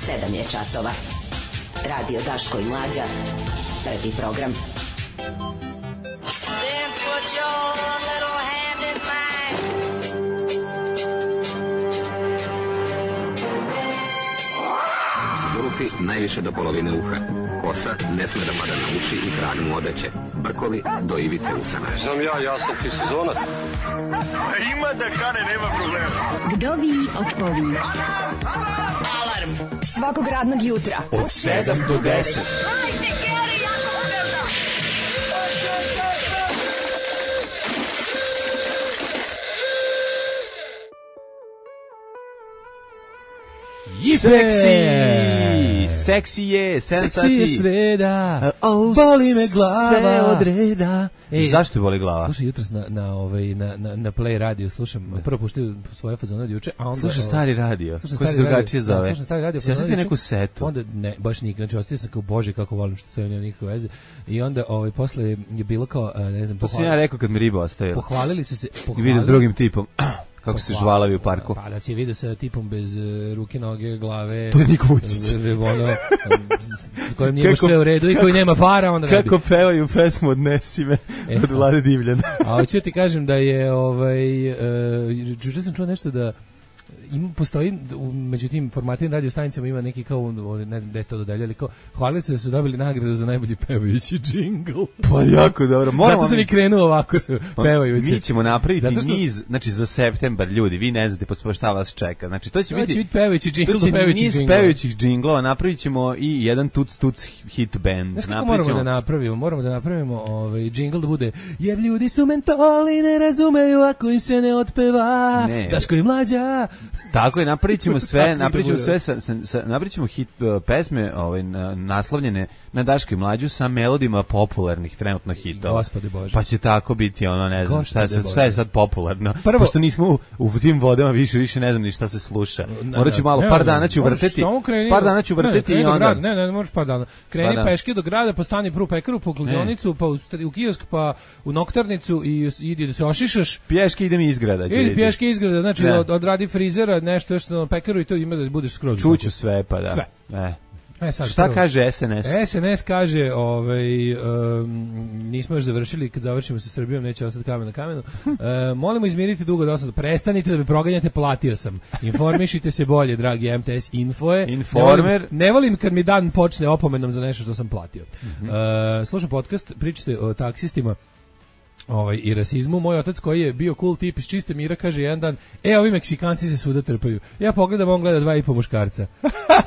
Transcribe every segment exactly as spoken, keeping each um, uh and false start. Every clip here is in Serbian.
sedam je časova. Radio Daško i Mlađa. Prvi program. Then put your little hand in mine. Zulufi najviše do polovine uha. Kosa ne sme da pada na uši i krag mu odeće. Brkovi do ivice usana. Znam ja, ja sam ti sezonac. Ima da kane, nema problema. Vdovi otpovi. Alarm svakog radnog jutra od sedam do deset. Seksi, seksi je, seksi je sreda, oh, boli me glava, sve od reda. Ej, zašto te boli glava? Slušaj, jutros na, na, ovaj, na, na, na Play radio slušam, prvo puštio svoje fazone od juče, a onda... Slušaj stari radio, slušam koji se drugačije zove. Slušam stari radio, ja sam ti neku setu. Onda, ne, baš nikad, znači ostio sam kao, bože, kako volim što sve nema nikakve veze. I onda, ovaj, posle je bilo kao, ne znam... To sam ja rekao kad mi riba ostavila. Pohvalili su se... I vidio s drugim tipom. Kako se žvalavi u parku. Pa da si vidio sa tipom bez uh, ruke, noge, glave. To je Niko Vučić. Ono, s kojim nije sve u redu i koji nema para. Onda kako bi. Pevaju pesmu Odnesi me e, od Vlade Divljana. A hoću ti kažem da je, ovaj, uh, juče sam čuo nešto da ima, postoji, među tim formativnim radio stanicama ima neki kao, ne znam gde ste to dodeljali, kao, hvalili se da su dobili nagradu za najbolji pevajući džingl. Pa jako dobro. Moramo zato sam mi krenuo ovako pevajući. Mi ćemo napraviti što... niz, znači za septembar, ljudi, vi ne znate po šta vas čeka. Znači to će to biti, biti pevajući džingl, to će pevajući niz džingl. pevajućih džinglova, napravit ćemo i jedan tuc tuc hit band. Znaš kako moramo da napravimo? Moramo da napravimo ovaj, džingl da bude, jer ljudi su mentoli, ne razumeju ako im se ne otpeva. Ne. Daško i Mlađa. Tako je, napravit ćemo sve, napravit ćemo sve, sa, sa, sa, napravit ćemo hit uh, pesme ovaj, na, naslovljene na Daško i Mlađu sa melodijama popularnih trenutno hitova. Gospode Bože. Pa će tako biti ono, ne znam, šta je, sad, šta je sad popularno. Prvo, pošto nismo u, u tim vodama više, više ne znam ni šta se sluša. Morat ću malo, ne, par dana ću vrteti, par dana ću vrteti ne, i onda... Ne, ne, ne možeš par dana. Kreni pa peške do grada, pa stani prvu pekaru, po kladionicu, pa u, u kiosk, pa u noktarnicu i idi da se ošišaš. Pješke idem iz grada. Idi pješke iz grada, znači od, odradi frizera, nešto još na pekaru i to ima da budeš skroz. Čuću sve, pa da. Sve. E. E, sad, šta prvo kaže S N S? S N S kaže, ovaj, um, nismo još završili, kad završimo sa Srbijom, neće ostati kamen na kamenu. Uh, molimo izmiriti dugo dosadu. Prestanite da me proganjate, platio sam. Informišite se bolje, dragi M T S Info je. Informer. Ne volim, ne volim kad mi dan počne opomenom za nešto što sam platio. Mm-hmm. Uh, slušam podcast, pričate o taksistima. Ovaj, i rasizmu. Moj otac koji je bio cool tip iz čiste mira kaže jedan dan, e, ovi Meksikanci se svuda trpaju. Ja pogledam, on gleda dva i po muškarca.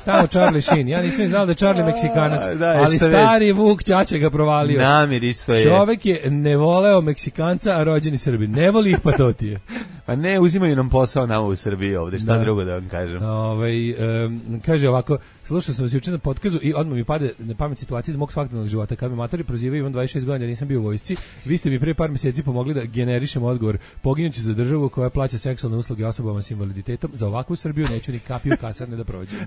Tamo Charlie Sheen. Ja nisam znao da je Charlie Meksikanac, da, ali stari Vuk Ćaća ga provalio. Namir isto je. Čovek je ne voleo Meksikanca, a rođeni Srbin. Ne voli ih, pa to ti je. Pa ne, uzimaju nam posao nama u Srbiji ovde, šta da. drugo da vam kažem. Ovaj, um, kaže ovako, slušao sam vas juče na podkazu i odmah mi pade na pamet situacija iz mog svakodnevnog života. Kad me matori prozivaju, imam dvadeset šest godina, nisam bio u vojsci, vi ste mi pre par mjeseci pomogli da generišem odgovor. Poginuću za državu koja plaća seksualne usluge osobama s invaliditetom. Za ovakvu Srbiju neću ni kapiju kasarne da prođem.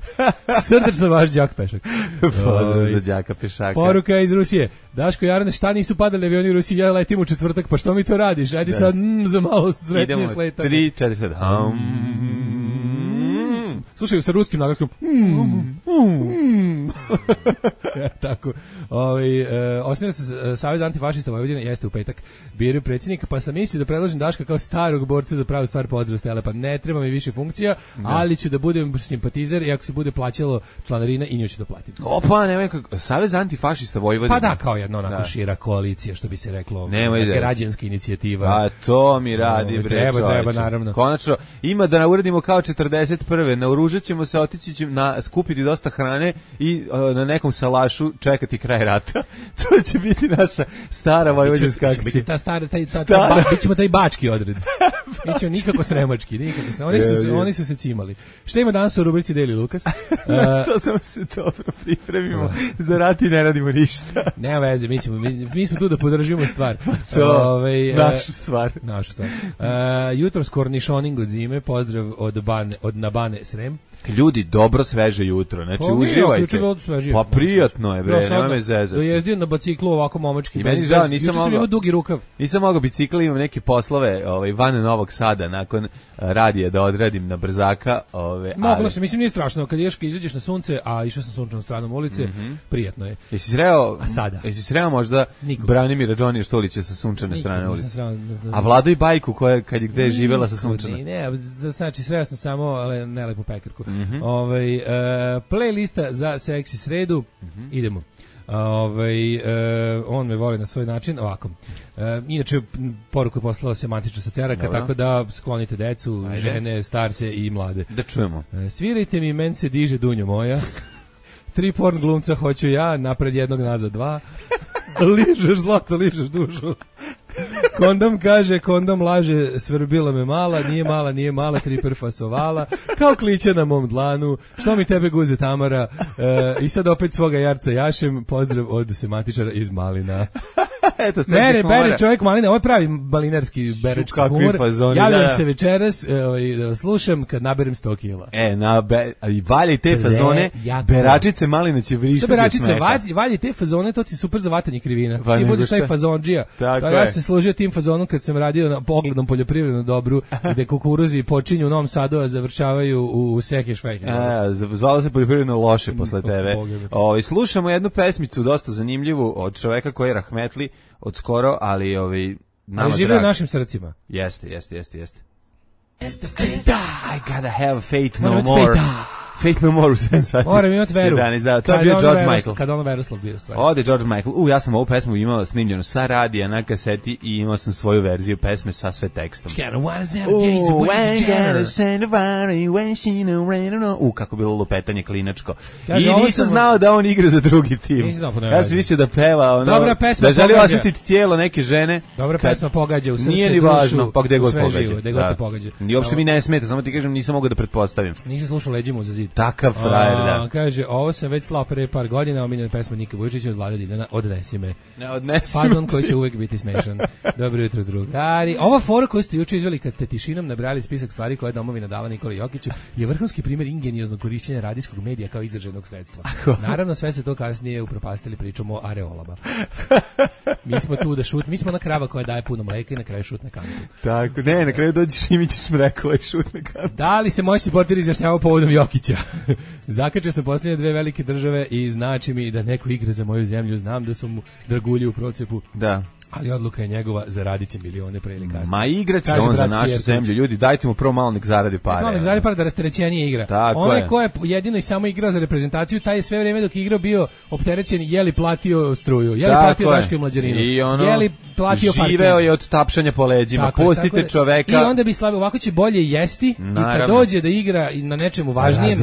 Srdačno vaš đak Pešak. Pozdrav za đaka Pešaka. Poruka iz Rusije. Daško Jarane, šta nisu padali avioni u Rusiji? Ja letim u četvrtak, pa što mi to radiš? Ajde da. sad mm, za malo sretnije sletanje. tri, četiri, sedam. Um. Slušaju sa ruskim naglaskom. Mm, mm. Tako. Ovaj e, osniva se Savez antifašista Vojvodine, jeste u petak. Biraju predsjednika, pa sam mislio da predložim Daška kao starog borca za pravu stvar pozdrav stela, pa ne treba mi više funkcija, da. ali ću da budem simpatizer i ako se bude plaćalo članarina i nju ću da platim. Opa, nemoj kako Savez antifašista Vojvodine. Pa da, kao jedna onako da. šira koalicija, što bi se reklo, građanska inicijativa. A to mi radi, bre. Treba, treba, naravno. Konačno, ima da nauradimo kao četrdeset prve naoružat ćemo se, otići ćemo na, skupiti dosta hrane i uh, na nekom salašu čekati kraj rata. To će biti naša stara vojvođanska akcija. Biti ta stara, taj, ta, ta, ba, bit ćemo taj bački odred. Nećemo nikako sremački, nikako sremački. Oni su, oni su se cimali. Šta ima danas u rubrici Deli Lukas? Uh, to samo se dobro pripremimo. Uh, za rat i ne radimo ništa. Nema veze, mi, ćemo, mi, mi smo tu da podržimo stvar. To, Ove, našu stvar. Našu stvar. Uh, jutro s kornišoning od zime, pozdrav od, bane, od Nabane Srem. Ljudi, dobro sveže jutro, znači Pa, uživajte. Svežije. Pa prijatno je, bre, nema me zezati. Dojezdio na biciklu ovako momački. I meni žao, nisam mogao. Juče sam dugi rukav. Nisam mogao bicikla, imam neke poslove ovaj, van Novog Sada, nakon radija da odradim na brzaka. Ove, Moglo ali... se, mislim nije strašno, kad ješ, kad izađeš na sunce, a išao sam sunčanom stranom ulice, mm-hmm. prijatno je. Jesi sreo, a sada? Jesi sreo možda Nikoga. Branimira Džonija Štulića sa sunčane Nikoga, strane ulice? Sreo, a Vlado i Bajku koja kad je gde je živela sa sunčane? Ne, ne, znači sreo sam samo ale nelepu pekarku. Mm-hmm. Ovaj uh, playlista za seksi sredu. Mm-hmm. Idemo. Ovaj uh, on me voli na svoj način ovako. Uh, inače poruku je poslala semantična saceraka, tako da sklonite decu, Ajde. žene, starce i mlade. Da čujemo. Uh, svirajte mi, men se diže dunjo moja. Tri porn glumca hoću ja, napred jednog, nazad dva. Ližeš zlato, ližeš dušu. Kondom kaže, kondom laže, svrbila me mala, nije mala, nije mala, tri prfasovala, kao kliće na mom dlanu, što mi tebe guze Tamara, e, i sad opet svoga jarca jašem, pozdrav od sematičara iz Malina. Eto, Bere, bere čovjek Malina, ovo je pravi malinarski berečki humor. Fazoni, javljam da, da. se večeras, e, slušam kad naberem sto kila. E, na be, i valje te fazone, beračice Malina će vrištati što beračice, valje, valje te fazone, to ti super za vatanje krivina. Pa ti budeš taj fazondžija. Pa ja se služio tim fazonom kad sam radio na poglednom poljoprivrednom dobru, gde kukuruzi počinju u Novom Sadu, a završavaju u Sekešvejke. E, zvalo se poljoprivredno loše posle tebe. Ovaj slušamo jednu pesmicu dosta zanimljivu od čoveka koji je rahmetli od skoro, ali ovaj nama ali živi u našim srcima. Jeste, jeste, jeste, jeste. I gotta have faith no more. Fate No More u sedam sati. Moram imati veru. jedanaest, da, to je bio George Veros, Michael. Kad ono Veroslav bio stvari. Ode George Michael. U, ja sam ovu pesmu imao snimljenu sa radija na kaseti i imao sam svoju verziju pesme sa sve tekstom. U, kako bilo lupetanje klinačko. I nisam znao da on igra za drugi tim. Ja sam mislio da peva ono, dobra pesma, da želi osjetiti tijelo neke žene. Dobra pesma pogađa u srce, nije ni važno, pa gde god pogađa. I uopšte mi ne smeta, samo ti kažem, nisam mogao da pretpostavim. Nisam slušao Leđimo za zid. Takav frajer, da. Kaže, ovo sam već slao pre par godina, omiljena pesma Nika Vujičića od Vlade Diljana, Odnesi me. Ne, odnesi me. Fazon koji će uvek biti smešan. Dobro jutro, drugari. Ova fora koju ste juče izveli kad ste tišinom nabrali spisak stvari koje je domovina dala Nikoli Jokiću je vrhunski primjer ingenioznog korišćenja radijskog medija kao izraženog sredstva. Naravno, sve se to kasnije upropastili pričom o areolama. Mi smo tu da šut, mi smo na krava koja daje puno mleka i na kraju šutne kantu. Tako, ne, na kraju dođeš i mi ćeš mrekova i šutne kantu. Da li se moji supporteri izjašnjavaju povodom Jokića? Zakačio sam posljednje dve velike države i znači mi da neko igra za moju zemlju. Znam da su mu dragulji u procepu. Da. Ali odluka je njegova, zaradit će milione pre ili kasnije. Ma igraće on za našu zemlju. Ljudi, dajte mu prvo malo nek zaradi pare. Malo nek zaradi pare da rasterećenije igra. Onaj ko je jedino i samo igrao za reprezentaciju, taj je sve vrijeme dok je igrao bio opterećen, je li platio struju, je li platio Daško i Mlađarinu, I ono, je li platio parking. Živeo je od tapšanja po leđima. Tako, Pustite tako čoveka. I onda bi slavio, ovako će bolje jesti. Naravno. I kad dođe da igra na nečemu važnijem,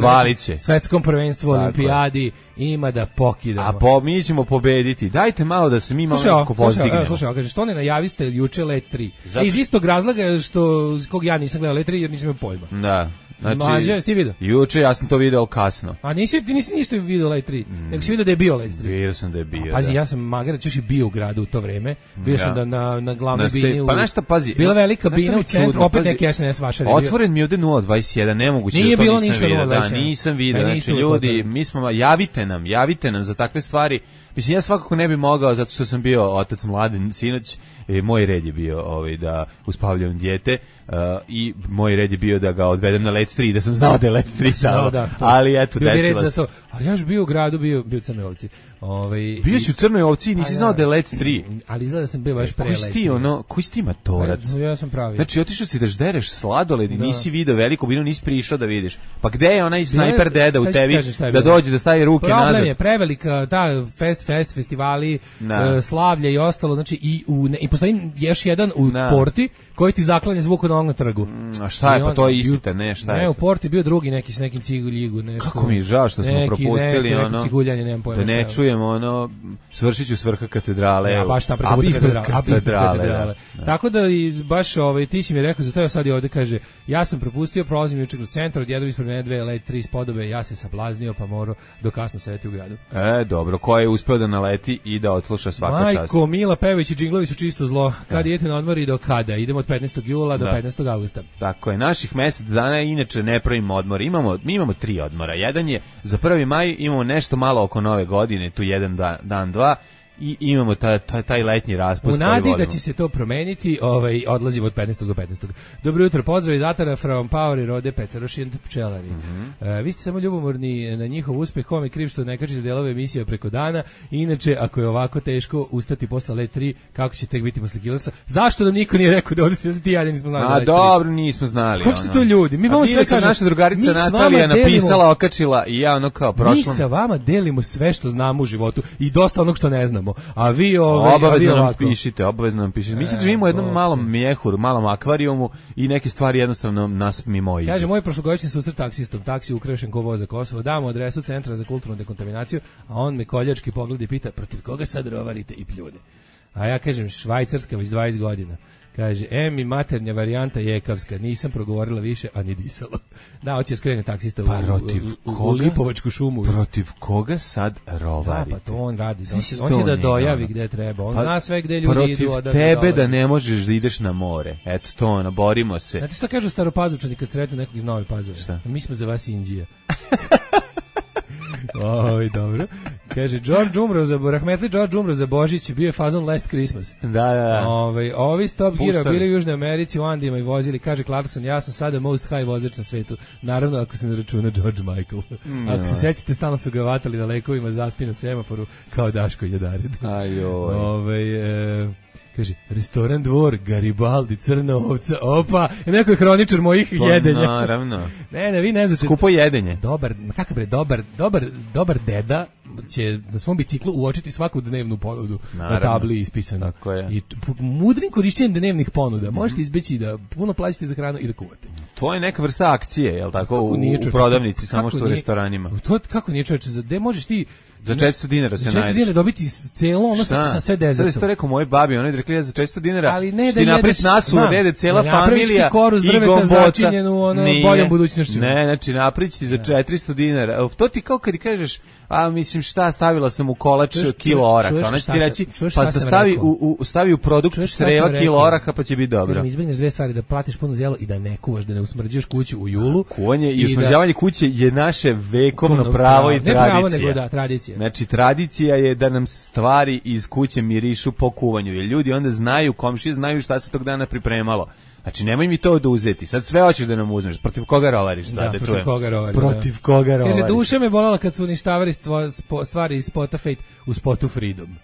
svetskom prvenstvu, olimpijadi, ima da pokidamo. A po, mi ćemo pobediti. Dajte malo da se mi malo neko pozdignemo. Slušaj, kaže, što ne najaviste juče Let tri? Zato... E, iz istog razloga što, kog ja nisam gledao Let tri jer nisam imao pojma. Da. Znači, Mađe, ti vidio? Juče ja sam to video kasno. A nisi, ti nisi nisto video Let tri, mm. nego si vidio da je bio Let tri. Vidio sam da je bio, A, Pazi, da. ja sam magarac još i bio u gradu u to vreme. Bio ja. sam da na, na glavnoj na bini. U... Pa našta, pazi. Bila velika bina u centru, čudno, opet pazi, neki S N S vašar. Otvoren mi je ovde nula dvadeset jedan, nemoguće Nije da to bilo nisam ništa vidio. nula dvadeset jedan. Da, nisam vidio. Znači, ljudi, mi smo, javite nam, javite nam za takve stvari. Mislim, ja svakako ne bi mogao, zato što sam bio otac mladen sinoć, e, moj red je bio ovaj, da uspavljam dijete uh, i moj red je bio da ga odvedem na Let tri, da sam znao da je Let tri tamo, da, ali eto, desilo se. Ali ja još bio u gradu, bio, bio u Crnoj Ovci. Ovaj, bio si u Crnoj Ovci i nisi znao da je Let tri. Ali izgleda da sam bio baš pre Let tri. Koji si ti, ono, koji si ti matorac? Ja sam pravi. Znači, otišao si da ždereš sladoled i nisi video veliku binu, nisi prišao da vidiš. Pa gde je onaj snajper deda u tebi da dođe, da stavi ruke nazad? Problem je prevelika, ta fest, fest, festivali, uh, slavlje i ostalo, znači i, u, ne, i postoji još jedan u na. Porti koji ti zaklanja zvuk od onog na trgu. Mm, a šta je, pa to je istite, ne, šta ne, je? Ne, u Porti bio drugi neki s nekim ciguljigu, nešto. Kako mi je žao što smo neki, propustili neki, ono. Neki ciguljanje, nemam pojma. Da ne čujemo ono, Svršiću s vrha katedrale. Ja, baš tam preko katedrale. katedrale da, da. Tako da i baš ovaj, ti si mi rekao, zato ja sad i ovde kaže, ja sam propustio, prolazim juče kroz centar, odjednom ispred mene dve Let tri spodobe, ja se sablaznio pa morao do kasno sedeti u gradu. E, dobro, ko je uspeo da naleti i da odsluša svaka čast. Majko, Mila Pević i džinglovi su čisto zlo. Kad idete na odmor i do kada? Idemo od petnaestog jula do da. petnaestog augusta. Tako je, naših mesec dana inače ne pravimo odmor. Imamo, mi imamo tri odmora. Jedan je za prvi maj, imamo nešto malo oko nove godine, tu jedan dan, dan dva, i imamo taj, taj, taj letnji raspust. U nadi da će se to promeniti, ovaj, odlazimo od petnaestog do petnaestog. Dobro jutro, pozdrav iz Atara from Power i Rode Pecaroši and pčelari. Mm -hmm. uh, vi ste samo ljubomorni na njihov uspeh, kom je kriv što ne kači za delove emisije preko dana. Inače, ako je ovako teško ustati posle Let tri, kako će tek biti posle Killersa? Zašto nam niko nije rekao da ovdje se ti ja nismo znali? A dobro, nismo znali. Kako ste to ljudi? Mi vama sve kažemo. Naša drugarica Natalija napisala, okačila i ja ono kao prošlo. Mi sa vama delimo sve što znamo u životu i dosta onog što ne znamo. A vi ove, obavezno a vi nam pišite, obavezno nam pišite. Mi se živimo u jednom malom mjehuru, malom akvarijumu i neke stvari jednostavno nas mimo iđu. Kaže, moj prošlogodišnji susret taksistom, taksi ukrešen ko voza Kosovo, damo adresu Centra za kulturnu dekontaminaciju, a on me koljački pogleda i pita, protiv koga sad rovarite i pljune? A ja kažem, Švajcarska već dvadeset godina. Kaže, em i maternja varijanta jekavska, nisam progovorila više, a ni disala. Da, hoće skrene taksista pa, u, u, u, u Lipovačku šumu. Protiv koga sad rovarite? Da, pa to on radi. On će, on će da dojavi gde treba. On pa, zna sve gde ljudi protiv idu. Protiv tebe da ne možeš da ideš na more. Eto to, ono, borimo se. Znate šta kažu Staropazovčani kad sretnu nekog iz Nove Pazove? Šta? Mi smo za vas Indija. Oj, dobro. Kaže, George umro za rahmetli George umro za Božić, bio je fazon Last Christmas. Da, da, da. Ove, ovi Stop Gira bili u Južnoj Americi u Andijima i vozili, kaže Clarkson, ja sam sada most high vozač na svetu. Naravno, ako se ne računa George Michael. Mm, ako se sećate, stalno su ga vatali na lekovima, zaspi na semaforu, kao Daško Jadarid. Ajoj. Ove, e, kaže, restoran Dvor, Garibaldi, Crna ovca, opa, neko je hroničar mojih pa, jedenja. Naravno. Ne, ne, vi ne znate. Skupo jedenje. Dobar, kakav bre, dobar, dobar, dobar deda će na svom biciklu uočiti svaku dnevnu ponudu na tabli ispisano. Tako je. I mudrim korišćenjem dnevnih ponuda možete izbeći da puno plaćate za hranu i da kuvate. To je neka vrsta akcije, je l' tako, u, u prodavnici, samo što u restoranima. To kako nije čoveče, za gde možeš ti za četiristo dinara se nađeš. Za četiristo dinara dobiti celo ono sa, sa sve dezetom. Sada je to rekao moj babi, oni rekli ja za četiristo dinara, ali ne što ti napriš nasu, dede, cela familija i gomboca. Ono, boljom budućnošću. Ne, znači naprić ti za četiristo dinara. To ti kao kad kažeš, a mislim šta, stavila sam u kolač čuš, kilo oraha. Ona će ti reći, pa da stavi u, u, stavi u produkt creva kilo oraha pa će biti dobro. Kažem, izbjegneš dve stvari, da platiš puno zelo i da ne kuvaš, da ne usmrđuješ kuću u julu. Kuvanje i usmrđavanje kuće je naše vekovno pravo i tradicija. Ne pravo, nego da, tradicija. Znači, tradicija je da nam stvari iz kuće mirišu po kuvanju, jer ljudi onda znaju, komšije znaju šta se tog dana pripremalo. Znači, nemoj mi to da uzeti. Sad sve hoćeš da nam uzmeš. Protiv koga rovariš sad? Da, da protiv koga rovariš. Protiv da. koga rovariš. Kaže, duša me bolala kad su uništavali stvari iz spota Fate u spotu Freedom.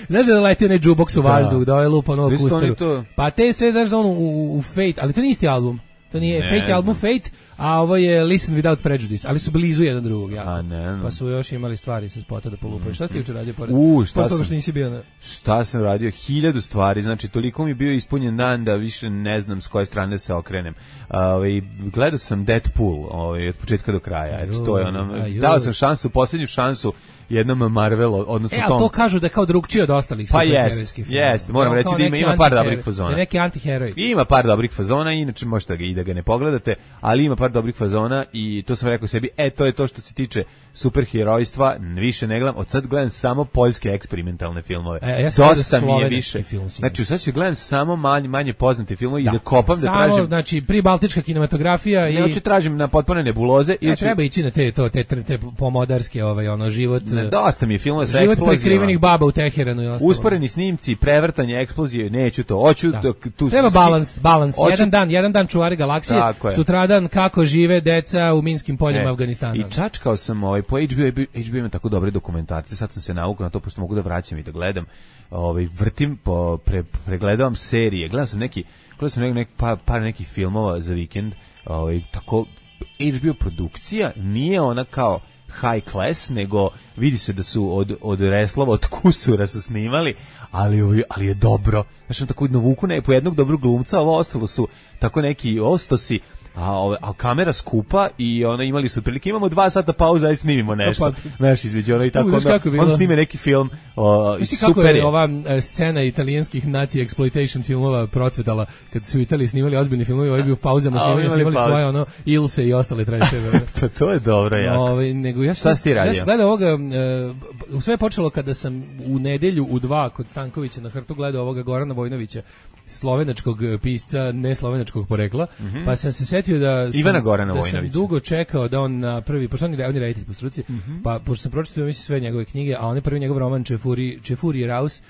Znaš da leti onaj jukebox u vazduh, da ovaj lupa novu kusteru. Pa te sve, znaš da ono u, u Fate, ali to nije isti album. To nije ne, Fate je album Fate, a ovo je Listen Without Prejudice, ali su blizu jedan drugog. Ja. A ne, ne. Pa su još imali stvari sa spota da polupaju. Šta ste juče radio pored? U, šta toga što nisi bio na... Šta sam radio? Hiljadu stvari, znači toliko mi je bio ispunjen dan da više ne znam s koje strane se okrenem. Ovaj gledao sam Deadpool, ovaj od početka do kraja. Eto, to je ono. Dao sam šansu, posljednju šansu jednom Marvelu, odnosno e, tom. E, to kažu da je kao drugčije od ostalih pa superherojskih filmova. Pa jeste, moram reći da ima, ima par dobrih fazona. Da neki antiheroj. Ima par dobrih fazona, inače možete ga i da ga ne pogledate, ali ima par dobrih fazona i to sam rekao sebi, e, to je to što se tiče superherojstva, više ne gledam, od sad gledam samo poljske eksperimentalne filmove. E, ja dosta mi je više. Znači, sad ću gledam samo manje, manje poznate filmove da. i da kopam, samo, da tražim. Znači, pribaltička kinematografija i... Ne, hoću tražim na potpune nebuloze. Ne, treba ići na te, to, te, te, te pomodarske, ovaj, ono, život... Ne, dosta mi je filmova sa život prekrivenih baba u Teheranu i ostalo. Usporeni snimci, prevrtanje, eksplozije, neću to. Hoću da. da, tu... Treba balans, balans. Hoću... Jedan dan, jedan dan čuvari galaksije, sutradan kako žive deca u minskim poljima e, Afganistana. I čačkao sam ovaj, po H B O, H B O ima tako dobre dokumentarce, sad sam se naukao na to, pošto mogu da vraćam i da gledam. Ovaj, vrtim, po, pre, pregledavam serije, gledao sam neki, gledao sam neki, par, par nekih filmova za vikend, ovaj, tako, H B O produkcija nije ona kao high class, nego vidi se da su od, od Reslova, od Kusura su snimali, ali, ali je dobro. Znači, on tako navuku ne, po jednog dobrog glumca, ovo ostalo su tako neki ostosi, a, ove, a kamera skupa i ona imali su otprilike, imamo dva sata pauza i snimimo nešto. Znaš, između ono i tako, onda, onda snime neki film. O, Viš ti kako je, je ova scena italijanskih naci exploitation filmova procvetala, kad su u Italiji snimali ozbiljni filmovi, ovaj bi u pauzama snimali, snimali svoje ono, Ilse i ostale tradicije. Pa to je dobro, jako. Ove, nego ja sam, ja sam gledao ovoga, uh, sve je počelo kada sam u nedelju u dva kod Stankovića na Hrtu gledao ovoga Gorana Vojnovića, slovenačkog pisca, ne slovenačkog porekla, mm-hmm. pa sam se setio da sam, Ivana Gorana da Vojnovića. sam dugo čekao da on na prvi, pošto on je, on je reditelj po struci, mm-hmm. pa pošto sam pročitao mislim sve njegove knjige, a on je prvi njegov roman Čefuri, Čefuri Raus,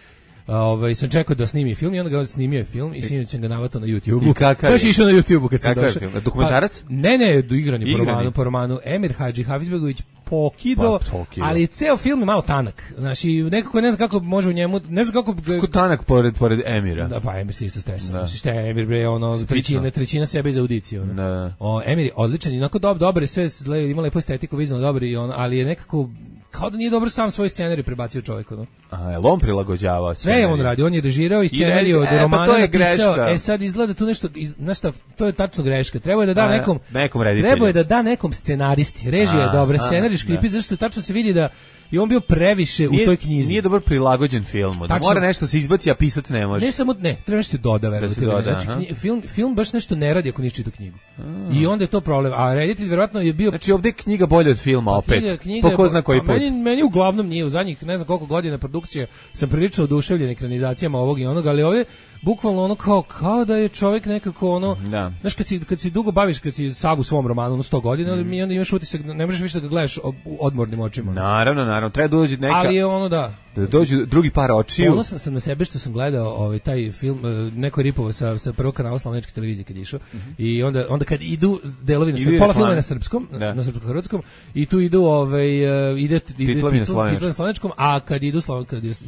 ovaj sam čekao da snimi film i onda ga snimio je film i sinoć sam ga navatao na YouTubeu. Baš je išao na YouTubeu kad sam došao. Dokumentarac? Pa, ne, ne, igrani po romanu, po romanu Emir Hadži Hafizbegović Pokido, pa, ali ceo film je malo tanak. Znači, nekako ne znam kako može u njemu, ne znam kako... Kako tanak pored, pored Emira? Da, pa Emir se isto stesa. Znači, šta je Emir, bre, ono, trećina, trećina sebe iz audicije. Ono. Da. O, Emir je odličan, inako dob, dobar je sve, ima lepo estetiku, vizualno dobar, i on, ali je nekako, kao da nije dobro sam svoj scenarij prebacio čovjek. Ono. A, je li on prilagođavao sve je on radi, on je režirao i scenarij od romana pa napisao, e sad izgleda tu nešto, znaš šta, to je tačno greška, treba je da da a, nekom, nekom treba je da da nekom scenaristi, režija je dobra, scenarij škripi, zašto tačno se vidi da i on bio previše nije, u toj knjizi. Nije dobro prilagođen filmu. Da mora nešto se izbaci, a pisac ne može. Ne samo ne, treba nešto se doda, verovatno. Da znači, knji, film film baš nešto ne radi ako nisi čitao knjigu. A. I onda je to problem. A reditelj verovatno je bio. Znači ovde je knjiga bolja od filma opet. Knjiga, knjiga, po ko zna koji put. Meni, meni uglavnom nije u zadnjih ne znam koliko godina produkcije sam prilično oduševljen ekranizacijama ovog i onog, ali ovdje bukvalno ono kao kao da je čovjek nekako ono, da. Znaš kad si kad si dugo baviš, kad si sav u svom romanu ono sto godina, mm. mi onda imaš utisak, ne možeš više da ga gledaš odmornim očima. Naravno, naravno, treba doći neka. Ali je ono da. Da dođu drugi par očiju. Ponosan sam na sebe što sam gledao ovaj taj film, neko je ripovao sa sa prvog kanala slovenačke televizije kad je išao. Mm-hmm. I onda onda kad idu delovi na srpskom, pola filma je na srpskom, da. na srpskom hrvatskom i tu idu ovaj uh, ide ide titlovi na slovenačkom, a kad idu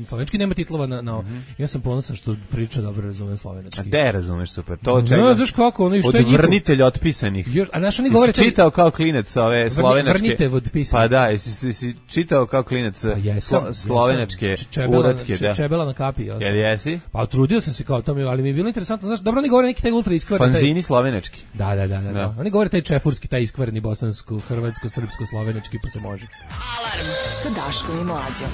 slovenski nema titlova na, na mm-hmm. Ja sam ponosan što priča dobro razumem slovenački. A de razumeš super. To čega? No, znaš kako, ono i što je vrnitelj otpisanih. Još, a naš oni govore čitao kao klinec ove slovenačke. Vrnitelj otpisanih. Pa da, jesi si čitao kao klinec pa slovenačke uratke, da. Čebela na kapi, ja. Jel jesi? Pa trudio sam se kao to mi, ali mi je bilo interesantno, znaš, dobro oni govore neki taj ultra iskvareni. Fanzini slovenački. Da, da, da, da, da. Oni govore taj čefurski, taj iskvareni bosansko, hrvatsko, srpsko, slovenački, pa se može. Alarm sa Daškom i Mlađom.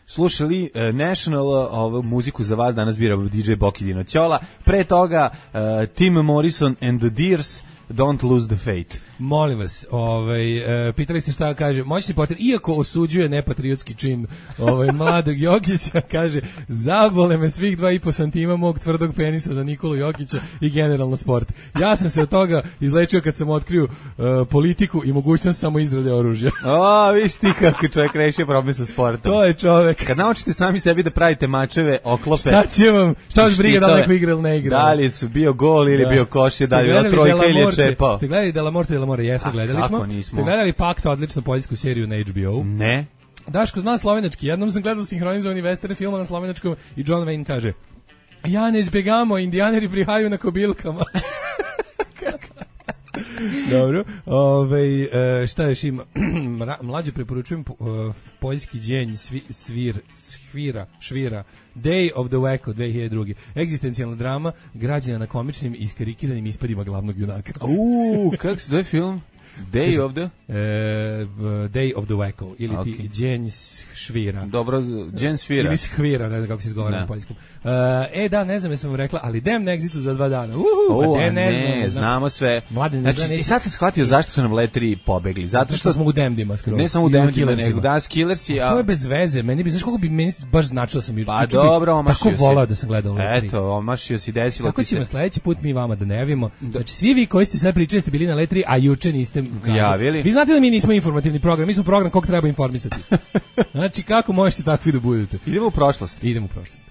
Slušali uh, National, uh, ovu muziku za vas danas bira D J Boki Dinoćola. Pre toga uh, Tim Morrison and the Deers, Don't Lose the Faith. Molim vas, ovaj, e, pitali ste šta kaže, moćni Potter, iako osuđuje nepatriotski čin ovaj, mladog Jokića, kaže, zabole me svih dva i po santima mog tvrdog penisa za Nikolu Jokića i generalno sport. Ja sam se od toga izlečio kad sam otkrio uh, politiku i mogućnost samo izrade oružja. O, viš ti kako čovjek rešio problem sa sportom. To je čovjek. Kad naučite sami sebi da pravite mačeve, oklope. Šta će vam, šta vas briga da li neko igra ili ne igra? Da li su bio gol ili da. bio koš, da li je trojka ili je čepao. Ste gledali Della Morte, Della More, jesmo, gledali smo. Ste gledali Pakta, odličnu poljsku seriju na H B O? Ne. Daško zna slovenački, jednom sam gledao sinhronizovani western film na slovenačkom i John Wayne kaže: ja ne izbjegamo, indijaneri prihaju na kobilkama. Dobro. Ove, šta još ima? Mlađe preporučujem poljski dženj svi, svir, svira, švira Day of the Wacko dve hiljade druge. Egzistencijalna drama građena na komičnim i iskarikiranim ispadima glavnog junaka. Uuu, kako se zove film? Day of the? Uh, Day of the Wacko ili okay. ti dženj švira. Dobro, dženj svira. Ili švira, ne znam kako se izgovara na poljskom. Uh, e da, ne znam, ja sam vam rekla, ali dem na Exitu za dva dana. Uhu, uh, ne, ne, ne, ne, znamo sve. Mladen, ne znači, zna, i sad sam shvatio zašto su nam letri pobegli. Zato što smo u Demdima skroz. Ne samo u Demdima, nego da, Killersi. A to je bez veze. Meni bi, znaš koliko bi meni baš značilo sam Pa dobro, omašio si. Tako volao da sam gledao letri. Eto, omašio si, desilo tako ti se. Tako ćemo sledeći put mi vama da ne javimo. Znači, svi vi koji ste sad pričali ste bili na letri, a juče niste javili. Vi znate da mi nismo informativni program, mi smo program kog treba informisati. Znači, kako možete takvi da budete? Idemo u prošlost. Idemo u prošlost.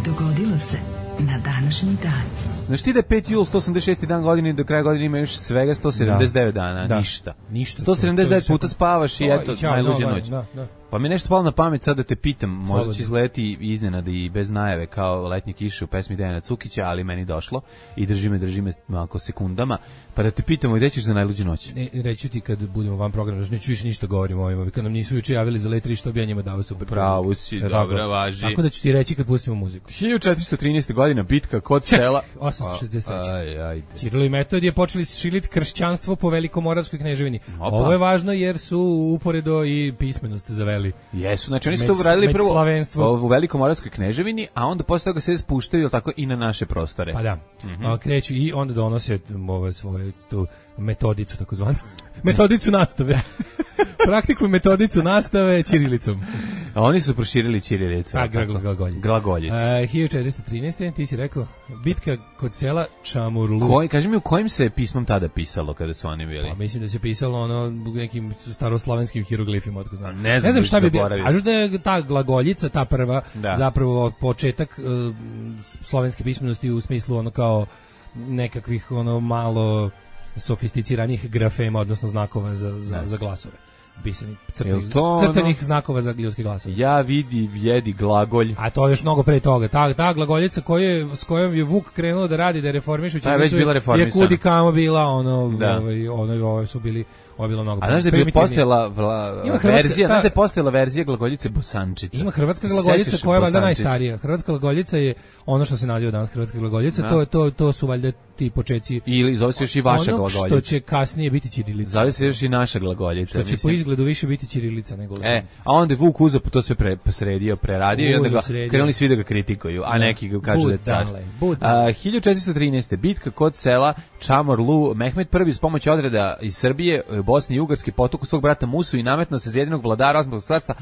Dogodilo se na današnji dan. Znaš ti da je peti jul sto osamdeset šesti dan godine i do kraja godine ima još svega sto sedamdeset devet da. dana, da. ništa. Ništa. sto sedamdeset devet puta spavaš i eto, najluđa noć. Da, da. Pa mi nešto palo na pamet sad da te pitam, možda će izgledati iznenada i bez najave kao letnje kiše u pesmi Dejana Cukića, ali meni došlo i drži me, drži me malko sekundama, pa da te pitamo i gde ćeš za najluđu noć? Ne, reću ti kad budemo van programa, znači neću više ništa govorimo o ovima, kad nam nisu juče javili za letri što bi ja njima dao super. Pravo si, dobra, važi. Tako da ću ti reći kad pustimo muziku. hiljadu četiristo trinaeste godina, bitka kod sela. osamsto šezdeset treće Aj, ajde. Ćirilo i Metodije počeli širiti kršćanstvo po Velikomoravskoj kneževini. Opa. Ovo je važno jer su uporedo i pismenost zaveli uradili. Jesu, znači oni su Med- to uradili prvo medslavenstvo. u Velikomoravskoj kneževini, a onda posle toga se spuštaju jel tako i na naše prostore. Pa da. Mhm. A, kreću i onda donose ove svoje tu metodicu takozvanu. Metodicu nastave. Praktikuju metodicu nastave ćirilicom. A oni su proširili ćirilicu. A, jel tako? gra- glagoljicu. Glagoljicu. E, hiljadu četiristo trinaeste. ti si rekao, bitka kod sela Čamurlu. Koji, kaži mi u kojim se pismom tada pisalo kada su oni bili? Pa mislim da se pisalo ono nekim staroslavenskim hieroglifima, otko znam. Ne znam, ne znam šta bi bilo. zaboravio A sam. da je ta glagoljica, ta prva, Da. zapravo početak uh, slovenske pismenosti u smislu ono kao nekakvih ono malo sofisticiranih grafema, odnosno znakova za, za, za glasove. Pisanih, Jel crtenih, to ono- crtenih znakova za ljudske glasove. Ja vidi, jedi glagolj. A to je još mnogo pre toga. Ta, ta glagoljica koje, s kojom je Vuk krenuo da radi, da reformiše Ta je već ćirilicu, bila je reformisana. kudi kamo bila, ono, Da. ovaj, ono, ovo su bili, ovo je bilo mnogo A znaš da je bila primitivnije. postojala vla, Ima hrvatska- verzija, ta- znaš da je postojala verzija glagoljice Bosančica. Ima hrvatska glagoljica Sećaš se koja je valjda Bosančice? najstarija. Hrvatska glagoljica je ono što se naziva danas hrvatska glagoljica, Da. to, je- to, to su valjda ti počeci Ili zove se još i vaša onog što glagoljica. će kasnije biti ćirilica. Zove se još i naša glagoljica. Što će mislim. po izgledu više biti ćirilica nego E, glagoljica. a onda je Vuk uzeo to sve pre, sredio, preradio i onda Uzeo, ga sredio. krenuli svi da ga kritikuju, a neki ga kažu da je car. Budale, budale. A, hiljadu četiristo trinaeste. bitka kod sela Čamorlu, Mehmed prvi s pomoći odreda iz Srbije, Bosne i Ugarske potuku svog brata Musu i nametno se za jedinog vladara Osmanskog carstva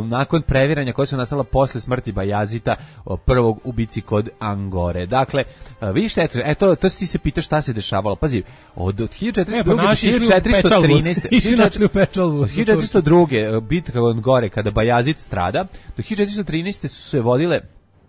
nakon previranja koje su nastala posle smrti Bajazita, o, prvog u bici kod Angore. Dakle, a, vidiš, eto, eto, to si ti se pitaš šta se dešavalo. Pazi, od, od hiljadu četiristo druge E, pa do naši išli u hiljadu četiristo trinaeste. Išli našli u Pečalvu. Od hiljadu četiristo druge. bitka kod Gore, kada Bajazid strada, do hiljadu četiristo trinaeste su se vodile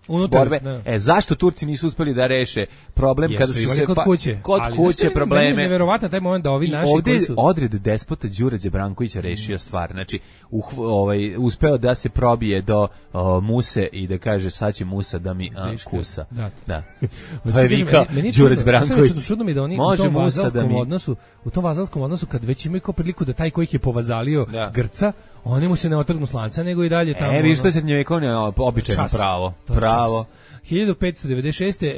Unutar, borbe. da. E, zašto Turci nisu uspeli da reše problem Jesu kada su imali se kod pa- kuće. kod Ali, kuće znaš šta je meni probleme. neverovatan taj moment da ovi I naši ovde koji su- odred despota Đurađe Brankovića rešio stvar. Znači, uh, ovaj, uspeo da se probije do o, Muse i da kaže sad će Musa da mi a, Viška. kusa. Da. Da. Pa To je kažem, vikao meni- meni je Đurađ čudno, sad Branković. čudno, čudno mi da oni Može u tom Musa da vazalskom mi... odnosu, u tom vazalskom odnosu kad već imaju kao priliku da taj koji ih je povazalio Da. Grca, oni mu se ne otrgnu s lanca, nego i dalje tamo. E, vidiš, to ono- je srednjovekovno običajno Čas. pravo. To je Pravo. čas. hiljadu petsto devedeset šeste. E,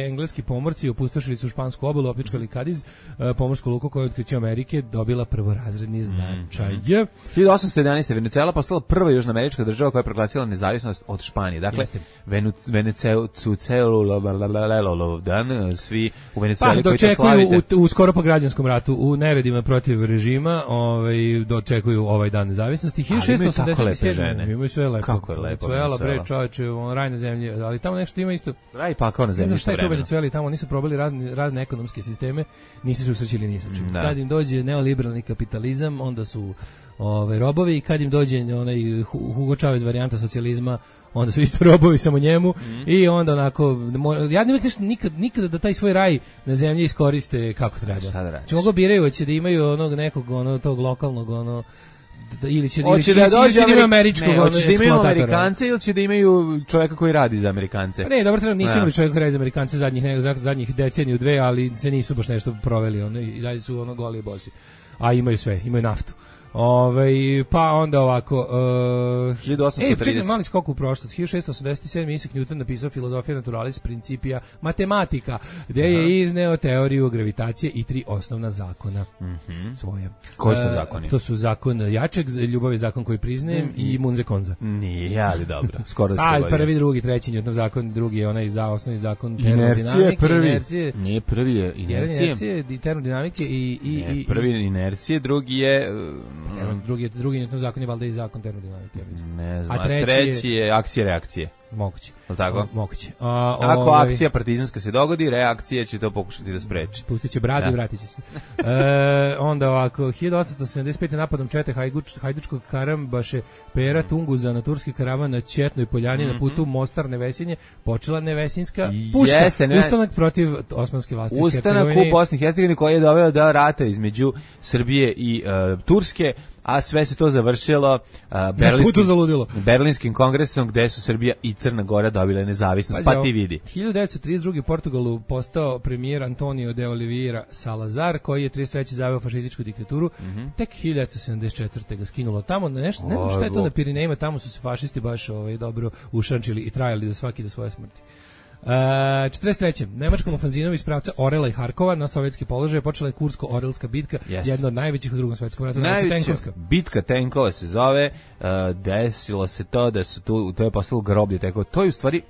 engleski pomorci opustošili su špansku obalu, opljačkali Kadiz, e, pomorsku luku koju je otkriće Amerike dobila prvorazredni značaj. hiljadu osamsto jedanaeste. Venezuela postala prva južnoamerička država koja je proglasila nezavisnost od Španije. Dakle, Jeste. Venezuela dan svi u Pa Venezueli koji to dočekuju slavite. u, u skoro po građanskom ratu, u neredima protiv režima, ovaj, dočekuju ovaj dan nezavisnosti. Ali imaju tako lepe hiljadu šessto osamdeset sedme. žene. Imaju sve lepo. Kako je lepo Venezuela, bre, Venezuela. čoveče, on, raj na zemlji, ali tamo nešto ima isto. Raj pakao na Ne znam zemlji šta je to u vremena. Venezueli, tamo nisu probali razne, razne ekonomske sisteme, nisu se usrećili ni sa čim. Da. Kad im dođe neoliberalni kapitalizam, onda su ove, robovi, i kad im dođe onaj Hu- Hugo Chavez varijanta socijalizma, onda su isto robovi samo njemu i onda onako mo- ja ne uvijek nešto nikad, nikada da taj svoj raj na zemlji iskoriste kako treba. Šta da radiš? Če mogu biraju, hoće da imaju onog nekog ono, tog lokalnog ono, da, ili će, ili Hoće će, da ili će, ili dođe će da imaju Ameri- američkog ne, ono, hoće da imaju eksploatatora. Amerikance ili će da imaju čovjeka koji radi za Amerikance? Pa ne, dobro, trenutno nisu Da. imali čovjek koji radi za Amerikance zadnjih, ne, zadnjih deceniju, dve, ali se nisu baš nešto proveli, ono, i dalje su ono goli i bosi. A imaju sve, imaju naftu. Ove, pa onda ovako uh, hiljadu osamsto ej, čekaj, trideset. mali skok u prošlost. hiljadu šessto osamdeset sedme. Isaac Newton napisao Filosofija naturalis principia mathematica, gde je izneo teoriju gravitacije i tri osnovna zakona svoje. Koji su E, zakoni? To su zakon jačeg, ljubav je zakon koji priznajem i Munze konza. Nije, ali dobro. Skoro se A, govorio. prvi, drugi, treći Newtonov zakon, drugi je onaj za osnovni zakon Inercije termodinamike, prvi. inercije, Nije prvi je inercije. inercije, i termodinamike i i Ne, i prvi je inercije, drugi je i- termo- drugi je drugi Newtonov zakon je valjda i zakon termodinamike, ja mislim. ne znam, A a treći treći je akcije reakcije. Moguće. Je li tako? Moguće. A, Ako ovaj, akcija partizanska se dogodi, reakcija će to pokušati da spreči. pustit će bradu Da. i vratit će se. E, onda ovako, hiljadu osamsto sedamdeset pete. napadom čete Hajduč, Hajdučkog Karambaše Pera Tunguza na turski karavan na Ćetnoj poljani na putu Mostar Nevesinje počela Nevesinska puška. Jeste, ne- Ustanak protiv osmanske vlasti u Ustanak Hercegovini. u Bosni i Hercegovini koji je doveo do rata između Srbije i e, Turske, a sve se to završilo uh, putu berlinskim, zaludilo. berlinskim kongresom gde su Srbija i Crna Gora dobile nezavisnost. Pazi, Pa ovo, ti vidi. hiljadu devetsto trideset druge. u Portugalu postao premijer Antonio de Oliveira Salazar, koji je trideset treće zaveo fašističku diktaturu. Tek hiljadu devetsto sedamdeset četvrte. ga skinulo tamo na nešto, ne znam šta je to na Pirinejima, tamo su se fašisti baš ovaj, dobro ušančili i trajali do svaki do svoje smrti. Uh, četrdeset treće Nemačkom ofanzivom iz pravca Orela i Harkova na sovjetski položaj počela je Kursko-Orelska bitka, yes. jedna od najvećih u Drugom svjetskom ratu. Najveća bitka tenkova se zove, uh, desilo se to da su tu, to je postalo groblje tenkova. To je u stvari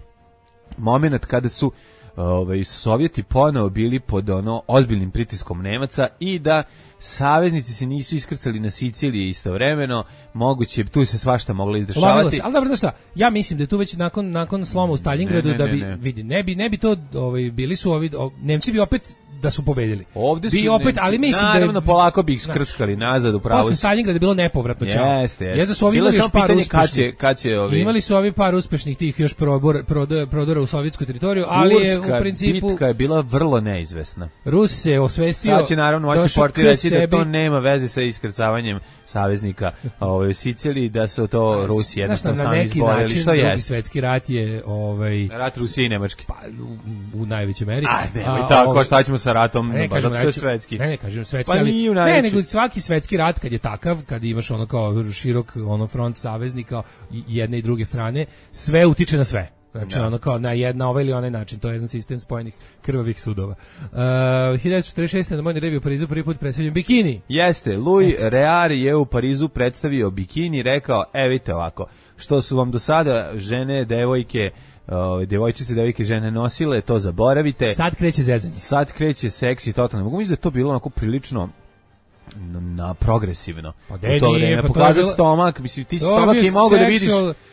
moment kada su ovaj Sovjeti ponovo bili pod ono ozbiljnim pritiskom Nemaca i da saveznici se nisu iskrcali na Siciliji istovremeno, moguće tu se svašta moglo izdešavati. Se, ali dobro, znaš šta, ja mislim da je tu već nakon nakon sloma u Stalingradu da bi ne. vidi, ne bi ne bi to ovaj bili su ovi o, Nemci bi opet da su pobedili. Ovde su bi opet, Nemci, ali mislim naravno, da je, polako bi ih skrčkali nazad u pravu. Posle Stalingrada je bilo nepovratno čao. Jeste, jeste. Jeste su ovi imali još par uspešnih. Kad će ovi... Imali su ovi par uspešnih tih još probor, prodora, prodora u sovjetsku teritoriju, ali Urska je u principu bitka je bila vrlo neizvesna. Rus se osvestio. Sad će naravno moći porti reći da to nema veze sa iskrcavanjem saveznika ovaj, u Siciliji, da su to Rusi jednostavno sami izborili. Što je? Drugi svetski rat je... Ovaj, rat Rusije i Nemačke. Pa, u, u najvećoj meri. A, nemoj tako, ovaj, šta ćemo sa ratom? Ne, kažem, sve svetski. Ne, ne, kažem svetski, pa ali... Ne, nego svaki svetski rat kad je takav, kad imaš ono kao širok ono front saveznika jedne i druge strane, sve utiče na sve. Znači, da. ono kao na jedna ovaj ili onaj način, to je jedan sistem spojenih krvavih sudova. Uh, hiljadu četrdeset šeste na Modnoj revi u Parizu prvi put predstavljen bikini. Jeste, Louis Reard je u Parizu predstavio bikini, rekao, e vidite ovako, što su vam do sada žene, devojke, uh, devojčice, devojke, žene nosile, to zaboravite. Sad kreće zezanje. Sad kreće seksi, totalno. Mogu misliti da je to bilo onako prilično na, na progresivno. Pa de, to nije, pa pokazati bilo... stomak, mislim, ti si stomak i mogu da vidiš...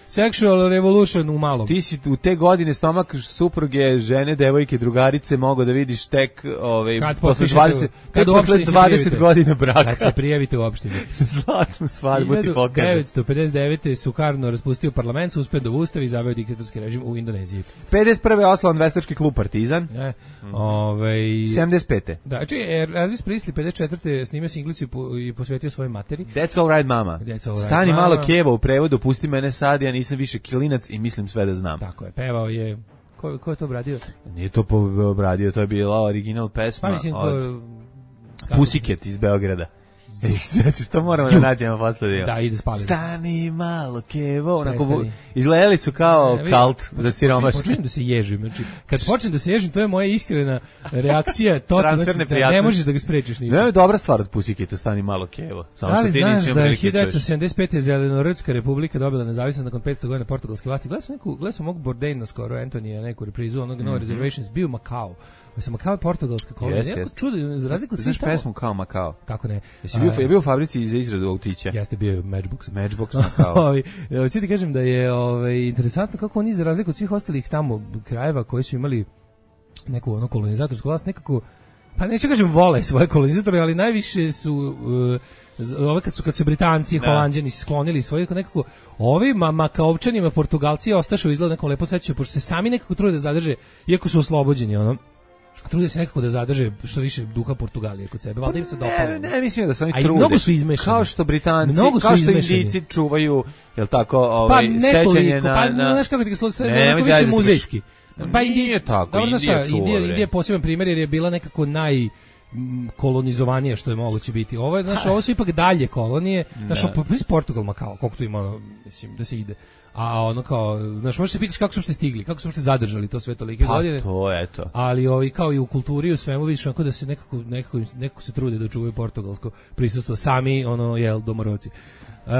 Sexual revolution u malom. Ti si u te godine stomak supruge, žene, devojke, drugarice mogu da vidiš tek ovaj, kad posle dvadeset, kad posle dvadeset godina braka. Kad se prijavite u opštini. Zlatnu svadbu ti pokaže. hiljadu devetsto pedeset devete Sukarno raspustio parlament, suspendov ustav i zaveo diktatorski režim u Indoneziji. pedeset prve osnovan veštački klub Partizan. Ne. Mm. Ovaj sedamdeset pete Da, znači Elvis Presley pedeset četvrte snimio singlicu i posvetio svojoj materi. That's all right, mama. All right, Stani mama. malo Kevo u prevodu, pusti mene sad, ja nisam više kilinac i mislim sve da znam. Tako je, pevao je. Ko, ko je to obradio? Nije to obradio, to je bila original pesma pa, mislim, ko, od Pussycat iz Beograda. Znači, to moramo da nađemo posle. Da, ide spaliti. Stani malo Kevo, onako izgledali su kao ne, kalt za siromašne. Počnem da se ježim, znači kad počnem da se ježim, to je moja iskrena reakcija, to znači da ne možeš da ga sprečiš ničim. Ne, je dobra stvar od Pussycata, stani malo Kevo. Samo što ti znaš nisi da je hiljadu devetsto sedamdeset pete Zelenorodska republika dobila nezavisnost nakon petsto godina portugalske vlasti. Gledao sam neku, gledao sam mogu Bourdaina skoro, Antonija, neku reprizu onog mm -hmm. No Reservations, bio Macao. Mislim, Macao je portugalska kolonija. Jeste, jeste. Čudo, za razliku od svih tamo. Znaš pesmu kao Macao? Kako ne? Jesi bio, je bio u fabrici za izradu autića? Jeste, bio je Matchbox. Matchbox Macao. Hoću ti kažem da je ovaj, interesantno kako oni, za razliku od svih ostalih tamo krajeva koji su imali neku ono kolonizatorsku vlast, nekako, pa neću kažem vole svoje kolonizatore, ali najviše su... Uh, ove kad su kad su Britanci i Holanđani sklonili svoje nekako ovima Makaovčanima Portugalci ostašu izgleda nekom lepo sećaju pošto se sami nekako trude da zadrže iako su oslobođeni ono trude se nekako da zadrže što više duha Portugalije kod sebe, valjda im se dopalo. Ne, ne, mislim da se oni trude. trude. Mnogo su izmešani. Kao što Britanci, kao što Indijci čuvaju, jel tako, ovaj pa sećanje na pa na znaš kako ti ga sve više muzejski. Pa Indija tako, dobro, Indija čuva. Indija, Indija je poseban primjer jer je bila nekako naj kolonizovanije što je moguće biti. Ovo je, znaš, ovo su ipak dalje kolonije. Znaš, iz Portugal Makao, koliko tu ima, ono, mislim, da se ide. A ono kao, znaš, možeš se pitati kako su uopšte stigli, kako su uopšte zadržali to sve tolike pa godine. Pa to, eto. Ali ovi, kao i u kulturi, u svemu vidiš, onako da se nekako, nekako, nekako se trude da čuvaju portugalsko prisustvo. Sami, ono, jel, domorodci. Uh,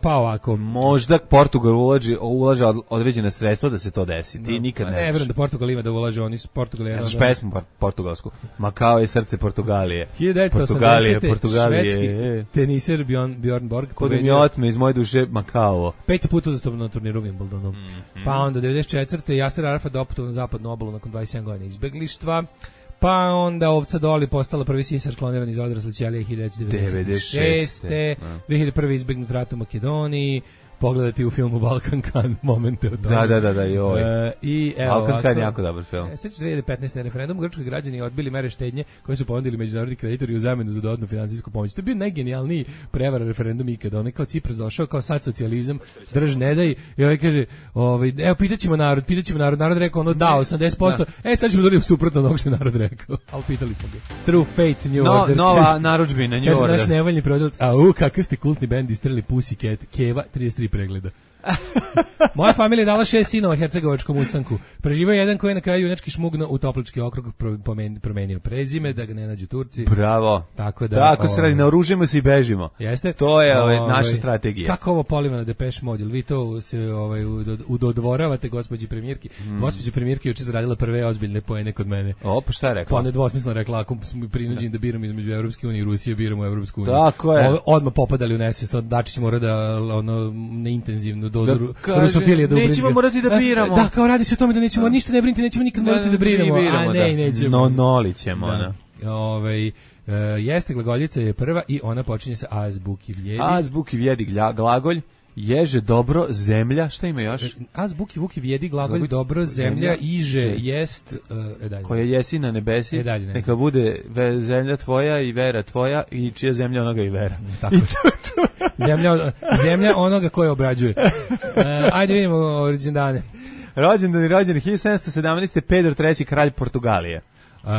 pa ovako, možda Portugal ulaže ulaže određena sredstva da se to desi. Ti no, nikad ne. Ne verujem da Portugal ima da ulaže, oni su Portugal je. Znaš pesmu portugalsku. Macao je srce Portugalije. hiljadu devetsto osamdesete Portugalije, švedski teniser Bjorn Bjorn Borg kod mi otme iz moje duše Macao. Peti put uzastopno na turniru Wimbledonu. Mm -hmm. Pa onda devedeset četvrte Jaser Arafat doputovao na zapadnu obalu nakon dvadeset sedam godina izbeglištva. Pa onda ovca Doli postala prvi sisar kloniran iz odrasle ćelije hiljadu devetsto devedeset šeste. dve hiljade prve izbegnut rat u Makedoniji. Pogledati u filmu Balkan Kan momente od da, da, da, da, joj. Uh, i evo Balkan Kan je jako dobar film. E, Sveći dve hiljade petnaeste referendum, grčki građani odbili mere štednje koje su ponudili međunarodni kreditori u zamenu za dodatnu finansijsku pomoć. To je bio najgenijalniji prevara referendum ikada. On je kao Cipras došao, kao sad socijalizam, drž ne daj, i ovaj kaže, ovaj, evo pitaćemo narod, pitaćemo narod, narod rekao ono da, osamdeset posto, da. E sad ćemo dobiti suprotno onog što je narod rekao. Ali pitali smo ga. True Fate, New no, Order. Nova narudžbina, New kaže, Order. Naš nevoljni prodavac, a u, kakav ste kultni bend istrali Pussycat, Keva, trideset tri pregleda. Moja familija je dala šest sinova hercegovačkom ustanku. Preživao je jedan koji je na kraju junački šmugno u Toplički okrug, promenio prezime, da ga ne nađu Turci. Bravo. Tako da... Tako se radi, naoružimo se i bežimo. Jeste? To je ovaj, ovaj, naša strategija. Kako ovo poliva na Depeche Mode? Vi to se ovaj, udodvoravate gospođi premijerki? Mm. Gospođa premijerki juče zaradila prve ozbiljne poene kod mene. O, pa šta je rekla? Pa nedvosmisleno rekla, ako smo prinuđeni da biramo između Evropske unije i Rusije, biramo Evropsku uniju. Tako je. O, odmah popadali u nesvijest, Dačić mora da ono, neintenzivnu dozu da, rusofilije da ubrizga. Nećemo morati da biramo. Da, kao radi se o tome da nećemo, ništa ne brinite, nećemo nikad morati da biramo. A ne, nećemo. No, nolićemo, da. Ovaj, uh, jeste glagoljica je prva i ona počinje sa azbuki vjedi. Azbuki vjedi glagolj. Ježe, dobro, zemlja, šta ima još? Azbuki vuki vjedi glagolj, dobro, zemlja, iže, jest, e, dalje. Koja jesi na nebesi, e, dalje, ne. Neka bude ve, zemlja tvoja i vera tvoja i čija zemlja onoga i vera. Tako. I to, to. zemlja, zemlja onoga koje obrađuje. E, ajde vidimo rođendane. Rođendan i rođen hiljadu sedamsto sedamnaeste. Pedro treći, kralj Portugalije. Uh,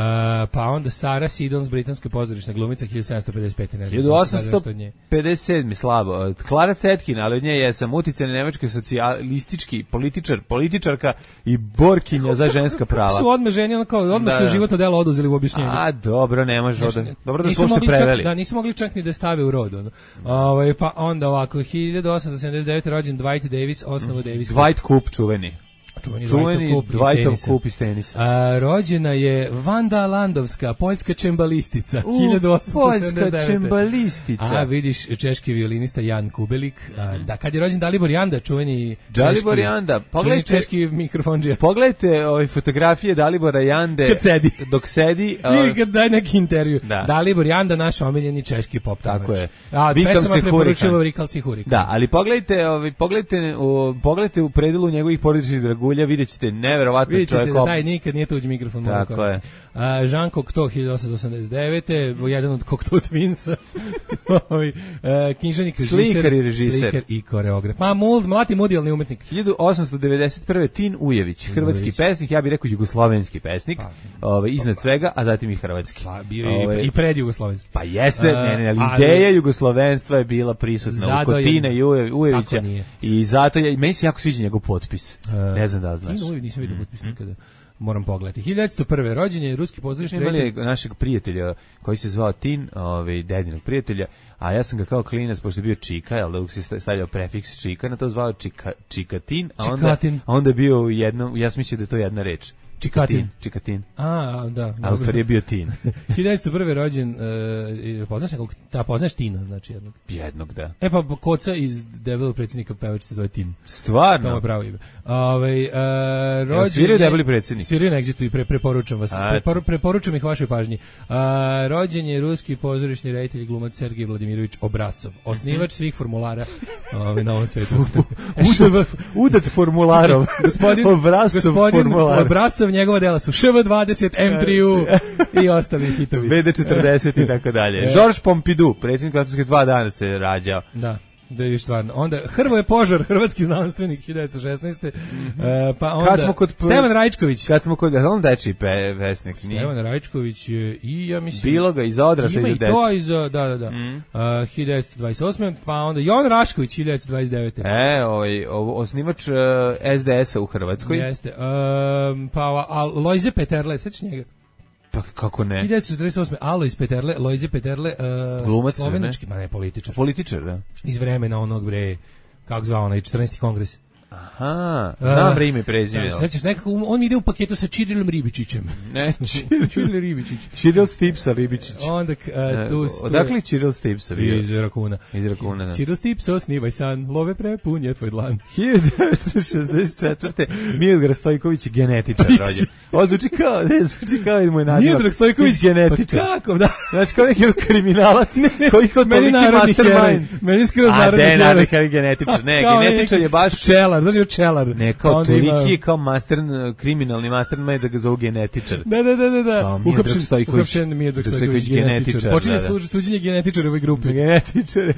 pa onda Sara Sidons, britanska pozorišna glumica, hiljadu sedamsto pedeset pete. Ne znam, hiljadu osamsto pedeset sedme. slabo. Klara Cetkin, ali od nje je sam uticajni nemački socijalistički političar, političarka i borkinja za ženska prava. Su odmah ženi, ono kao, odmah su životno delo oduzeli u objašnjenju. A, dobro, ne može od... Dobro da smo što preveli. Da, nisu mogli čak ni da stave u rod. Ono. Ove, pa onda ovako, hiljadu osamsto sedamdeset devete. rođen Dwight Davis, osnovu Davis. Dwight Coop, čuveni. Čuveni, čuveni Dwightov kup iz tenisa. A, rođena je Vanda Landovska, poljska čembalistica, hiljadu osamsto sedamdeset devete. Poljska čembalistica. A, vidiš, češki violinista Jan Kubelik. A, da, kad je rođen Dalibor Janda, čuveni Dalibor češki, Janda. Pogledajte, čuveni češki mikrofondžija. Pogledajte ove fotografije Dalibora Jande. Kad sedi. Dok sedi. Ili kad daje neki intervju. Da. Dalibor Janda, naš omiljeni češki pop. Tako je. A, pesama preporučila Rikal Sihurikan. Da, ali pogledajte, ovaj, pogledajte, o, pogledajte u predelu njegovih porodičnih dragulja, vidjet ćete neverovatno čovjek. Vidite da taj nikad nije tuđi mikrofon. Tako je. Uh, Jean Cocteau, hiljadu osamsto osamdeset devete. jedan od Cocteau Twinsa. uh, književnik, režiser, slikar i režiser. Slikar i koreograf. Ma, mult, mlati mudijalni umetnik. hiljadu osamsto devedeset prve. Tin Ujević, hrvatski Ujević. pesnik, ja bih rekao jugoslovenski pesnik, pa, ovaj, iznad pa, svega, a zatim i hrvatski. Pa, bio ovaj, i pred jugoslovenski. Pa jeste, uh, ne, ne, ali ideja jugoslovenstva je bila prisutna u kod Tina i Ujevića. I zato je, meni se jako sviđa njegov potpis. Uh, ne znam da znaš. Tin Ujević nisam vidio potpis nikada. Moram pogledati. hiljadu devetsto prve. rođen je ruski pozorišni reditelj. Imali našeg prijatelja koji se zvao Tin, ovaj dedinog prijatelja, a ja sam ga kao klinac, pošto je bio Čika, jel da se stavljao prefiks Čika, na to zvao Čika, Čikatin, a onda, a onda je bio jedno, ja sam mislio da je to jedna reč. Čikatin. Čikatin. A, da. A u stvari je bio Tin. hiljadu devetsto prve. rođen, uh, poznaš nekog, ta poznaš Tina, znači jednog. Jednog, da. E pa Koca iz Debelog predsjednika pevač se zove Tin. Stvarno? To je pravo ime. Ove, uh, rođen ja, svirio je Debeli predsjednik. Svirio na Exitu i pre, preporučam vas. Prepor, preporučam ih vašoj pažnji. Uh, rođen je ruski pozorišni reditelj i glumac Sergej Vladimirović Obrazcov. Osnivač svih formulara ove, na ovom svetu. udat, udat formularov. Gospodin, Obrazcov formular. Obrazcov, njegova dela su Š V dvadeset, M tri U i ostali hitovi. V D četrdeset i tako dalje. Georges Pompidou, predsjednik Francuske, dva dana se rađao. Da. Da je stvarno. Onda Hrvoje Požar, hrvatski znanstvenik, hiljadu devetsto šesnaeste. Mm-hmm. Uh, pa onda kad smo kod Stevan Rajčković. Kad smo kod on dečiji pe, pesnik, Stevan nije. Rajčković je i ja mislim bilo ga iz odrasla i za decu. Ima i to iz da da da. Mm. Uh, hiljadu devetsto dvadeset osme. Pa onda Jovan Rašković, hiljadu devetsto dvadeset devete. E, ovaj osnivač uh, S D S-a u Hrvatskoj. Jeste. Um, pa a Lojze Peterle, sećaš njega? Pa kako ne? hiljadu devetsto četrdeset osme. Alojz Peterle, Lojze Peterle, uh, glumac, slovenački, ma ne, političar. Političar, da. Iz vremena onog bre, kako zvao onaj četrnaesti kongres. Aha, znam uh, ime i prezime. Sećaš nekako, on ide u paketu sa Čirilom Ribičićem. Ne, Čiril Ribičić. Čiril Stipsa Ribičić. Onda, uh, tu, odakle Čiril Stipsa bio? Iz Rakuna. Iz Rakuna, da. Čiril Stipso, snivaj san, love prepun je tvoj dlan. hiljadu devetsto šezdeset četvrte. Miodrag Stojković, genetičar rođen. Ovo zvuči kao, ne, zvuči kao i moj naziv. Miodrag Stojković, genetičar. Pa kako, da. Znači, kao neki kriminalac, koji kao toliki mastermind. Meni skroz narodni heroj. A, ne, narodni genetičar. Ne, genetičar je baš... Pčelar, znači pčelar. Ne, kao toliki, kao master, kriminalni mastermind da ga zovu genetičar. Da, da, da, da. Uhapšen Stojković. Uhapšen Miodrag Stojković, genetičar. Počinje suđenje genetičara u ovoj grupi. Genetičar,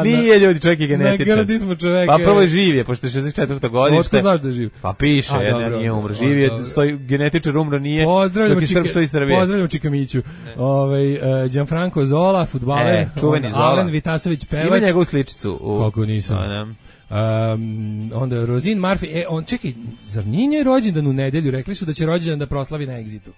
nije ljudi, čovjek je genetičar. Ne, gradi smo čoveka. Pa prvo je živ je, pošto je šezdeset četvrta godište. Otko znaš da je živ? Pa piše, jedan nije umro. Živ je, genetičar umro nije, dok je Srb stoji Srbije. Pozdravljamo Čikamiću. Gianfranco Zola, fudbaler. Čuveni Zola. Alen Vitasović, pevač. Sima njegovu sličicu. Kako nisam. Um, onda Rosin Murphy, e, on, čekaj, zar nije njoj rođendan u nedelju? Rekli su da će rođendan da proslavi na Exitu.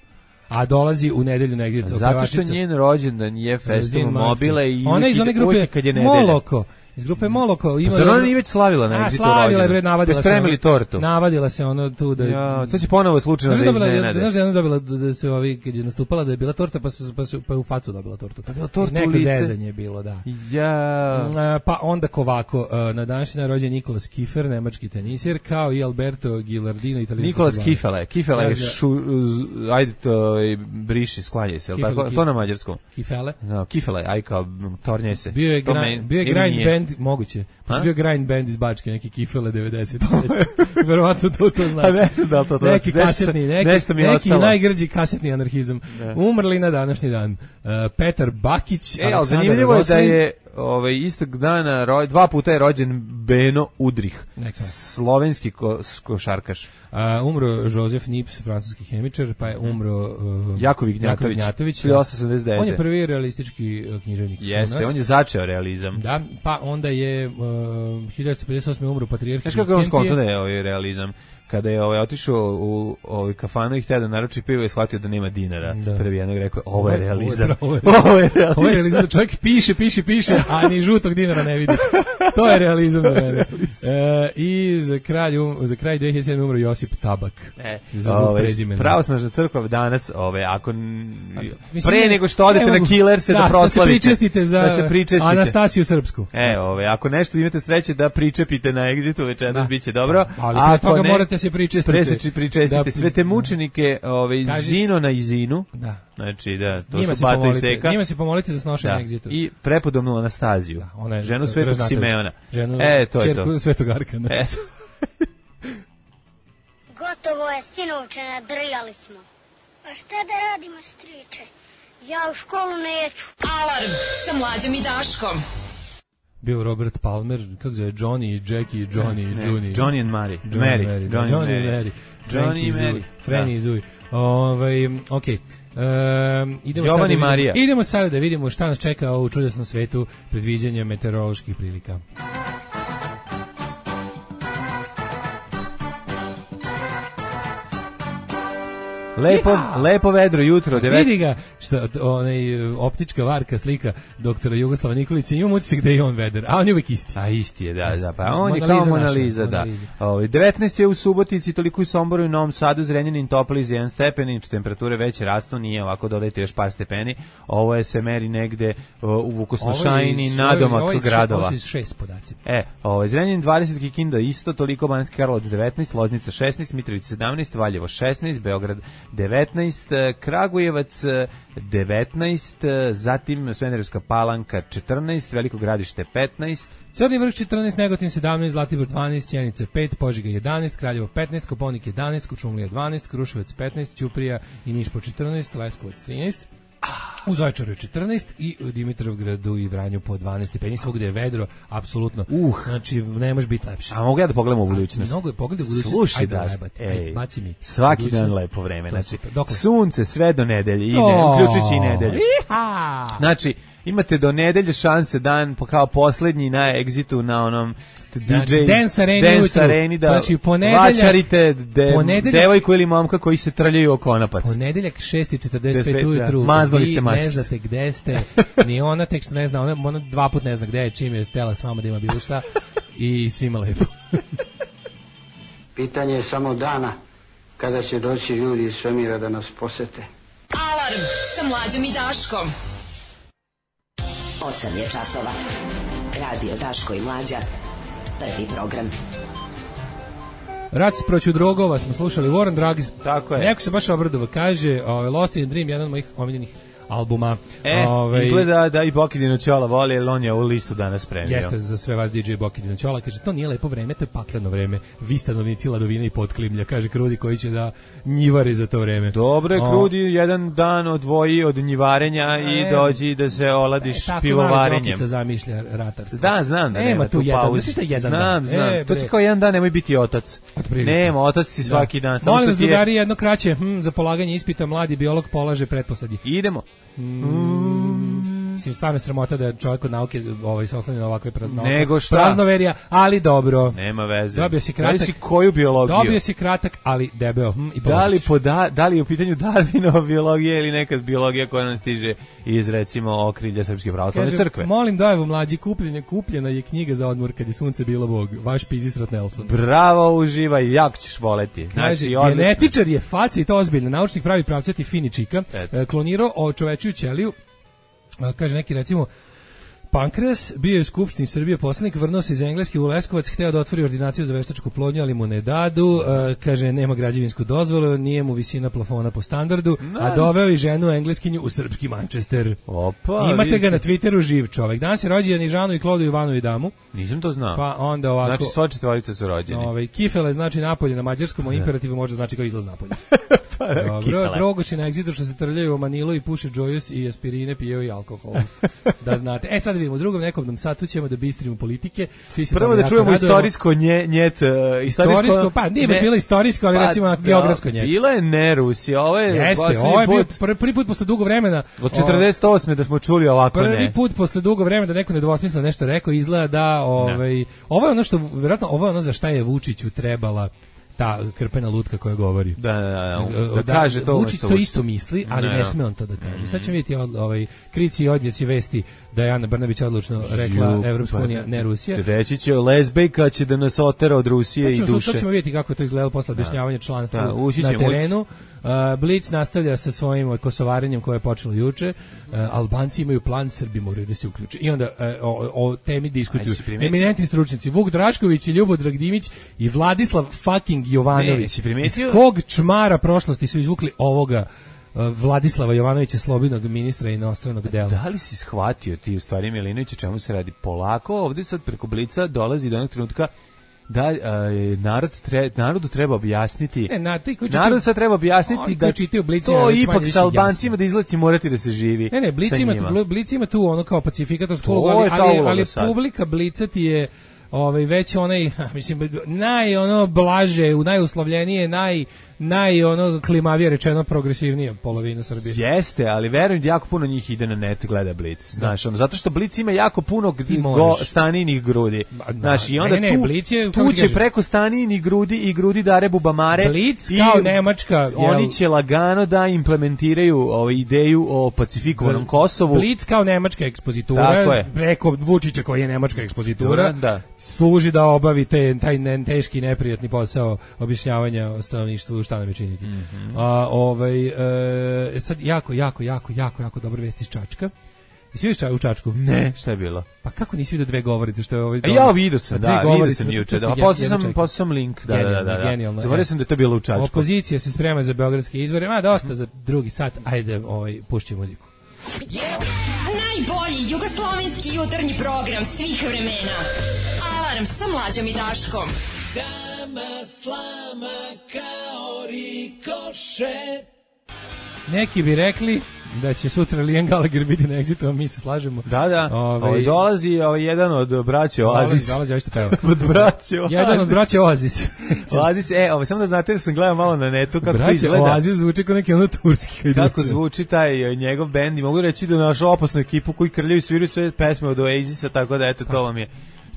A dolazi u nedelju na Exitu. Zato što njen rođendan je festival Mobile i ona iz one grupe kad je nedelja. Moloko. Iz grupe Moloko ima. Zar ona nije već slavila na Exitu rođendan? Slavila je, bre, navadila se. Spremili tortu. Navadila se ono tu da. Ja, sad će ponovo slučajno da iznenade. Znaš da je ona dobila da se ovi kad je nastupala da je bila torta pa su pa, su, pa u facu dobila tortu. To je bila torta neko u lice. zezanje je bilo, da. Ja. Pa onda ovako, na današnji dan rođen Nikola Schiffer, nemački tenisir, kao i Alberto Gilardino, italijanski. Nikola Schiffer, Kifele je ajde to briši, sklanjaj se, tako to na mađarskom. Kifele? No, Kifele, aj kao tornje se. Bio je bio je grind band, moguće. Pa bio grind band iz Bačke, neki Kifele devedeset. Verovatno to to znači. A ne znam da li to to neki kasetni, neki, nešto mi je neki ostalo. najgrđi kasetni anarhizam. Ne. Umrli na današnji dan. Uh, Petar Bakić, e, ali zanimljivo je da je ovaj, istog dana, roj, dva puta je rođen Beno Udrih, Neka. slovenski ko, košarkaš. Uh, umro Josef Nips, francuski hemičar, pa je umro uh, Jakov Ignjatović, Ignjatović hiljadu osamsto sedamdeset devete. On je prvi realistički uh, književnik. Jeste, on je začeo realizam. Da, pa onda je uh, hiljadu osamsto pedeset osme umro patrijarh. Znaš kako je on skonto da je ovaj realizam? Kada je ovaj otišao u ovaj kafanu i htio da naruči pivo i shvatio da nema dinara. Da. Prvi jednog rekao, ovo je realizam. Ovo je, ovo je realizam. Ovo je realizam. Čovjek piše, piše, piše, a ni žutog dinara ne vidi. To je realizam za mene. E, I za kraj, um, za kraj dve hiljade sedme umro Josip Tabak. E, ove, pravosnažna crkva danas, ove, ako mislim, pre nego što odete na Killerse da, da proslavite. Da se pričestite za da se pričestite. Anastasiju Srpsku. E, ove, ako nešto imate sreće da pričepite na Exitu večeras, bit će dobro. Ali pre toga ne, morate se pričestite. Preseči pričestite da, sve te mučenike, ove, iz Zinona i Zinu. Da. Znači, da, to njima su Bata i Seka. Njima se pomolite za snošenje da. Exitu. I prepodobnu Anastaziju. Da, ona je ženu Svetog Simeona. Ženu, e, to je to. Čerku Svetog Arkana. Eto. Gotovo je, sinovče, nadrljali smo. A šta da radimo, striče? Ja u školu neću. Alarm sa Mlađom i Daškom. Bio Robert Palmer, kako zove, Johnny, Jackie, Johnny, ne, Johnny. Johnny and Mary. Johnny Mary. Mary. Johnny, Johnny and Mary. Johnny i Mary. Franny i Zui. Ovaj, okej. Okay. Um, idemo Jovan sada i Marija. Da idemo sada da vidimo šta nas čeka u čudesnom svetu predviđanja meteoroloških prilika. Lepo, ja. lepo vedro jutro. devet... Vidi ga, što, onaj, optička varka slika doktora Jugoslava Nikolića, imam utisak da je on veder, a on je uvijek isti. A isti je, da, da, pa on je kao Mona Lisa, da. Ovo, devetnaest je u Subotici, toliko u Somboru i Novom Sadu, Zrenjanin, Topliz, jedan stepen, temperature već rastu, nije ovako, dodajte još par stepeni. Ovo je se meri negde u Vukosnošajni, nadomak ovo gradova. Ovo su iz šest podaci. E, ovo, Zrenjanin dvadeset, Kikinda isto, toliko Banjski Karlovac devetnaest, Loznica šesnaest, Mitrovica sedamnaest, Valjevo šesnaest, Beograd devetnaest, Kragujevac devetnaest, zatim Smederevska Palanka četrnaest, Veliko Gradište petnaest, Crni Vrh četrnaest, Negotin sedamnaest, Zlatibor dvanaest, Sjenica pet, Požega jedanaest, Kraljevo petnaest, Koponik jedanaest, Kočumlija dvanaest, Kruševac petnaest, Ćuprija i Niš po četrnaest, Leskovac trinaest, u Zaječaru četrnaest i u Dimitrovgradu i Vranju po dvanaest stepeni, svugde je vedro, apsolutno. Uh, znači ne može biti lepše. A mogu ja da pogledam u budućnost? Mnogo je pogled u budućnost. Slušaj, ajde, daš, ajde, ajde, baci mi. Svaki dan lepo vreme. Znači, sunce sve do nedelje ide, uključujući i nedelju. Iha! Znači, imate do nedelje šanse dan kao poslednji na Exitu na onom D J Dance Areni, Dance Areni da znači, vačarite de, devojku ili momka koji se trljaju o konopac. Ponedeljak šest i četrdeset pet ujutru, mazali ste mačicu. Ne znate gde ste, ni ona tek što ne zna, ona, ona dva put ne zna gde je, čim je stela s vama da ima bilo šta i svima lepo. Pitanje je samo dana kada će doći ljudi iz svemira da nas posete. Alarm sa Mlađom i Daškom. osam je časova. Radio Daško i Mlađa. Prvi program. Rat proću drogova smo slušali, Warren Drugs. Tako je. Neko se baš obradova, kaže uh, Lost in a Dream, jedan od mojih omiljenih albuma. E, Ove, izgleda da i Bokidino Ćola voli, jer on je u listu danas premio. Jeste za sve vas D J Bokidino Ćola, kaže, to nije lepo vreme, to je pakleno vreme. Vi stanovnici Ladovina i Potklimlja, kaže Krudi koji će da njivari za to vreme. Dobre, o, Krudi jedan dan odvoji od njivarenja e, i dođi da se oladiš e, pivovarenjem. Tako zamišlja ratarstvo. Da, znam da nema, nema tu jedan, pauzu. Da jedan znam, dan. znam. E, to ti kao jedan dan nemoj biti otac. Nema, otac si svaki da. dan. Samo molim vas, drugari, jedno kraće, hm, za polaganje ispita mladi biolog polaže pretposlednji. Idemo. Mm, Mislim, stvarno sramota da je čovjek od nauke ovaj, se oslanja na ovakve prazno, Nego šta? praznoverija, ali dobro. Nema veze. Dobio si kratak. Da si koju biologiju? Dobio si kratak, ali debeo. Hm, i da, li poda, da li je u pitanju Darwinova biologija ili nekad biologija koja nam stiže iz, recimo, okrilja Srpske pravoslavne crkve? Molim dojevu mlađi, kupljenje, kupljena je knjiga za odmor kad je sunce bilo Bog. Vaš Pizistrat Nelson. Bravo, uživaj, jako ćeš voleti. Znači, kaže, genetičar je faca i to ozbiljno. Naučnik pravi pravcati fini čika. Eto. Klonirao očovečuju ćeliju. Kaže neki, recimo, Pankreas, bio je u Skupštini Srbije poslanik, vrnuo se iz Engleske u Leskovac, hteo da otvori ordinaciju za veštačku plodnju, ali mu ne dadu, uh, kaže, nema građevinsku dozvolu, nije mu visina plafona po standardu, no. A doveo i ženu engleskinju u srpski Manchester. Opa, imate vidite. ga na Twitteru živ čovek. Danas je rođendan i Žanu i Klodu Ivanu i Damu. Nisam to znao. Pa onda ovako. Znači, sva četvorica su rođeni. Ovaj, kifele znači napolje na mađarskom, a imperativu može znači kao izlaz napolje. Dobro, Drogoći na egzitu što se trljaju u Manilu i puše džojus i aspirine, pijeo i alkohol. Da znate. E sad vidimo, u drugom nekom satu ćemo da bistrimo politike. Svi se prvo da čujemo istorijsko nje, njet. Uh, istorijsko, istorijsko, pa nije baš bilo istorijsko, ali pa, recimo geografsko njet. Bilo je ne Rusija, ovo je Jeste, ovo je bio prvi, prvi put posle dugo vremena. Od četrdeset osme da smo čuli ovako prvi ne. Prvi put posle dugo vremena da neko nedvosmisleno nešto rekao, izgleda da ovaj, ovo je ono što, vjerojatno, ovo je ono za šta je Vučiću trebala ta krpena lutka koja govori. Da, da, da, da, da kaže to. Vučić to isto misli, ali ne, ne sme on to da kaže. Sad ćemo vidjeti ovaj, krici i odjeci vesti da je Ana Brnabić odlučno rekla Evropska unija, ne Rusija. Reći će, lezbejka će da nas otera od Rusije i duše. To ćemo vidjeti kako je to izgledalo posle objašnjavanja članstva da, na terenu. Uh, Blic nastavlja sa svojim kosovarenjem koje je počelo juče. Uh, Albanci imaju plan, Srbi moraju da se uključe. I onda uh, o, o temi diskutuju eminentni stručnjaci Vuk Drašković i Ljubodrag Dimić i Vladislav fucking Jovanović. Ne, iz kog čmara prošlosti su izvukli ovoga uh, Vladislava Jovanovića, slobodnog ministra inostranog dela. Da li si shvatio ti u stvari, Milinović, o čemu se radi? Polako ovdje sad preko Blica dolazi do jednog trenutka da uh, narod tre, narodu treba objasniti. Ne, na, ti koji narod sad treba objasniti da to ipak sa Albancima da izlazi morati da se živi. Ne, ne, Blic ima, Blic ima tu ono kao pacifikatorsko ulogu, ali, ali, ali publika Blica ti je ovaj već onaj, mislim, naj ono blaže, u najuslovljenije, naj naj ono klimavije rečeno progresivnija polovina Srbije. Jeste, ali verujem da jako puno njih ide na net gleda Blic. Znaš, ono, zato što Blic ima jako puno go, staninih grudi. Znaš, i onda ne, ne, tu, Blic je, tu će preko staninih grudi i grudi Dare Bubamare. Blic kao Nemačka. Oni jel, će lagano da implementiraju ovaj ideju o pacifikovanom Kosovu. Blic kao nemačka ekspozitura, preko Vučića koji je nemačka ekspozitura, da. služi da obavi te, taj ne, teški neprijatni posao objašnjavanja o stanovništvu šta nam je činiti. Mm -hmm. A, ovaj, e, sad jako, jako, jako, jako, jako dobro vesti iz Čačka. Jesi vidio u Čačku? Ne, šta je bilo? Pa kako nisi vidio dve govorice što je ovaj? E, ja vidio sam, da, vidio sam juče. Da, poslao sam, poslao sam link, da, da, da, da. Zaboravio sam da je to bilo u Čačku. Opozicija se sprema za beogradske izbore, ma dosta za drugi sat. Ajde, ovaj pušći muziku. Yeah. Najbolji jugoslovenski jutarnji program svih vremena. Alarm sa Mlađom i Daškom. Dama slama kao rikošet. Neki bi rekli da će sutra Liam Gallagher biti na Exitu, a mi se slažemo. Da, da. Ove, Ove, dolazi ovaj jedan od braće Oasis. Dolazi, dolazi, peva. od braće Oasis. Jedan od braće Oasis. Oasis, e, ovaj, samo da znate da sam gledao malo na netu kako braće to izgleda. Oasis zvuči kao neki ono turski. Kako zvuči taj njegov bend i mogu reći da našu opasnu ekipu koji krljaju sviraju sve pesme od Oasisa, tako da eto, to vam je.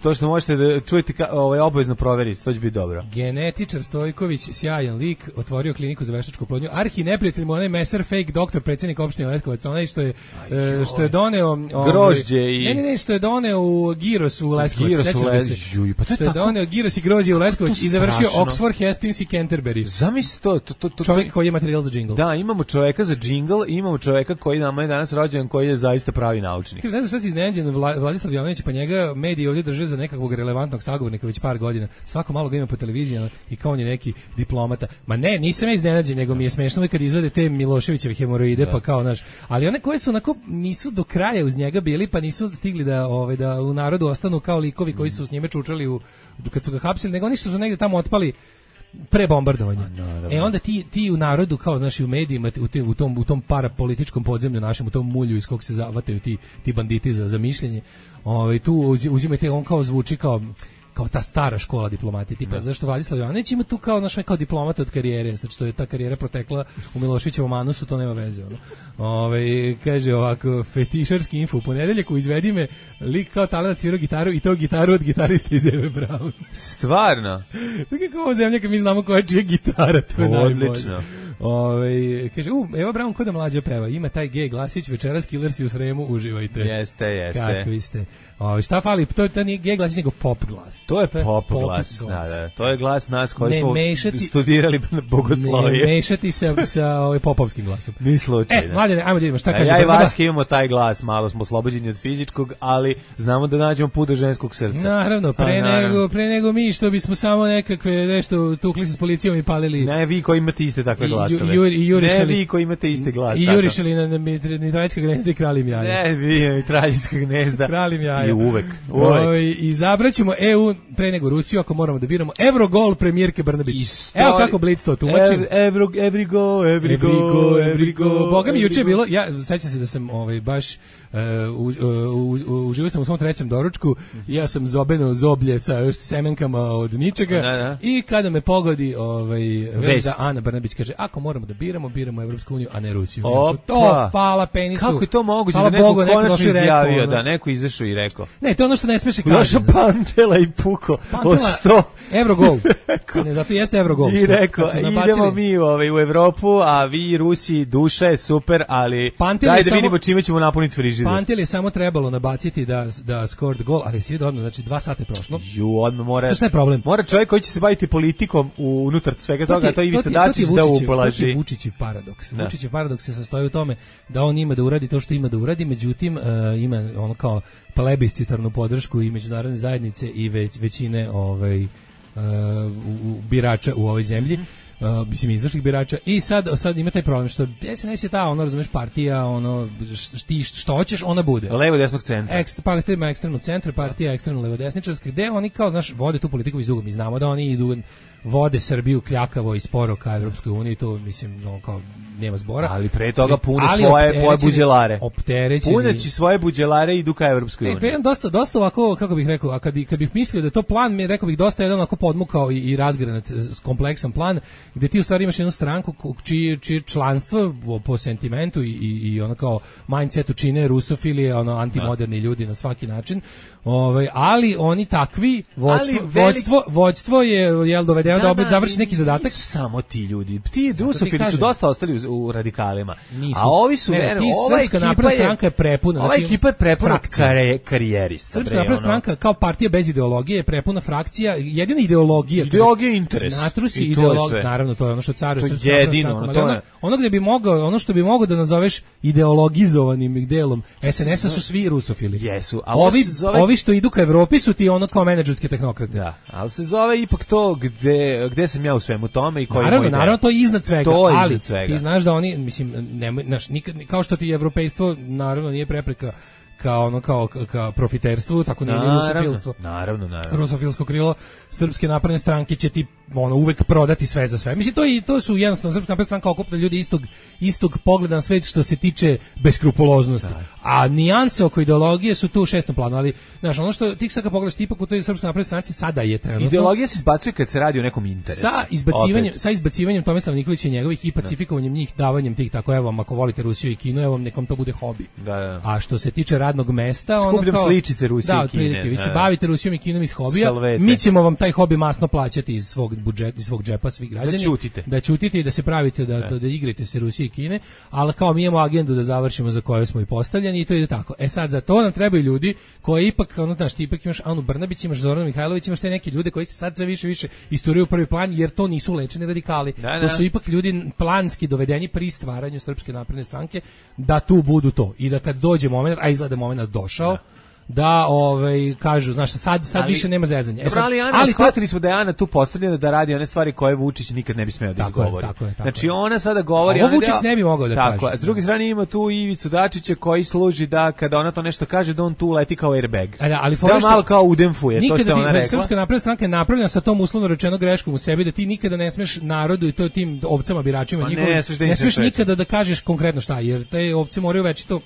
To što možete da čujete ka, ovaj, obavezno proveriti, to će biti dobro. Genetičar Stojković, sjajan lik, otvorio kliniku za veštačku plodnju. Arhi neprijatelj mu onaj meser fake doktor, predsjednik opštine Leskovac, onaj što je, Aj, što je doneo... Ovaj, grožđe i... Ne, ne, ne, što je doneo u Giros u Leskovac. Giros u Leskovac. Juj, pa to je što tako... je doneo Giros i grožđe u Leskovac i završio Oxford, Hastings i Canterbury. Zamisli to, to, to, to... Čovjek koji je materijal za džingl. Da, imamo čovjeka za džingl i imamo čovjeka koji nama je danas rođen, koji je zaista pravi naučnik. Kaže, ne znam šta si iznenađen, Vladislav Jovanović, pa njega mediji ovdje drže za nekakvog relevantnog sagovornika već par godina. Svako malo ga ima po televiziji i kao on je neki diplomata. Ma ne, nisam ja iznenađen, nego mi je smešno kad izvade te Miloševićeve hemoroide, da. Pa kao naš. Ali one koje su onako nisu do kraja uz njega bili, pa nisu stigli da ovaj da u narodu ostanu kao likovi koji su s njime čučali u kad su ga hapsili, nego oni što su negde tamo otpali pre bombardovanja. No, no, e onda ti ti u narodu kao znači u medijima u, te, u tom u tom parapolitičkom podzemlju našem, u tom mulju iz kog se zavataju ti ti banditi za za mišljenje. Ovaj tu uzimate, on kao zvuči kao kao ta stara škola diplomatije, tipa, zašto Vladislav Jovanović ima tu kao, naš, kao diplomata od karijere, sad što je ta karijera protekla u Miloševićevom anusu, to nema veze, ono. Ove, kaže ovako, fetišarski info, u ponedeljak u Izvedi me, lik kao talent svirao gitaru i to gitaru od gitarista iz Eve Braun. Stvarno? Tako je kao ovo zemlja kad mi znamo koja je čija gitara, to je najbolje. Odlično. Ove, kaže, u, Eva Braun kod da mlađa peva, ima taj G glasić, večeras Killersi u Sremu, uživajte. Jeste, jeste. Kakvi ste. Ove, šta fali, to, to nije G glasić, nego pop glas. To je pop, pop glas. glas. Da, da, to je glas nas koji ne smo mešati, studirali bogoslovije. Ne mešati se sa ovaj popovskim glasom. Ni slučajno. E, mladene, ajmo da vidimo šta kaže. Ja i Vaske imamo taj glas, malo smo oslobođeni od fizičkog, ali znamo da nađemo put do ženskog srca. Naravno, pre, A, nego, naravno. pre nego mi što bismo samo nekakve nešto tukli se s policijom i palili. Ne, vi koji imate iste takve glasove. I, ju, i jurišali, ne, vi koji imate iste glas. I jurišali na mitraljska gnezda i kralim jaja. Ne, vi mitraljska gnezda. Kralim jaja. I uvek. uvek. O, I zabraćemo E U pre nego Rusiju, ako moramo da biramo. Evrogol premijerke Brnabić. Story, Evo kako Blitz to tumačim. Every, every go, every, every go, go, every go. go. Boga mi juče je bilo, ja sećam se da sam ovaj, baš Uh, uživao sam u svom trećem doručku, ja sam zobeno zoblje sa još semenkama od ničega, da, da. I kada me pogodi ovaj, vez da Ana Brnabić kaže, ako moramo da biramo, biramo Evropsku uniju, a ne Rusiju. Opa. To, hvala penisu. Kako je to moguće hvala da neko Bogu, konačno izjavio, rekao, da neko izašao i rekao. Ne, to je ono što ne smije se kaže. Došao Pantela i puko o sto. Evrogol. Ne, zato jeste Evrogol. I rekao, idemo mi ovaj, u Evropu, a vi Rusi, duša je super, ali Pantel daj da samo, vidimo čime ćemo napuniti frižider. Pantel je samo trebalo nabaciti da da scored gol, ali svi odmah, znači dva sata je prošlo. Ju, odmah mora. Šta je problem? Mora čovjek koji će se baviti politikom u unutar svega toga, to, to je Ivica Dačić da upolaži. To je Vučićev paradoks. Da. Vučićev paradoks se sastoji u tome da on ima da uradi to što ima da uradi, međutim uh, ima ono kao plebiscitarnu podršku i međunarodne zajednice i već, većine ovaj uh, u, birača u ovoj zemlji. Uh, mislim izašlih birača i sad sad ima taj problem što S N S je ta ono razumeš partija ono ti što hoćeš ona bude levo desnog centra ekstra pa ima ekstremno centar partija ekstremno levo desničarska gde oni kao znaš vode tu politiku iz dugo mi znamo da oni idu vode Srbiju kljakavo i sporo ka Evropskoj uniji to mislim no kao nema zbora ali pre toga pune svoje svoje buđelare opterećeni puneći svoje buđelare idu ka Evropskoj uniji. E, to je dosta dosta ovako kako bih rekao a kad bi kad bih mislio da je to plan mi rekao bih dosta jedan onako podmukao i, i razgranat kompleksan plan gde ti u stvari imaš jednu stranku čije čije članstvo po sentimentu i i, i ono kao mindsetu čine rusofili ono antimoderni ljudi na svaki način. Ovaj ali oni takvi vođstvo velik... vođstvo vođstvo je jel dovedeno da, da opet završi neki zadatak. Nisu samo ti ljudi. Ti rusofili su dosta ostali u, u radikalima. Nisu. A ovi su ne, ne, ti ova Srpska napredna stranka je prepuna. Ova znači, ekipa je prepuna kare, karijerista. Srpska napredna stranka kao partija bez ideologije je prepuna frakcija. Jedina ideologija. Ideologija je interes. Natrusi ideologija. Naravno to je ono što caruje Srpska napredna stranka. Ono, ono gdje bi mogao, ono što bi mogao da nazoveš ideologizovanim delom S N S-a su svi rusofili. Jesu. A ovi, zove... ovi što idu ka Evropi su ti ono kao menadžerske tehnokrate. Da, ali se zove ipak to gde, gde sam ja u svemu tome i koji naravno, moj naravno, to je iznad svega, to je ali iznad svega. Ti znaš da oni, mislim, nemoj, naš, nikad, kao što ti evropejstvo, naravno, nije prepreka kao ono kao ka profiterstvu, tako ne rusofilstvo. Naravno, naravno. Rusofilsko krilo Srpske napredne stranke će ti ono uvek prodati sve za sve. Mislim to i to su jednostavno Srpska napredna stranka okuplja ljudi istog istog pogleda na svet što se tiče beskrupuloznosti. Da. A nijanse oko ideologije su tu u šestom planu, ali znaš, ono što ti sad kad pogledaš ipak u toj Srpskoj naprednoj stranci sada je trenutno. Ideologija se izbacuje kad se radi o nekom interesu. Sa izbacivanjem, Opet. sa izbacivanjem Tomislava Nikolića i njegovih i pacifikovanjem njih, davanjem tih tako evo vam ako volite Rusiju i Kinu, evo vam nekom to bude hobi. Da, da. A što se tiče radnog mesta, skupljam ono kao sličice Rusije da, i Kine. Da, vi se bavite Rusijom i Kinom iz hobija, Salvete. Mi ćemo vam taj hobi masno plaćati iz svog budžeta, iz svog džepa svi građani. Da ćutite. Da ćutite i da se pravite da, da, da igrate se Rusije i Kine, ali kao mi imamo agendu da završimo za koju smo i postavljeni i to ide tako. E sad za to nam trebaju ljudi koji ipak, ono znaš, ti ipak imaš Anu Brnabić, imaš Zorana Mihajlović, imaš te neki ljude koji se sad sve više više isturaju u prvi plan jer to nisu lečeni radikali. Da, da. To su ipak ljudi planski dovedeni pri stvaranju Srpske napredne stranke da tu budu to i da kad dođe moment, a izgleda moment došao, da. da ovaj kažu znaš sad sad ali, više nema zezanja. E sad, ali Ana, ali shvatili smo da je Ana tu postavljena da radi one stvari koje Vučić nikad ne bi smeo da izgovori. Tako je, tako znači je. ona sada govori, a ovo Vučić ne bi mogao da tako, kaže. Tako, a s druge strane ima tu Ivicu Dačića koji služi da kada ona to nešto kaže da on tu leti kao airbag. A da, ali da malo kao udemfuje to što ona rekla. Srpska napredna stranka je napravljena sa tom uslovno rečeno greškom u sebi da ti nikada ne smeš narodu i to tim ovcama biračima njihovim ne, ne smeš nikada da kažeš konkretno šta jer te ovce moraju već to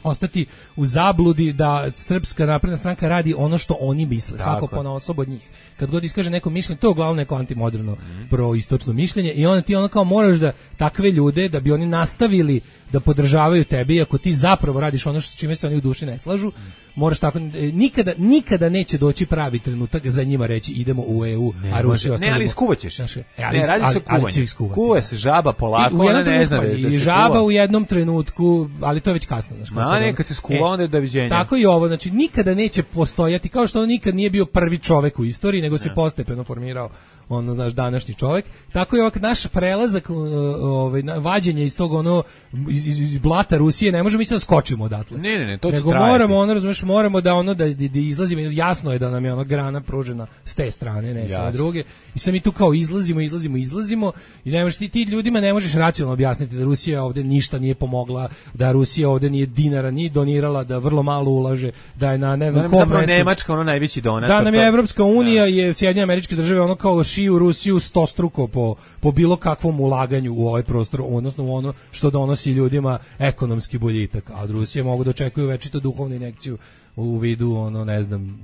ostati u zabludi da Srpska napredna stranka radi ono što oni misle, Tako. svako ponaosob od njih. Kad god iskaže neko mišljenje, to je uglavnom neko antimoderno mm. proistočno mišljenje i onda ti ono kao moraš da takve ljude, da bi oni nastavili da podržavaju tebe, iako ti zapravo radiš ono što s čime se oni u duši ne slažu, mm. moraš tako, nikada, nikada neće doći pravi trenutak za njima reći idemo u E U, ne, a Rusija ne, ali iskuvaćeš. Znaš, e, ali, ne, radi se o kuvanju. Kuva se žaba polako, ona ne zna da se I žaba u jednom trenutku, ali to je već kasno. Znaš, Ma, ne, kad se skuva, e, onda je doviđenja. Tako i ovo, znači nikada neće postojati, kao što on nikad nije bio prvi čovek u istoriji, nego se ne. postepeno formirao ono naš današnji čovjek. Tako je ovak naš prelazak, ovaj vađenje iz tog ono iz, iz blata Rusije, ne možemo mi da skočimo odatle. Ne, ne, ne, to će nego trajati. moramo ono, razumeš, moramo da ono da, da, da izlazimo, jasno je da nam je ona grana pružena s te strane, ne sa druge. I sad mi tu kao izlazimo, izlazimo, izlazimo i ne možeš ti, ti ljudima ne možeš racionalno objasniti da Rusija ovde ništa nije pomogla, da Rusija ovde nije dinara ni donirala, da vrlo malo ulaže, da je na ne znam kom mestu. Nemačka ono najveći donator. Da nam je Evropska unija je Sjedinjene Američke Države ono kao šiju Rusiju stostruko po po bilo kakvom ulaganju u ovaj prostor, odnosno u ono što donosi ljudima ekonomski boljitak, a od Rusije mogu da očekuju večito duhovnu injekciju u vidu ono ne znam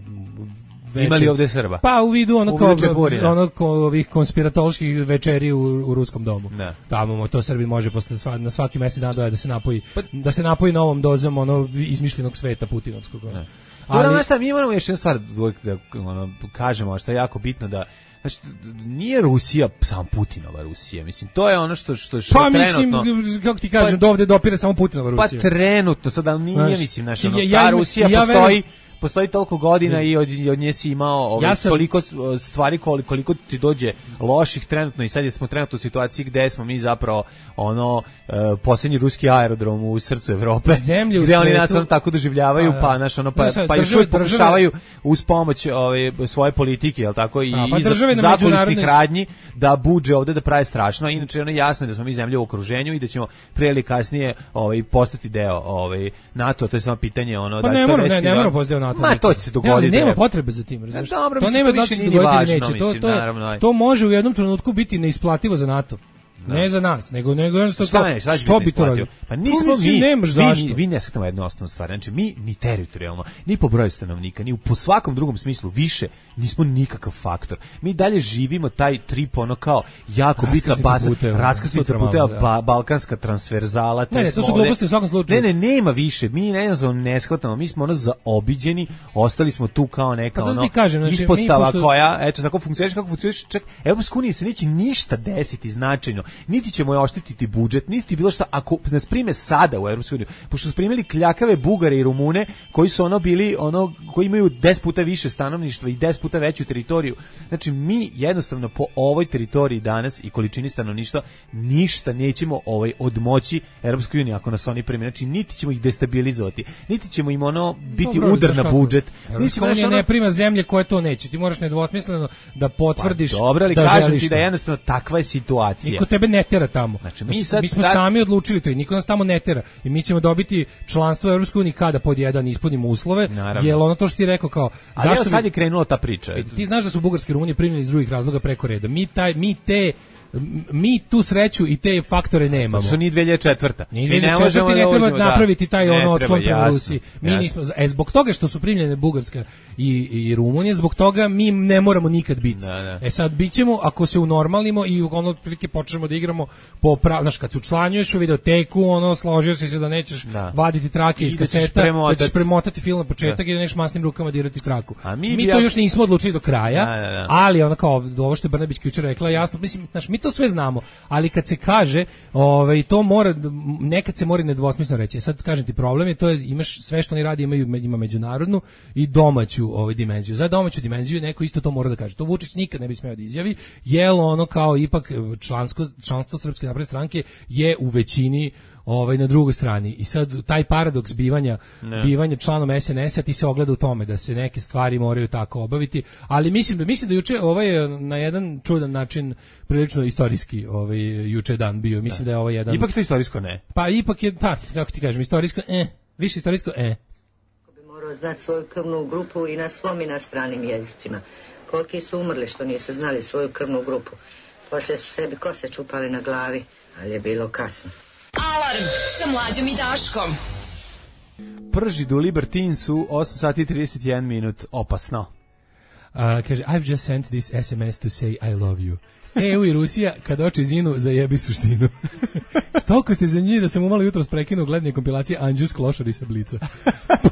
veće, imali ovde Srba. Pa u vidu ono kao ono kao ovih konspiratoloških večeri u, u ruskom domu. Ne. Tamo to Srbi može posle sva, na svaki mesec dana da se napoji pa, da se napoji novom dozom ono izmišljenog sveta putinovskog. Ne. Ali ono šta mi moramo još jednu stvar da ono kažemo, što je jako bitno da znači, nije Rusija samo Putinova Rusija, mislim, to je ono što, što, što pa, trenutno... Pa mislim, kako ti kažem, pa, do ovde dopire samo Putinova Rusija. Pa trenutno, sad, ali nije, znaš, mislim, znaš, ono, ja, ta Rusija ja, postoji... Ja postoji toliko godina i od, od nje si imao ovaj, ja sam, toliko stvari koliko, koliko ti dođe loših trenutno i sad je smo trenutno u situaciji gde smo mi zapravo ono uh, posljednji ruski aerodrom u srcu Evrope zemlje gde u oni svetu, nas ono tako doživljavaju a, pa naš ono pa, pa još uvijek pokušavaju uz pomoć ove, svoje politike, jel tako, i, a, pa i zakulisnih radnji da budže ovde da prave strašno, inače ono jasno je da smo mi zemlje u okruženju i da ćemo prije ili kasnije ovaj, postati deo ovaj, NATO, to je samo pitanje ono pa da ne moramo, ne, ne moramo postati NATO. Ma to će se dogoditi. Ne, nema potrebe za tim, razumiješ? Dobro, to nema da se dogoditi neće. To, to, naravno, to može u jednom trenutku biti neisplativo za NATO. Da. Ne za nas, nego nego jednostavno šta, je, šta, što bi to radio? Pa nismo mi, vi, vi ne shvatamo jednu osnovnu stvar, znači mi ni teritorijalno, ni po broju stanovnika, ni po svakom drugom smislu više nismo nikakav faktor. Mi dalje živimo taj trip ono kao jako bitna baza, raskrsnica puteva, ba, balkanska transverzala. Ne, ne, to su gluposti u svakom slučaju. Ne, ne, nema više, mi ne znam, ne shvatamo, mi smo ono zaobiđeni, ostali smo tu kao neka pa, ono kažem, znači, ispostava pošto... koja, eto, tako funkcioniš, kako funkcioniš, čak, Evropska unija se neće ništa desiti značajno. Niti ćemo je oštetiti budžet, niti bilo šta, ako nas prime sada u Evropsku uniju, pošto su primili kljakave Bugare i Rumune, koji su ono bili, ono, koji imaju deset puta više stanovništva i deset puta veću teritoriju. Znači, mi jednostavno po ovoj teritoriji danas i količini stanovništva ništa nećemo ovaj, odmoći Evropskoj uniji ako nas oni prime. Znači, niti ćemo ih destabilizovati, niti ćemo im ono biti dobro, udar na budžet. Evropska unija ono... ne prima zemlje koje to neće. Ti moraš nedvosmisleno da potvrdiš pa, dobro, ali da kažem želiš ti da jednostavno takva je situacija. Niko tebe ne tera tamo. Znači, mi, znači, sad, mi smo sad... sami odlučili to i niko nas tamo ne tera. I mi ćemo dobiti članstvo u Evropskoj uniji kada pod jedan ispunimo uslove. Naravno. Jer ono to što ti rekao kao ali zašto sad bi... je krenula ta priča. Ti znaš da su bugarski Rumuni primljeni iz drugih razloga preko reda. Mi taj mi te mi tu sreću i te faktore nemamo. Što ni dve hiljade četvrte. Ni dve hiljade četvrte ne treba da napraviti taj ono otklon prema Rusiji. Mi jasno. nismo, e, zbog toga što su primljene Bugarska i, i Rumunija, zbog toga mi ne moramo nikad biti. Da, da. E sad, bit ćemo, ako se unormalimo i ono otprilike počnemo da igramo po prav, znaš, kad se učlanjuješ u videoteku, ono, složio si se da nećeš da. vaditi trake iz kaseta, da ćeš premotati film na početak da. i da neš masnim rukama dirati traku. A mi, mi to ja... još nismo odlučili do kraja, da, da, da. ali ono kao, ovo što je Brnabić jučer rekla, jasno, mislim, znaš, mi to sve znamo, ali kad se kaže, ovaj to mora nekad se mora nedvosmisleno reći. Sad kažem ti, problem je to je imaš sve što oni radi imaju ima međunarodnu i domaću ovaj dimenziju. Za domaću dimenziju neko isto to mora da kaže. To Vučić nikad ne bi smeo da izjavi, jel ono kao ipak člansko članstvo Srpske napredne stranke je u većini ovaj na drugoj strani. I sad taj paradoks bivanja ne. bivanja članom es en es-a ti se ogleda u tome da se neke stvari moraju tako obaviti, ali mislim da mislim da juče ovaj na jedan čudan način prilično istorijski ovaj juče dan bio. Mislim ne. da je ovo jedan ipak to istorijsko ne. Pa ipak je pa kako ti kažem istorijsko eh više istorijsko eh. Ko bi morao znati svoju krvnu grupu i na svom i na stranim jezicima. Koliki su umrli što nisu znali svoju krvnu grupu. Poslije su sebi kose čupali na glavi, ali je bilo kasno. Alarm sa Mlađom i Daškom. pržidu u Libertinsu, osam sati i trideset jedan minut, opasno. Uh, kaže, I've just sent this S M S to say I love you. E U i Rusija, kad oči zinu, zajebi suštinu. Toliko ste za njih da sam umalo jutro prekinuo gledanje kompilacije Anđus Klošar i Sablica.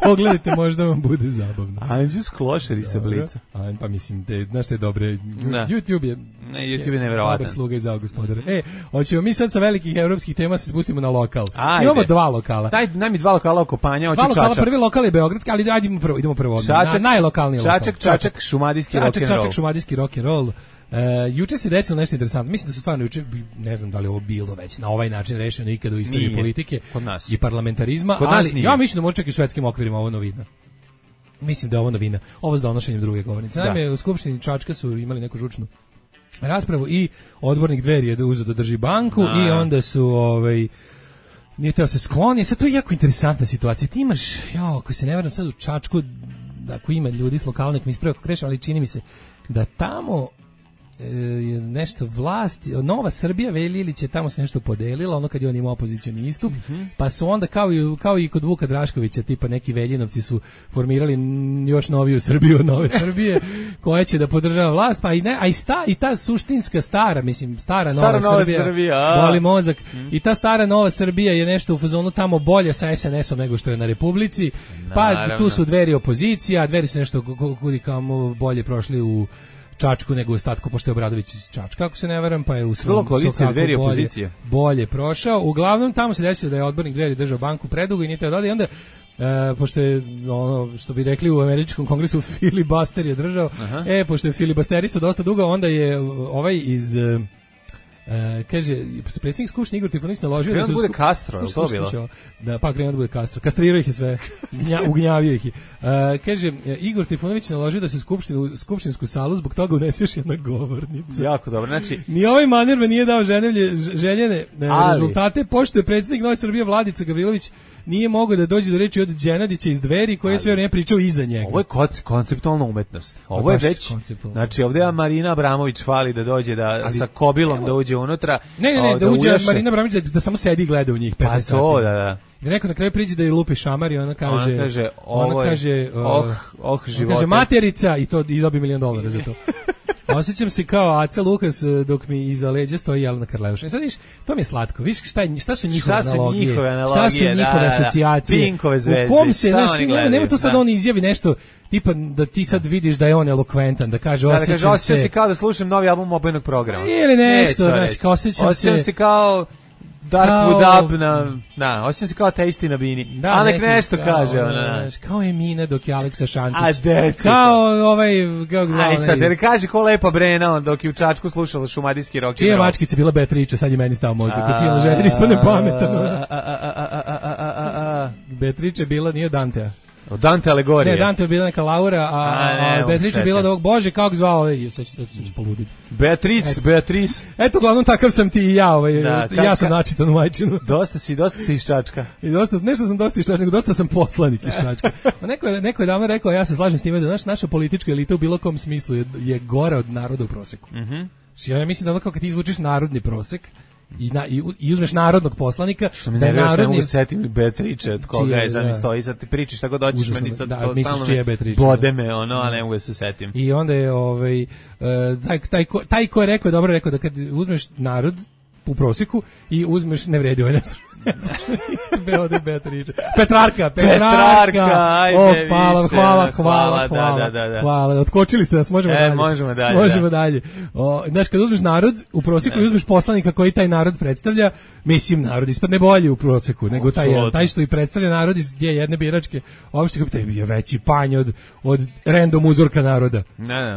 Pogledajte, možda vam bude zabavno. Anđus Klošar i Sablica. A, pa mislim, te, znaš te dobre, da. YouTube je... Ne, YouTube je nevjerovatan. Dobar sluga i zao gospodara. E, hoćemo mi sad sa velikih evropskih tema se spustimo na lokal. Ajde. Imamo dva lokala. Daj, daj mi dva lokala oko Panja, hoću Dva lokala, Čačak. prvi lokal je beogradski, ali ajde idemo prvo, idemo prvo. Čačak, na, najlokalniji lokal. Čačak, Čačak, šumadijski rock and roll. Čačak, šumadijski rock and roll. Uh, juče se desilo nešto interesantno. Mislim da su stvarno juče, ne znam da li ovo bilo već na ovaj način rešeno ikada u istoriji nije. Politike Kod nas. i parlamentarizma, Kod ali nas ja mislim da može čak i u svetskim okvirima ovo novina. Mislim da je ovo novina. Ovo s donošenjem druge govornice. Naime, u Skupštini Čačka su imali neku žučnu raspravu i odbornik Dveri je uzeo da drži banku a. i onda su ovaj nije teo se skloni. Sad to je jako interesantna situacija. Ti imaš, ja, ako se ne varam sad u Čačku, da ako ima ljudi s lokalnih mi ispravo kako krešam, ali čini mi se da tamo je nešto vlast, Nova Srbija Velilić je tamo se nešto podelila, ono kad je on imao opozicioni istup, mm-hmm. pa su onda kao i, kao i kod Vuka Draškovića, tipa neki Veljinovci su formirali još noviju Srbiju od Nove Srbije, koja će da podržava vlast, pa i ne, a i, sta, i ta suštinska stara, mislim, stara, stara Nova, Nova Srbija, Srbija boli mozak, mm. i ta stara Nova Srbija je nešto u fazonu tamo bolje sa S N S-om nego što je na Republici, pa naravno. Tu su Dveri opozicija, Dveri su nešto kudi kao bolje prošli u Čačku nego u ostatku, pošto je Obradović iz Čačka, ako se ne varam, pa je u svom koalicije Dveri bolje, opozicije. Bolje prošao. Uglavnom, tamo se desilo da je odbornik Dveri držao banku predugo i nije teo da i onda, e, pošto je, ono, što bi rekli u američkom kongresu, filibuster je držao, aha. e, pošto je filibusterisao dosta dugo, onda je ovaj iz... Uh, kaže, predsjednik Skupštine Igor Trifanović naložio da se... bude Castro, je to bilo? Da, pa krenuo da bude Castro. Kastrirao ih je sve, Znja, ugnjavio ih je. Uh, kaže, Igor Trifanović naložio da se u skupštinu, skupštinsku salu zbog toga unese još jedna govornica. Jako dobro, znači... Ni ovaj manir me nije dao ženevlje, željene ali. rezultate, pošto je predsjednik Nove Srbije Vladica Gavrilović nije mogao da dođe do reči od Đenadića iz Dveri, koji je sve vrijeme pričao iza njega. Ovo je konceptualna umetnost. Ovo je već, znači ovdje Marina Abramović fali da dođe da ali, sa kobilom evo, da uđe unutra. Ne, ne, ne, da, da uđe ujaše. Marina Abramović da, da samo sedi i gleda u njih petnaest pa to, sati. Da, da. I neko na kraju priđe da je lupi šamar i ona kaže, ona kaže, ona kaže, oh, oh, živote. Kaže materica i to i dobi milion dolara za to. Osjećam se kao Aca Lukas dok mi iza leđa stoji Jelena Karleuša. I sad viš, to mi je slatko. Viš šta, je, šta su njihove šta analogije? Su njihove analogije? Šta su njihove da, asocijacije? Da, Pinkove zvezde. U kom se, znaš, ti nema, nema tu sad da. On izjavi nešto, tipa da ti sad vidiš da je on elokventan, da kaže osjećam, da, da kaže, osjećam se... se kao da slušam novi album Obojenog programa. Ili nešto, znaš, kao osjećam, osjećam se... se kao... Darkwood Up na, na, osjećam se kao teisti na bini. Da, a nek nešto kao, kaže ona. Znaš, kao Emina dok je Aleksa Šantić. A deci. Kao ovaj, kao glavni. Aj sad, jer kaže ko lepa Brena on dok je u Čačku slušala šumadijski rock. Čija mačkica bila Beatrice, sad je meni stao mozak. Kad cijelo željen ispadne pametan. Beatrice bila, nije Dantea. Od Dante alegorije. Ne, Dante je bila neka Laura, a, a, a Beatrice je bila da ovog Bože, kako zvao, ej, sad ću poluditi. Beatrice, Beatrice. Eto, glavnom takav sam ti i ja, ovaj, da, ja ka, sam načitan u majčinu. Dosta si, dosta si iz Čačka. I dosta, nešto sam dosta iz Čačka, nego dosta sam poslanik iz Čačka. Neko je, neko je davno rekao, ja se slažem s time da naš, naša politička elita u bilo kom smislu je, je gora od naroda u proseku. Mhm. Mm ja mislim da ono kao kad ti izvučiš narodni prosek, I, na, i, i uzmeš narodnog poslanika što mi ne vješ narodni... ne mogu setim Beatrice od koga je znam stoji sad ti pričaš tako dođeš užasno, meni sad da, to misliš čije Beatrice bode me ono a ne mogu da se setim i onda je ovaj, uh, taj, taj, ko, taj ko je rekao dobro rekao da kad uzmeš narod u prosjeku i uzmeš ne vredi ovaj nešto Beode Beatrice. Petrarka, Petrarka. Petrarka, ajde, o, hvala, više, hvala, hvala, hvala, da, da, da. hvala. Otkočili ste nas, možemo e, dalje. Možemo dalje. Možemo da. dalje. O, znaš, kad uzmeš narod, u prosjeku i uzmeš poslanika koji taj narod predstavlja, mislim, narod ispadne bolje u prosjeku nego taj jedan. Taj što i predstavlja narod iz gdje jedne biračke opšte kao taj je veći panj od, od random uzorka naroda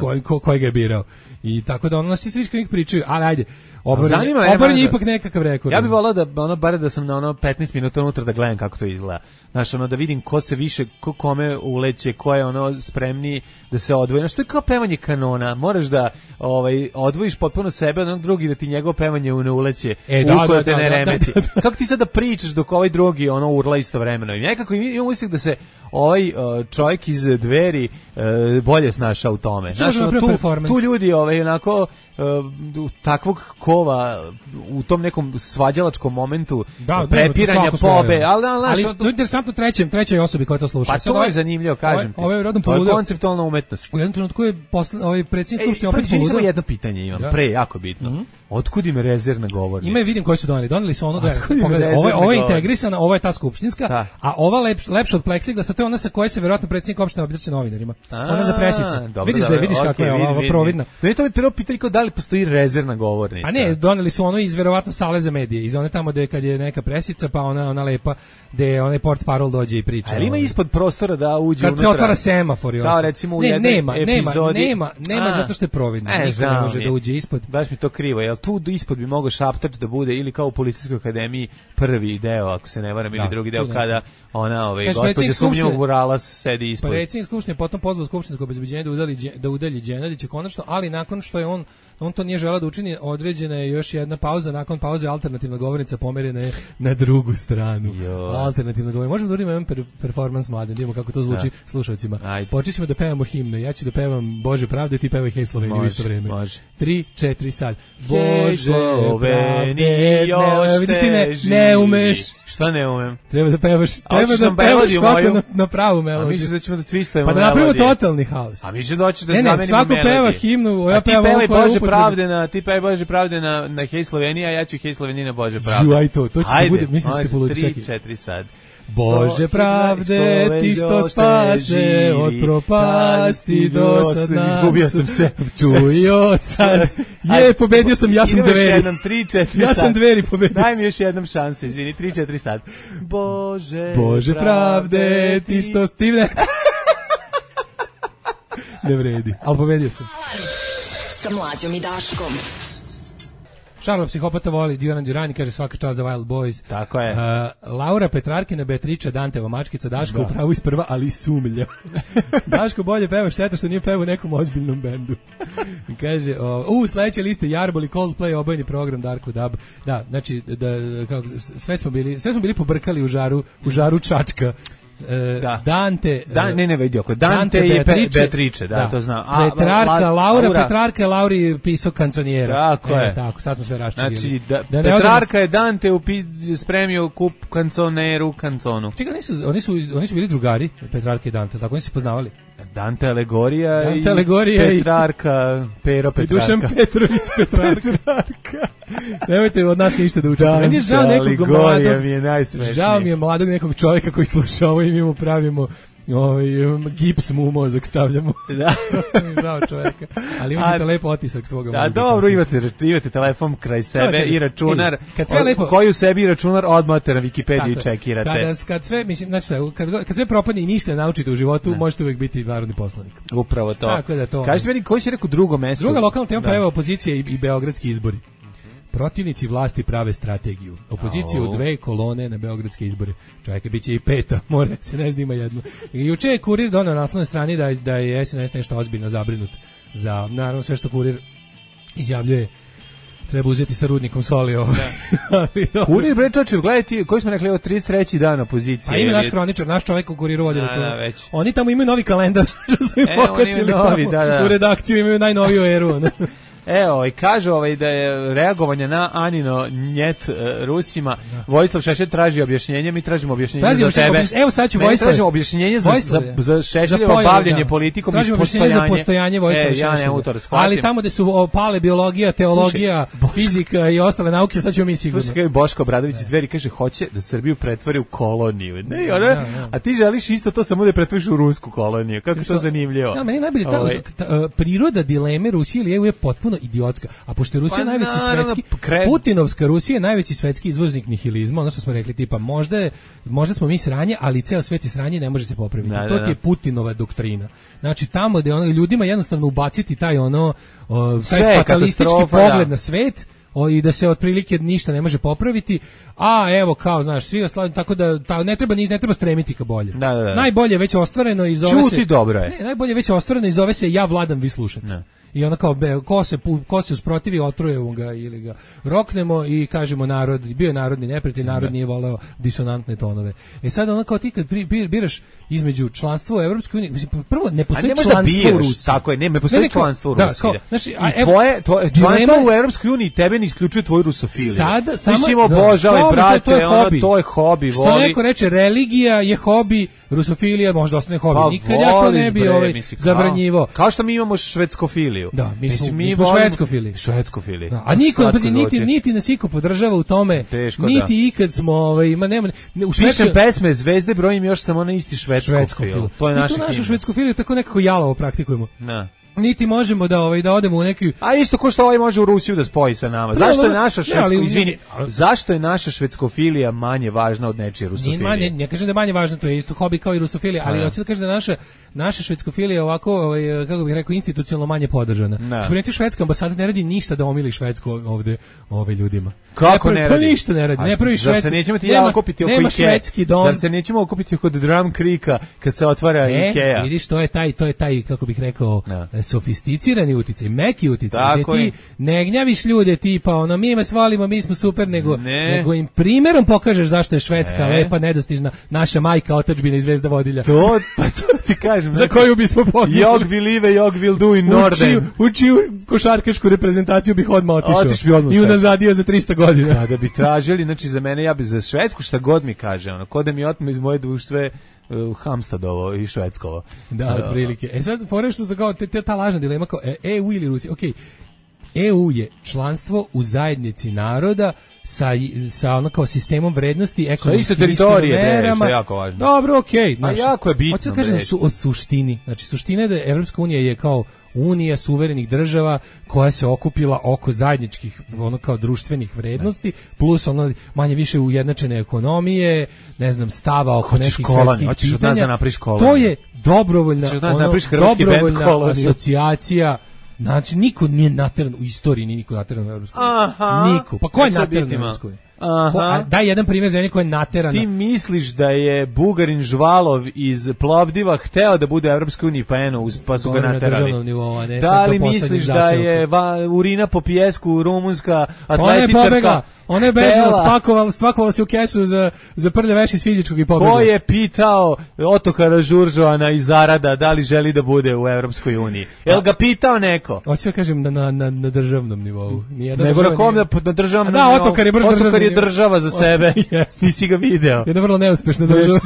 koji ko, ko ga je birao. I tako da ono nas svi svi pričaju, ali ajde. Oboren je ipak nekakav rekord. Ja bih volao da ono bare da sam na ono petnaest minuta unutra da gledam kako to izgleda. Znaš, ono da vidim ko se više, ko kome uleće, ko je ono spremniji da se odvoji. Znaš, to je kao pevanje kanona. Moraš da ovaj, odvojiš potpuno sebe od onog drugi da ti njegovo pevanje ne uleće. E, da, da, te da, ne da, remeti. da, da. Kako ti sad da pričaš dok ovaj drugi ono urla istovremeno? I nekako imam utisak da se ovaj uh, čovjek iz Dveri uh, bolje snašao u tome. Znaš, ono, tu, tu ljudi ovaj, onako uh, takvog kova u tom nekom svađalačkom momentu da, prepiranja pobe, ali, ali, ali to je interesantno trećem, trećoj osobi koja to sluša. Pa to je zanimljivo, kažem ti. Ovaj, ovaj to je konceptualna umetnost. U jednom trenutku je posle, ovaj predsjednik Skupštine opet poludeo. Samo jedno pitanje imam, ja. pre, jako bitno. Mm-hmm. Otkud im rezervna govornica? Ima je, vidim koji su doneli. Doneli su ono da je, pogledaj, ovo, ovo je integrisana, ovo je ta skupštinska, da. A ova lep, lepša od pleksiglasa, to je ona sa koje se verovatno predsjednik opštine obraća novinarima. A, ona za presice. Dobro, vidiš da je, vidiš okay, kako je ova, ova providna. Da je to mi prvo pitanje kao da li postoji rezervna govornica. A ne, doneli su ono iz verovatno sale za medije, iz one tamo gde kad je neka presica, pa ona ona lepa gde onaj portparol dođe i priča. Ali ima ispod prostora da uđe kad unutra. Kad se otvara semafor i kao recimo u ne, jednoj nema, epizodi. Nema, nema, nema zato što je providno. E, niko ne može da uđe ispod. Baš mi to krivo. Jel tu ispod bi mogao šaptač da bude ili kao u Policijskoj akademiji prvi deo, ako se ne varam, ili drugi deo kada ona ovaj gospođa sumnjivog murala sedi ispod. Predsjednik skupštine potom pozvao skupštinsko obezbeđenje da udalji da udalji Đenadića konačno, ali nakon što je on on to nije želeo da učini, određena je još jedna pauza, nakon pauze alternativna govornica pomerena je na drugu stranu. Jo. Alternativna govornica. Možemo da uradimo jedan per, performans mladen, da vidimo kako to zvuči da. Slušalcima. Počećemo da pevamo himne, ja ću da pevam Bože pravde, ti pevaj Hej Slovenija u isto vreme. Može. Tri, četiri sad. Bože pravde, još vidiš ti ne, ne umeš. Šta ne umem? Treba da pevaš, treba da pevaš svako na, na pravu melodiju. A mislim da ćemo da twistujemo pa da napravimo totalni haos. A mislim da hoće da ne, zamenimo ne, svako melodiju. Peva himnu, ja pevam ovo koje Bože pravde na, ti pevaj Bože pravde na, na Hej Slovenija, ja ću Hej Slovenija na Bože pravde. Ju, aj to, to će da bude, mislim da ćete poluditi. tri, četiri sad. Bože pravde, ti što spase od propasti do sad nas. Izgubio sam se. Čuj od sad. Je, pobedio sam, ja sam Dveri. Jednom, tri, četiri ja sam Dveri pobedio. Daj mi još jednom šansu, izvini, tri, četiri sad. Bože, Bože pravde, ti što stivne. Ne vredi, ali pobedio sam. Sa Mlađom i Daškom. Šarlo psihopata voli Duran Duran i kaže svaka čast za Wild Boys. Tako je. Uh, Laura Petrarkina, Beatriča, Danteva mačkica, Daško u pravu isprva, ali sumlja. Daško bolje peva, šteta što nije peva u nekom ozbiljnom bendu. Kaže, uh, u sledeće liste Jarbol i Coldplay, obojni program Darko Dab. Da, znači, da, kako, sve smo bili, sve smo bili pobrkali u žaru, u žaru Čačka. Uh, da. Dante Dan, ne ne vidi oko Dante, Dante i Beatrice, Beatrice da, da to znam. A Petrarka, la, la, Laura, Laura Petrarka, Lauri pisao kanconijera. Tako e, je. Tako, sad smo sve raščegili. Znači, da, da Petrarka je Dante upi, spremio kup kanconeru kanconu. Čekaj, oni su, oni su, oni su bili drugari, Petrarka i Dante, tako oni se poznavali. Dante Alegorija Dante i Alegorija Petrarka, Pero Petrarka. I Dušan Petrović Petrarka. Petrarka. Nemojte od nas ništa da učite. Meni je žao nekog mladog, mi je najsmešniji. Žao mi je mladog nekog čovjeka koji sluša ovo i mi mu pravimo ovaj gips mu u mozak stavljamo. Da. Žao čovjeka. Ali imate lepo otisak svoga mozga. Da, dobro, imate, imate telefon kraj sebe i računar. Kad sve lepo, koji u sebi računar odmate na Wikipediju čekirate. Kada kad sve, mislim, znači kad kad sve propadne i ništa ne naučite u životu, ne. Možete uvek biti narodni poslanik. Upravo to. Tako da to. Kažete meni koji si rekao drugo mesto? Druga lokalna tema pa evo opozicija i, i beogradski izbori. Protivnici vlasti prave strategiju. Opozicija u dve kolone na beogradske izbore. Čovjek biće i peta, more se ne snima jednu. I juče je Kurir doneo na naslovnoj strani da da je S N S nešto ozbiljno zabrinut za naravno sve što Kurir izjavljuje. Treba uzeti sa rudnikom soli ovo. Da. Kurir bre čoveče, gledajte, koji smo rekli, ovo trideset treći dan opozicije. A ima naš kroničar, naš čovjek u Kuriru vodi računa. Oni tamo imaju novi kalendar, što su im e, pokačili novi, da, da. U redakciju imaju najnoviju eru. Evo, i kaže ovaj da je reagovanje na Anino njet uh, Rusima. Da. Vojislav Šešelj traži objašnjenje, mi tražimo objašnjenje tražimo za tebe. Evo sad ću Vojislav. Tražimo objašnjenje za, za, za Šešeljevo bavljenje da. politikom tražimo i postojanje. Tražimo objašnjenje za postojanje Vojislava e, Šešelja. Ja ali tamo gde su opale biologija, teologija, Slušaj, fizika i ostale nauke, sad ćemo mi sigurno. Slušaj, kao Boško Obradović iz Dveri kaže, hoće da Srbiju pretvori u koloniju. Ne, ona, ja, ja. A ti želiš isto to samo da pretvoriš u rusku koloniju. Kako to zanimljivo. Ja, meni najbolje ta priroda dileme Rusije ili E U je potpuno idiotska. Pošto je Rusija pa, najveći svetski, kre... Putinovska Rusija je najveći svetski izvoznik nihilizma, ono što smo rekli, tipa, možda, je, možda smo mi sranje, ali ceo svet je sranje, ne može se popraviti. Da, to da, da. je Putinova doktrina. Znači, tamo gde ono, ljudima jednostavno ubaciti taj ono, o, taj fatalistički pogled da. na svet, o, i da se otprilike ništa ne može popraviti, a evo kao znaš svi oslavljeni, tako da ta, ne treba ne treba stremiti ka bolje. Da, da, da. Najbolje već ostvareno i zove Čuti se dobro je. Ne, najbolje već ostvareno i zove se ja vladam, vi slušate. Ne. I ona kao be, ko se pu, ko se usprotivi otrujemo ga ili ga roknemo i kažemo narod, bio je narodni neprijatelj, narod nije voleo disonantne tonove. E sad ona kao ti kad pri, biraš između članstva u Evropskoj uniji, mislim prvo ne postoji ne članstvo u Rusiji. Tako je, ne, ne postoji ne, članstvo u Rusiji. Da, kao, znači, a, I tvoje, tvoje članstvo u Evropskoj uniji tebe ne isključuje tvoju rusofiliju. Sada samo mislim obožavaj da, brate, to je, ono, hobi. to je hobi, što voli. neko reče religija je hobi, rusofilija možda ostane hobi. Pa, nikad ja to ne bi bre, ovaj misli, zabranjivo. Kao što mi imamo švedskofiliju. Da, mi smo, mislim, mi smo švedskofili. Švedskofili. Da, a niko pa niti niti nas iko podržava u tome. Teško, niti da. ikad smo ovaj ima nema ne, u Švedskoj Pišem pesme Zvezde, brojim još samo na isti švedskofil. To je naša. Mi tu našu švedskofiliju tako nekako jalovo praktikujemo. Da. Niti možemo da ovaj da odemo u neki. A isto ko što ovaj može u Rusiju da spoji sa nama. Zašto je naša švedsko, izvini, zašto je naša švedskofilija manje važna od nečije rusofilije? Nije manje, ne kažem da je manje važno, to je isto hobi kao i rusofilija, ali hoću da kažem da naša naša švedskofilija ovako, ovaj, kako bih rekao, institucionalno manje podržana. Spremite švedska ambasada ne radi ništa da omili Švedsku ovde ove ljudima. Kako ne, ne radi? Pa ništa ne radi. Ne pravi švedsku. Zar se nećemo ti ja okupiti oko Ikea? Zar se nećemo okupiti oko Drum Creeka kad se otvara e, Ikea? Vidiš, to je taj, to je taj, kako bih rekao, no. sofisticirani uticaj, meki uticaj, gde ti ne gnjaviš ljude tipa, ono, mi vas volimo, mi smo super, nego, ne. nego im primjerom pokažeš zašto je Švedska ne. lepa, nedostižna, naša majka, otadžbina i zvezda vodilja. To, pa to ti kažem. Za koju bismo podnijeli. Jog will live, jog will do in Norden. U čiju košarkašku reprezentaciju bih odmah otišao. Otiš bi odmah i unazadio za trista godina. Kada bi tražili, znači za mene, ja bi za Švedsku šta god mi kaže, ono, ko da mi otme iz moje društve uh, Hamstadovo i Švedskovo. Da, uh, otprilike. E sad, fore što kao, te, te, ta lažna dilema kao E U ili Rusija. Okej, okay. E U je članstvo u zajednici naroda sa, sa ono kao sistemom vrednosti, ekonomskim merama. Što je jako važno. Dobro, okej. Okay, a jako je bitno. Hoću da kažem su, o suštini. Znači, suština je da Evropska unija je kao unija suverenih država koja se okupila oko zajedničkih ono kao društvenih vrednosti, plus ono manje više ujednačene ekonomije, ne znam, stava oko nekih svetskih pitanja. Da to je dobrovoljna, ono, dobrovoljna asocijacija. Znači, niko nije nateran u istoriji, nije niko nateran u Evropskoj uniji. Niko. Pa ko je nateran u Evropskoj uniji? Aha. Daj jedan primjer za neko je naterana. Ti misliš da je Bugarin Žvalov iz Plovdiva hteo da bude u Evropskoj uniji, pa eno, pa su ga naterali. Nivou, ne, da li misliš da je va, urina po pijesku rumunska atletičarka? Ona je bežala, spakovala, spakovala se u kesu za, za prlje veši iz fizičkog i pobjegla. Ko je pitao Otokara Žuržovana iz Arada da li želi da bude u Evropskoj uniji? Jel ga pitao neko? Hoću da kažem na, na, na, na državnom nivou. Nego na kom na državnom nivou? Da, Otokar je brž Otokar je država za sebe. Yes. Nisi ga video. Jedna vrlo neuspešna država.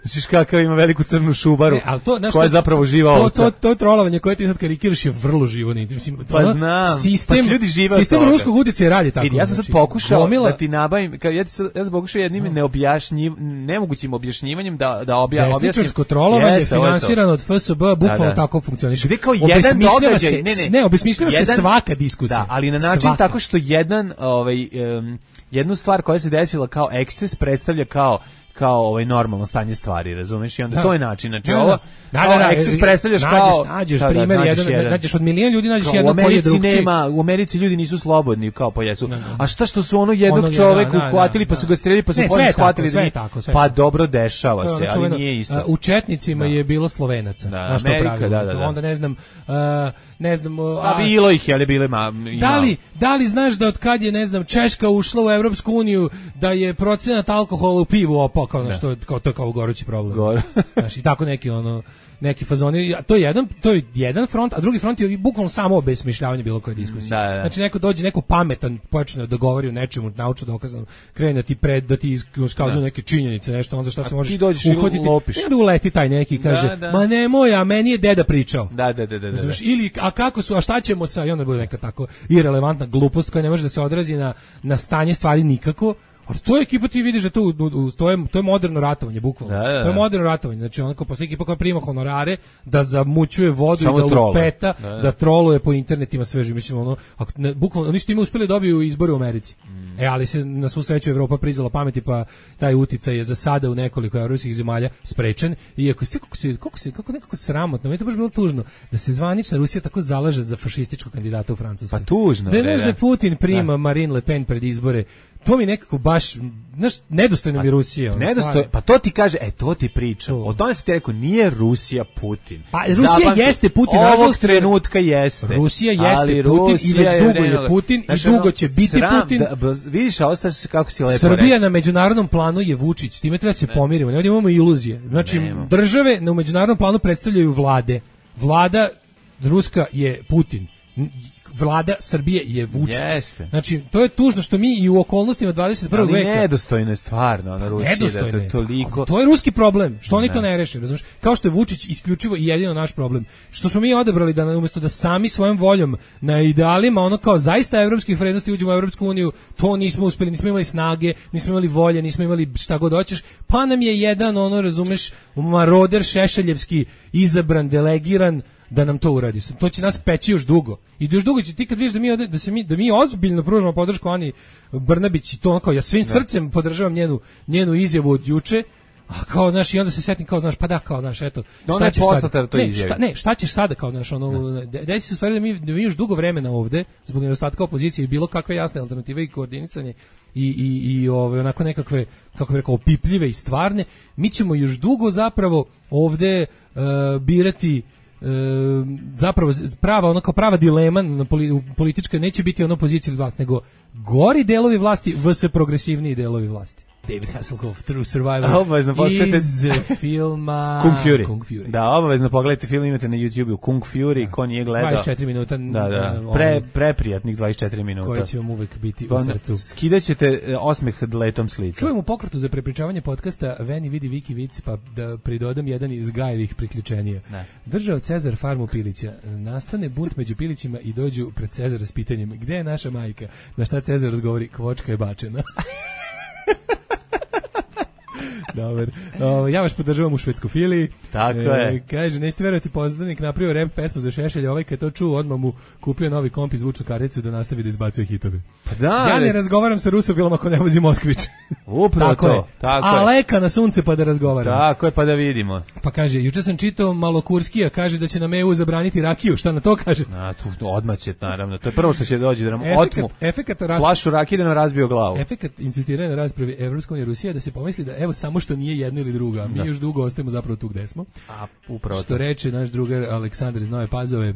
Znaš kakav ima veliku crnu šubaru, ne, to, znaš, koja je zapravo živa to, ovca. To, to, to trolovanje koje ti sad karikiraš je vrlo živo. Mislim, pa ono, znam, sistem, pa ljudi žive sistem ruskog utjecaja radi tako. Vidi, ja sam znači, sad pokušao gomila, da ti nabavim, kad ja, sad, ja sam pokušao jednim no. neobjašnjiv, nemogućim objašnjivanjem da, da obja, objasnim. Desničarsko trolovanje je finansirano od F S B, bukvalno da, da. tako funkcioniše. Gde kao jedan događaj, se, ne, ne, ne obesmišljava se svaka diskusija. Da, ali na način svaka. Tako što jedan, ovaj, um, jednu stvar koja se desila kao eksces predstavlja kao kao ovaj normalno stanje stvari, razumeš? I onda da. To je način, znači ovo da, da, da, eksces predstavljaš nađeš, kao nađeš primjer da, jedan, jedan, nađeš od milion ljudi nađeš jednog koji je drugčiji. Nema, u Americi ljudi nisu slobodni kao po jesu. A šta što su ono jednog ono, čoveka da, uhvatili, da, pa su ga streljali, pa su posle shvatili da tako, pa dobro dešava se, ali nije isto. U četnicima je bilo Slovenaca, na što pravilno. Onda ne znam, ne znam, a bilo ih je, ali bile ma. Da li, da li znaš da od kad je, ne znam, Češka ušla u Evropsku uniju da je procenat alkohola u pivu opao kao što kao to kao gorući problem. Gore. Znači tako neki ono neki fazoni, to je jedan to je jedan front, a drugi front je bukvalno samo obesmišljavanje bilo koje diskusije. Da, da. Znači neko dođe, neko pametan počne da govori o nečemu naučno dokazano, krene da ti pred da ti iskazuje neke činjenice, nešto on za šta se možeš uhvatiti. I onda uleti taj neki kaže, da, da. Ma nemoj, a meni je deda pričao. Da, da, da, da. Znači, ili a kako su, a šta ćemo sa, i onda bude neka tako irelevantna glupost koja ne može da se odrazi na na stanje stvari nikako. A to je ekipa, ti vidiš da to, to, je, to je moderno ratovanje, bukvalno. Da, da, da. To je moderno ratovanje. Znači, onako, posle ekipa koja prima honorare, da zamućuje vodu samo i da trole. Lupeta, da, da. da troluje po internetima sveži. Mislim, ono, ako, ne, bukvalno, oni su time uspeli dobiju izbore u Americi. Mm. E, ali se na svu sreću Evropa prizala pameti, pa taj uticaj je za sada u nekoliko evropskih zemalja sprečen. Iako sve, kako se, kako se, kako nekako sramotno, meni je to baš bilo tužno, da se zvanična Rusija tako zalaže za fašističkog kandidata u Francuskoj. Pa tužno. Da je nešto Putin prima da. Marine Le Pen pred izbore, to mi nekako baš, znaš, nedostojno mi Rusije. Nedostojno, pa to ti kaže, e, to ti priča. O tome se ti rekao, nije Rusija Putin. Pa Rusija Zapamti, jeste Putin. Ovog trenutka jeste. Rusija jeste ali Putin Rusija i već dugo je je Putin znači, i dugo će biti sram, Putin. Da, ba, vidiš, a ostaje se kako si lepo Srbija rekao. na međunarodnom planu je Vučić, s time treba se ne. pomirimo. Ne imamo iluzije. Znači, Nemo. države na međunarodnom planu predstavljaju vlade. Vlada Ruska je Putin. Vlada Srbije je Vučić. Jeste. Znači, to je tužno što mi i u okolnostima dvadeset prvog veka... Ali nedostojno je stvarno na Rusiji. Nedostojno da je. to, toliko... to je ruski problem. Što oni ne. to ne reše, razumiješ? Kao što je Vučić isključivo i jedino naš problem. Što smo mi odabrali da umjesto da sami svojom voljom na idealima, ono kao zaista evropskih vrednosti uđemo u Evropsku uniju, to nismo uspeli, nismo imali snage, nismo imali volje, nismo imali šta god hoćeš, pa nam je jedan, ono, razumeš, maroder šešeljevski izabran, delegiran, da nam to uradi. To će nas peći još dugo. I još dugo će ti kad vidiš da mi, da se mi, da mi ozbiljno pružamo podršku Ani Brnabić i to ono kao ja svim srcem podržavam njenu, njenu izjavu od juče, a kao, znaš, i onda se setim kao, znaš, pa da, kao, znaš, eto, šta ćeš sada? Ne, šta, ne, šta ćeš sada, kao, znaš, ono, desi se u stvari da mi, da mi još dugo vremena ovde, zbog nedostatka opozicije i bilo kakve jasne alternative i koordinisanje i, i, i ove, onako nekakve, kako bih rekao, opipljive i stvarne, mi ćemo još dugo zapravo ovde uh, birati E, zapravo prava ono kao prava dilema na poli, politička neće biti ono pozicija od vas, nego gori delovi vlasti vs progresivniji delovi vlasti. David Hasselhoff, True Survivor obavezno iz filma Kung Fury. Kung Fury. Da, obavezno pogledajte film, imate na YouTubeu Kung Fury, da. Ko nije gledao. dvadeset četiri minuta. Da, da. Pre, preprijatnih dvadeset četiri minuta. Koji će vam uvek biti pa, u srcu. Skidaćete osmeh dletom s lica. Čujem u pokretu za prepričavanje podcasta Veni vidi Viki Vic, pa da pridodam jedan iz Gajevih priključenija. Ne. Držao Cezar farmu pilića. Nastane bunt među pilićima i dođu pred Cezara s pitanjem gde je naša majka? Na šta Cezar odgovori, kvočka je bačena. Dobar. O, ja vas podržavam u švedskofiliji. Tako e, je. Kaže, nećete verovati, poznanik napravio rap pesmu za Šešelja, ovaj kad to čuo, odmah mu kupio novi komp i zvučnu karticu da nastavi da izbacuje hitove. Pa da, ja ne razgovaram sa Rusofilom ako ne vozi Moskvić. Upravo tako to. Je. Tako A je. leka na sunce pa da razgovaram. Tako je, pa da vidimo. Pa kaže, juče sam čitao Malokurskija, kaže da će nam E U zabraniti rakiju, šta na to kaže? Na, tu, odmah će, naravno. To je prvo što će doći da nam efekat, otmu efekat rasp... flašu rakije da nam razbio glavu. Efekat insistiranja na raspravi Evropska unija i Rusija da se pomisli da evo samo što nije jedno ili drugo, a mi da. još dugo ostajemo zapravo tu gde smo. A, upravo što to. reče naš drugar Aleksandar iz Nove Pazove,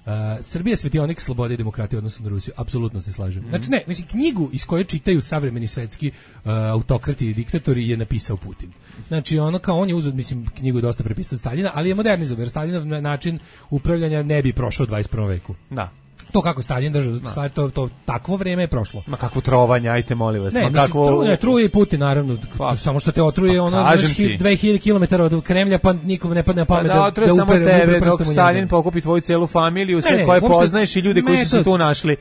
Uh, Srbija je svetionik slobode i demokratije odnosno na Rusiju, apsolutno se slažem. Mm-hmm. Znači ne, znači knjigu iz koje čitaju savremeni svetski uh, autokrati i diktatori je napisao Putin. Znači ono kao on je uzeo, mislim, knjigu je dosta prepisao od Staljina, ali je modernizovao, jer Staljinov način upravljanja ne bi prošao u dvadeset prvom veku. Da. To kako Stalin držao, stvari, to, to takvo vrijeme je prošlo. Ma kakvo trovanje, ajte molim vas. Ne, Ma mislim, kakvo... tru, ne, truje i Putin, naravno. Pa, samo što te otruje, pa, ono, znaš, dve hiljade kilometara od Kremlja, pa nikom ne padne na pamet pa, da, da, otruje da samo upere, tebe, upere dok Stalin pokupi tvoju celu familiju, sve ne, ne, koje uopšte, poznaješ i ljude koji metod, su se tu našli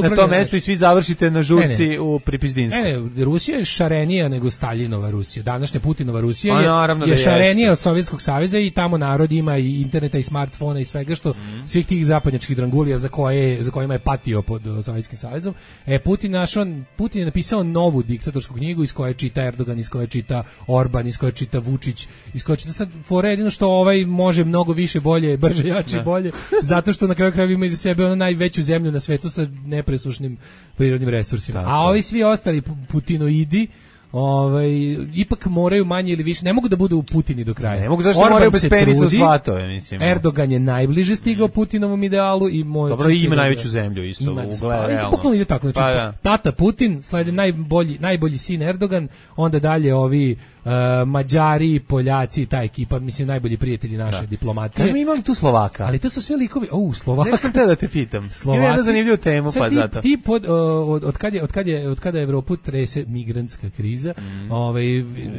na tom mestu i svi završite na žurci ne, ne. u Pripizdinsku. Ne, ne, Rusija je šarenija nego Staljinova Rusija. Današnja Putinova Rusija je, naravno, je da šarenija od Sovjetskog saveza i tamo narod ima i interneta i smartfona i svega što mm. svih tih zapadnjačkih drangulija za koje za kojima je patio pod Sovjetskim savezom. E, Putin, našao, Putin je napisao novu diktatorsku knjigu iz koje čita Erdogan, iz koje čita Orban, iz koje čita Vučić, iz koje čita sad fore jedino što ovaj može mnogo više, bolje, brže, jače, bolje, zato što na kraju krajeva ima iza sebe ono najveću zemlju na svetu sa nepresušnim prirodnim resursima. Tako. A ovi svi ostali putinoidi ovaj ipak moraju manje ili više, ne mogu da budu u Putini do kraja. Ne mogu, zašto Orban moraju bez penisa u svatove, mislim. Erdogan je najbliže stigao mm. Putinovom idealu i moj dobro ima najveću zemlju isto u ugled realno. Bukvalno ide tako, znači pa, ja. Tata Putin, slede najbolji najbolji sin Erdogan, onda dalje ovi uh, Mađari, Poljaci, ta ekipa, mislim najbolji prijatelji naše da. Diplomatije. Kažemo imali tu Slovaka. Ali to su sve likovi, au, Slovaka. Ne sam te da te pitam. Slovaci. Ima jednu zanimljivu temu pa ti, zato. Ti pod, uh, od, od kad je od kad je od kada je Evropu trese migrantska kriza, mm. ovaj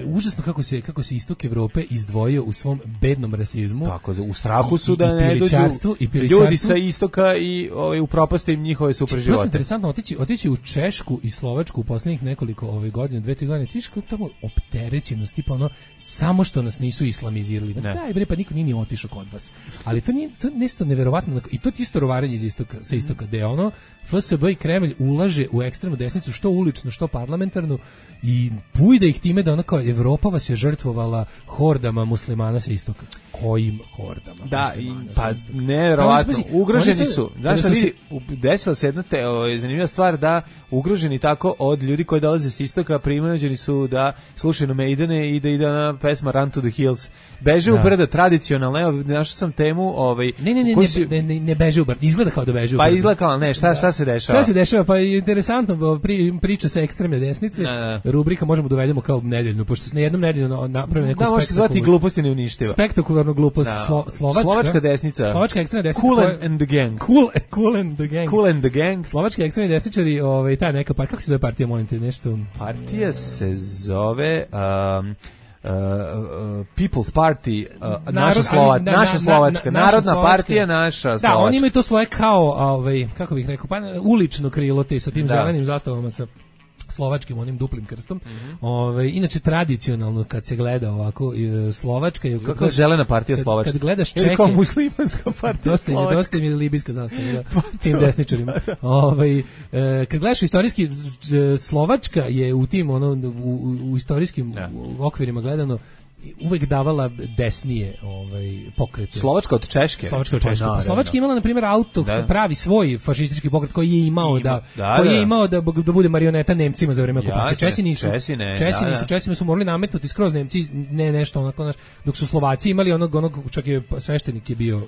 užasno kako se kako se istok Evrope izdvojio u svom bednom rasizmu. Tako, u strahu su da ne dođu ljudi sa istoka i ovaj upropaste im njihove super živote. To je interesantno otići otići u Češku i Slovačku u poslednjih nekoliko ove godine, dve tri godine, tiško tamo opterećenost, tipa ono samo što nas nisu islamizirali. Ne. Daj bre, pa niko nije ni otišao kod vas. Ali to nije to nešto neverovatno i to je isto rovarenje iz istoka, sa istoka, gde ono F S B i Kremlj ulaže u ekstremnu desnicu, što ulično, što parlamentarnu, i i pujde ih time da ono kao Evropa vas je žrtvovala hordama muslimana sa istoka. Kojim hordama? Da, i, pa istoka? nevjerovatno, Pa, ugroženi sad, su. Znaš šta vidi, desila se jedna te, o, zanimljiva stvar da ugroženi tako od ljudi koji dolaze s istoka, primeđeni su da slušaju Maidene i da ide na pesma Run to the Hills. Beže da. u brda, tradicionalno, evo, našao sam temu, ovaj... Ne, ne, ne, ne, si... ne, ne, ne beže u brda, izgleda kao da beže u brda. Pa izgleda kao, ne, šta, šta se dešava? Šta se dešava? Pa interesantno, pri, priča sa ekstremne desnice, da, da. Rubrika možemo dovedemo kao nedeljnu, pošto se na jednom nedeljnu napravi neku da, može se zvati gluposti ne uništiva. Spektakularnu glupost. Da. Slo, slovačka, slovačka desnica. Slovačka ekstremna desnica. Cool koja, and the gang. Cool, cool and the gang. Cool and the gang. Slovački ekstremni desničari, ovaj, ta neka partija, kako se zove partija, molim te, nešto? Partija se zove... Um, Uh, uh, People's Party, uh, Narod, naša, Slova, na, naša Slovačka, na, na, Narodna naša partija, naša Slovačka. Da, oni imaju to svoje kao, ovaj, kako bih rekao, pa ulično krilo te sa tim da. zelenim zastavama sa slovačkim onim duplim krstom. Mm-hmm. Ove, inače tradicionalno kad se gleda ovako Slovačka je kako zelena partija Slovačka. Kad gledaš Čehe, kao muslimanska partija dosta je, dosta mi je libijska zastava da, tim desničarima. Ovaj e, kad gledaš istorijski Slovačka je u tim ono u, u istorijskim ja. okvirima gledano uvek davala desnije ovaj pokrete. Slovačka od Češke. Slovačka od Češke. Pa, Slovačka imala na primjer auto da. pravi svoj fašistički pokret koji je imao Ima. da, da koji je imao da, da bude marioneta Nemcima za vreme okupacije. Česi nisu. Česi, ne, Česi da, nisu. da. Česima su morali nametnuti skroz Nemci, ne nešto onako naš, dok su Slovaci imali onog onog čak je sveštenik je bio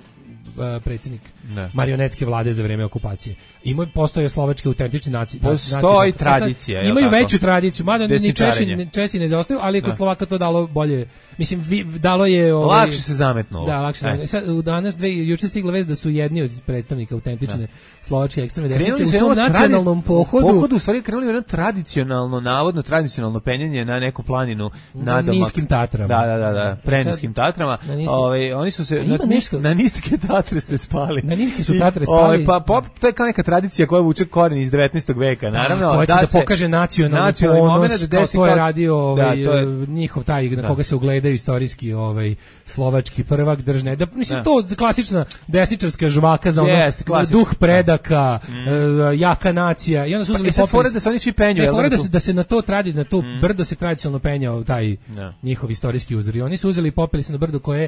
predsjednik ne. marionetske vlade za vreme okupacije. Ima postoje slovački autentični naci. Postoji tradicija. Sad, imaju veću tradiciju, mada ni Česi, Česi ne zaostaju, ali kod Slovaka to dalo bolje. Mislim, vi, dalo je... Ovaj, lakše se zametnulo. Da, lakše se zametnulo. Sad, u danas, dve, juče stigla vest da su jedni od predstavnika autentične da. slovačke ekstremne desnice u svom nacionalnom pohodu... Pohodu u stvari krenuli jedno tradicionalno, navodno tradicionalno penjanje na neku planinu nadomak. Niskim Tatrama. Da, da, da, da preniskim Tatrama. Ove, oni su se... Na, nešto... na niske Tatre ste spali. Na niske su Tatre spali. I, pa, pop, to je kao neka tradicija koja vuče koren iz devetnaestog veka, naravno. Da, koja će da, da pokaže nacionalni ponos, kao to je radio ovaj, da, to je, njihov taj na koga se ugledaju istorijski ovaj slovački prvak držne. Da mislim da. to klasična desničarska žvaka za ono yes, duh predaka, mm. uh, jaka nacija. I onda su uzeli pa, popis. Da se oni svi penju, ne, fore da se da se na to tradi, na to mm. brdo se tradicionalno penjao taj no. njihov istorijski uzor. I oni su uzeli i popeli se na brdo koje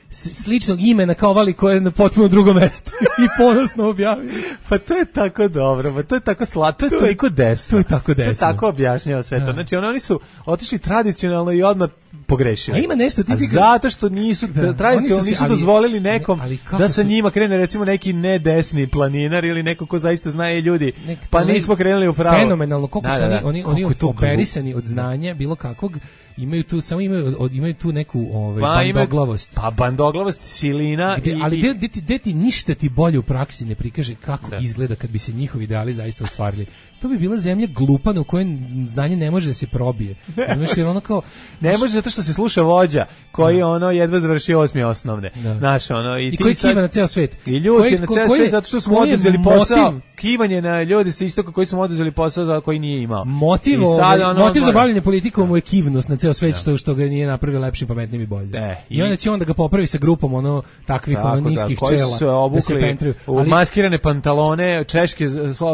sličnog imena kao vali koje je na potpuno drugom mestu i ponosno objavili. Pa to je tako dobro, pa to je tako slatko, to je toliko desno. To je tako desno. To je tako objašnjava sve to. Znači oni su otišli tradicionalno i odmah pogrešili. A ima nešto ti ti zato što nisu da, tradicionalno nisu ali, dozvolili nekom ne, da sa su... njima krene recimo neki nedesni planinar ili neko ko zaista zna je ljudi. Nek, pa nismo krenuli u pravo. Fenomenalno koliko da, su da, da. oni oni oni operisani od znanja bilo kakvog, imaju tu samo imaju od, imaju tu neku ovaj pa, bandoglavost. Pa bandoglavost, silina gde, i ali gde, gde, ti, gde ti ništa ti bolje u praksi ne prikaže kako da. izgleda kad bi se njihovi ideali zaista ostvarili. To bi bila zemlja glupana u kojoj znanje ne može da se probije. Znaš, jer ono kao ne može zato što se sluša vođa koji da. ono jedva završio osmi osnovne. Da. Znaš, ono i, I ti koji sad, kiva na ceo svet. I ljudi koji, na ceo svet zato što su oduzeli posao. Kivanje na ljudi sa istoka koji su oduzeli posao za koji nije imao. Motiv, sad, ono, motiv za bavljenje politikom mu je kivnost na ceo svet, što što ga nije napravio lepšim, pametnim i boljim. E, I, I onda će on da ga popravi sa grupom ono takvih tako, ono niskih da, čela su obukli, da se pentriju. U ali, maskirane pantalone, češke,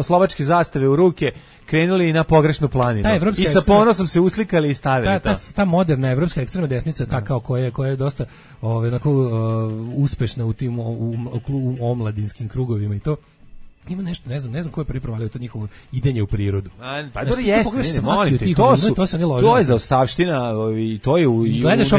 slovačke zastave u ruke, krenuli na pogrešnu planinu. I sa ponosom se uslikali i stavili ta, to. Ta, ta moderna evropska ekstremna desnica, ta kao koja je, koja je dosta ove, onako, uh, uspešna u tim u, u, u, u omladinskim krugovima i to. Ima nešto, ne znam, ne znam ko je prvi provalio to njihovo idenje u prirodu. A, pa dobro jeste, ne, ne, molim te, to, su, to, to je zaostavština i to je u, u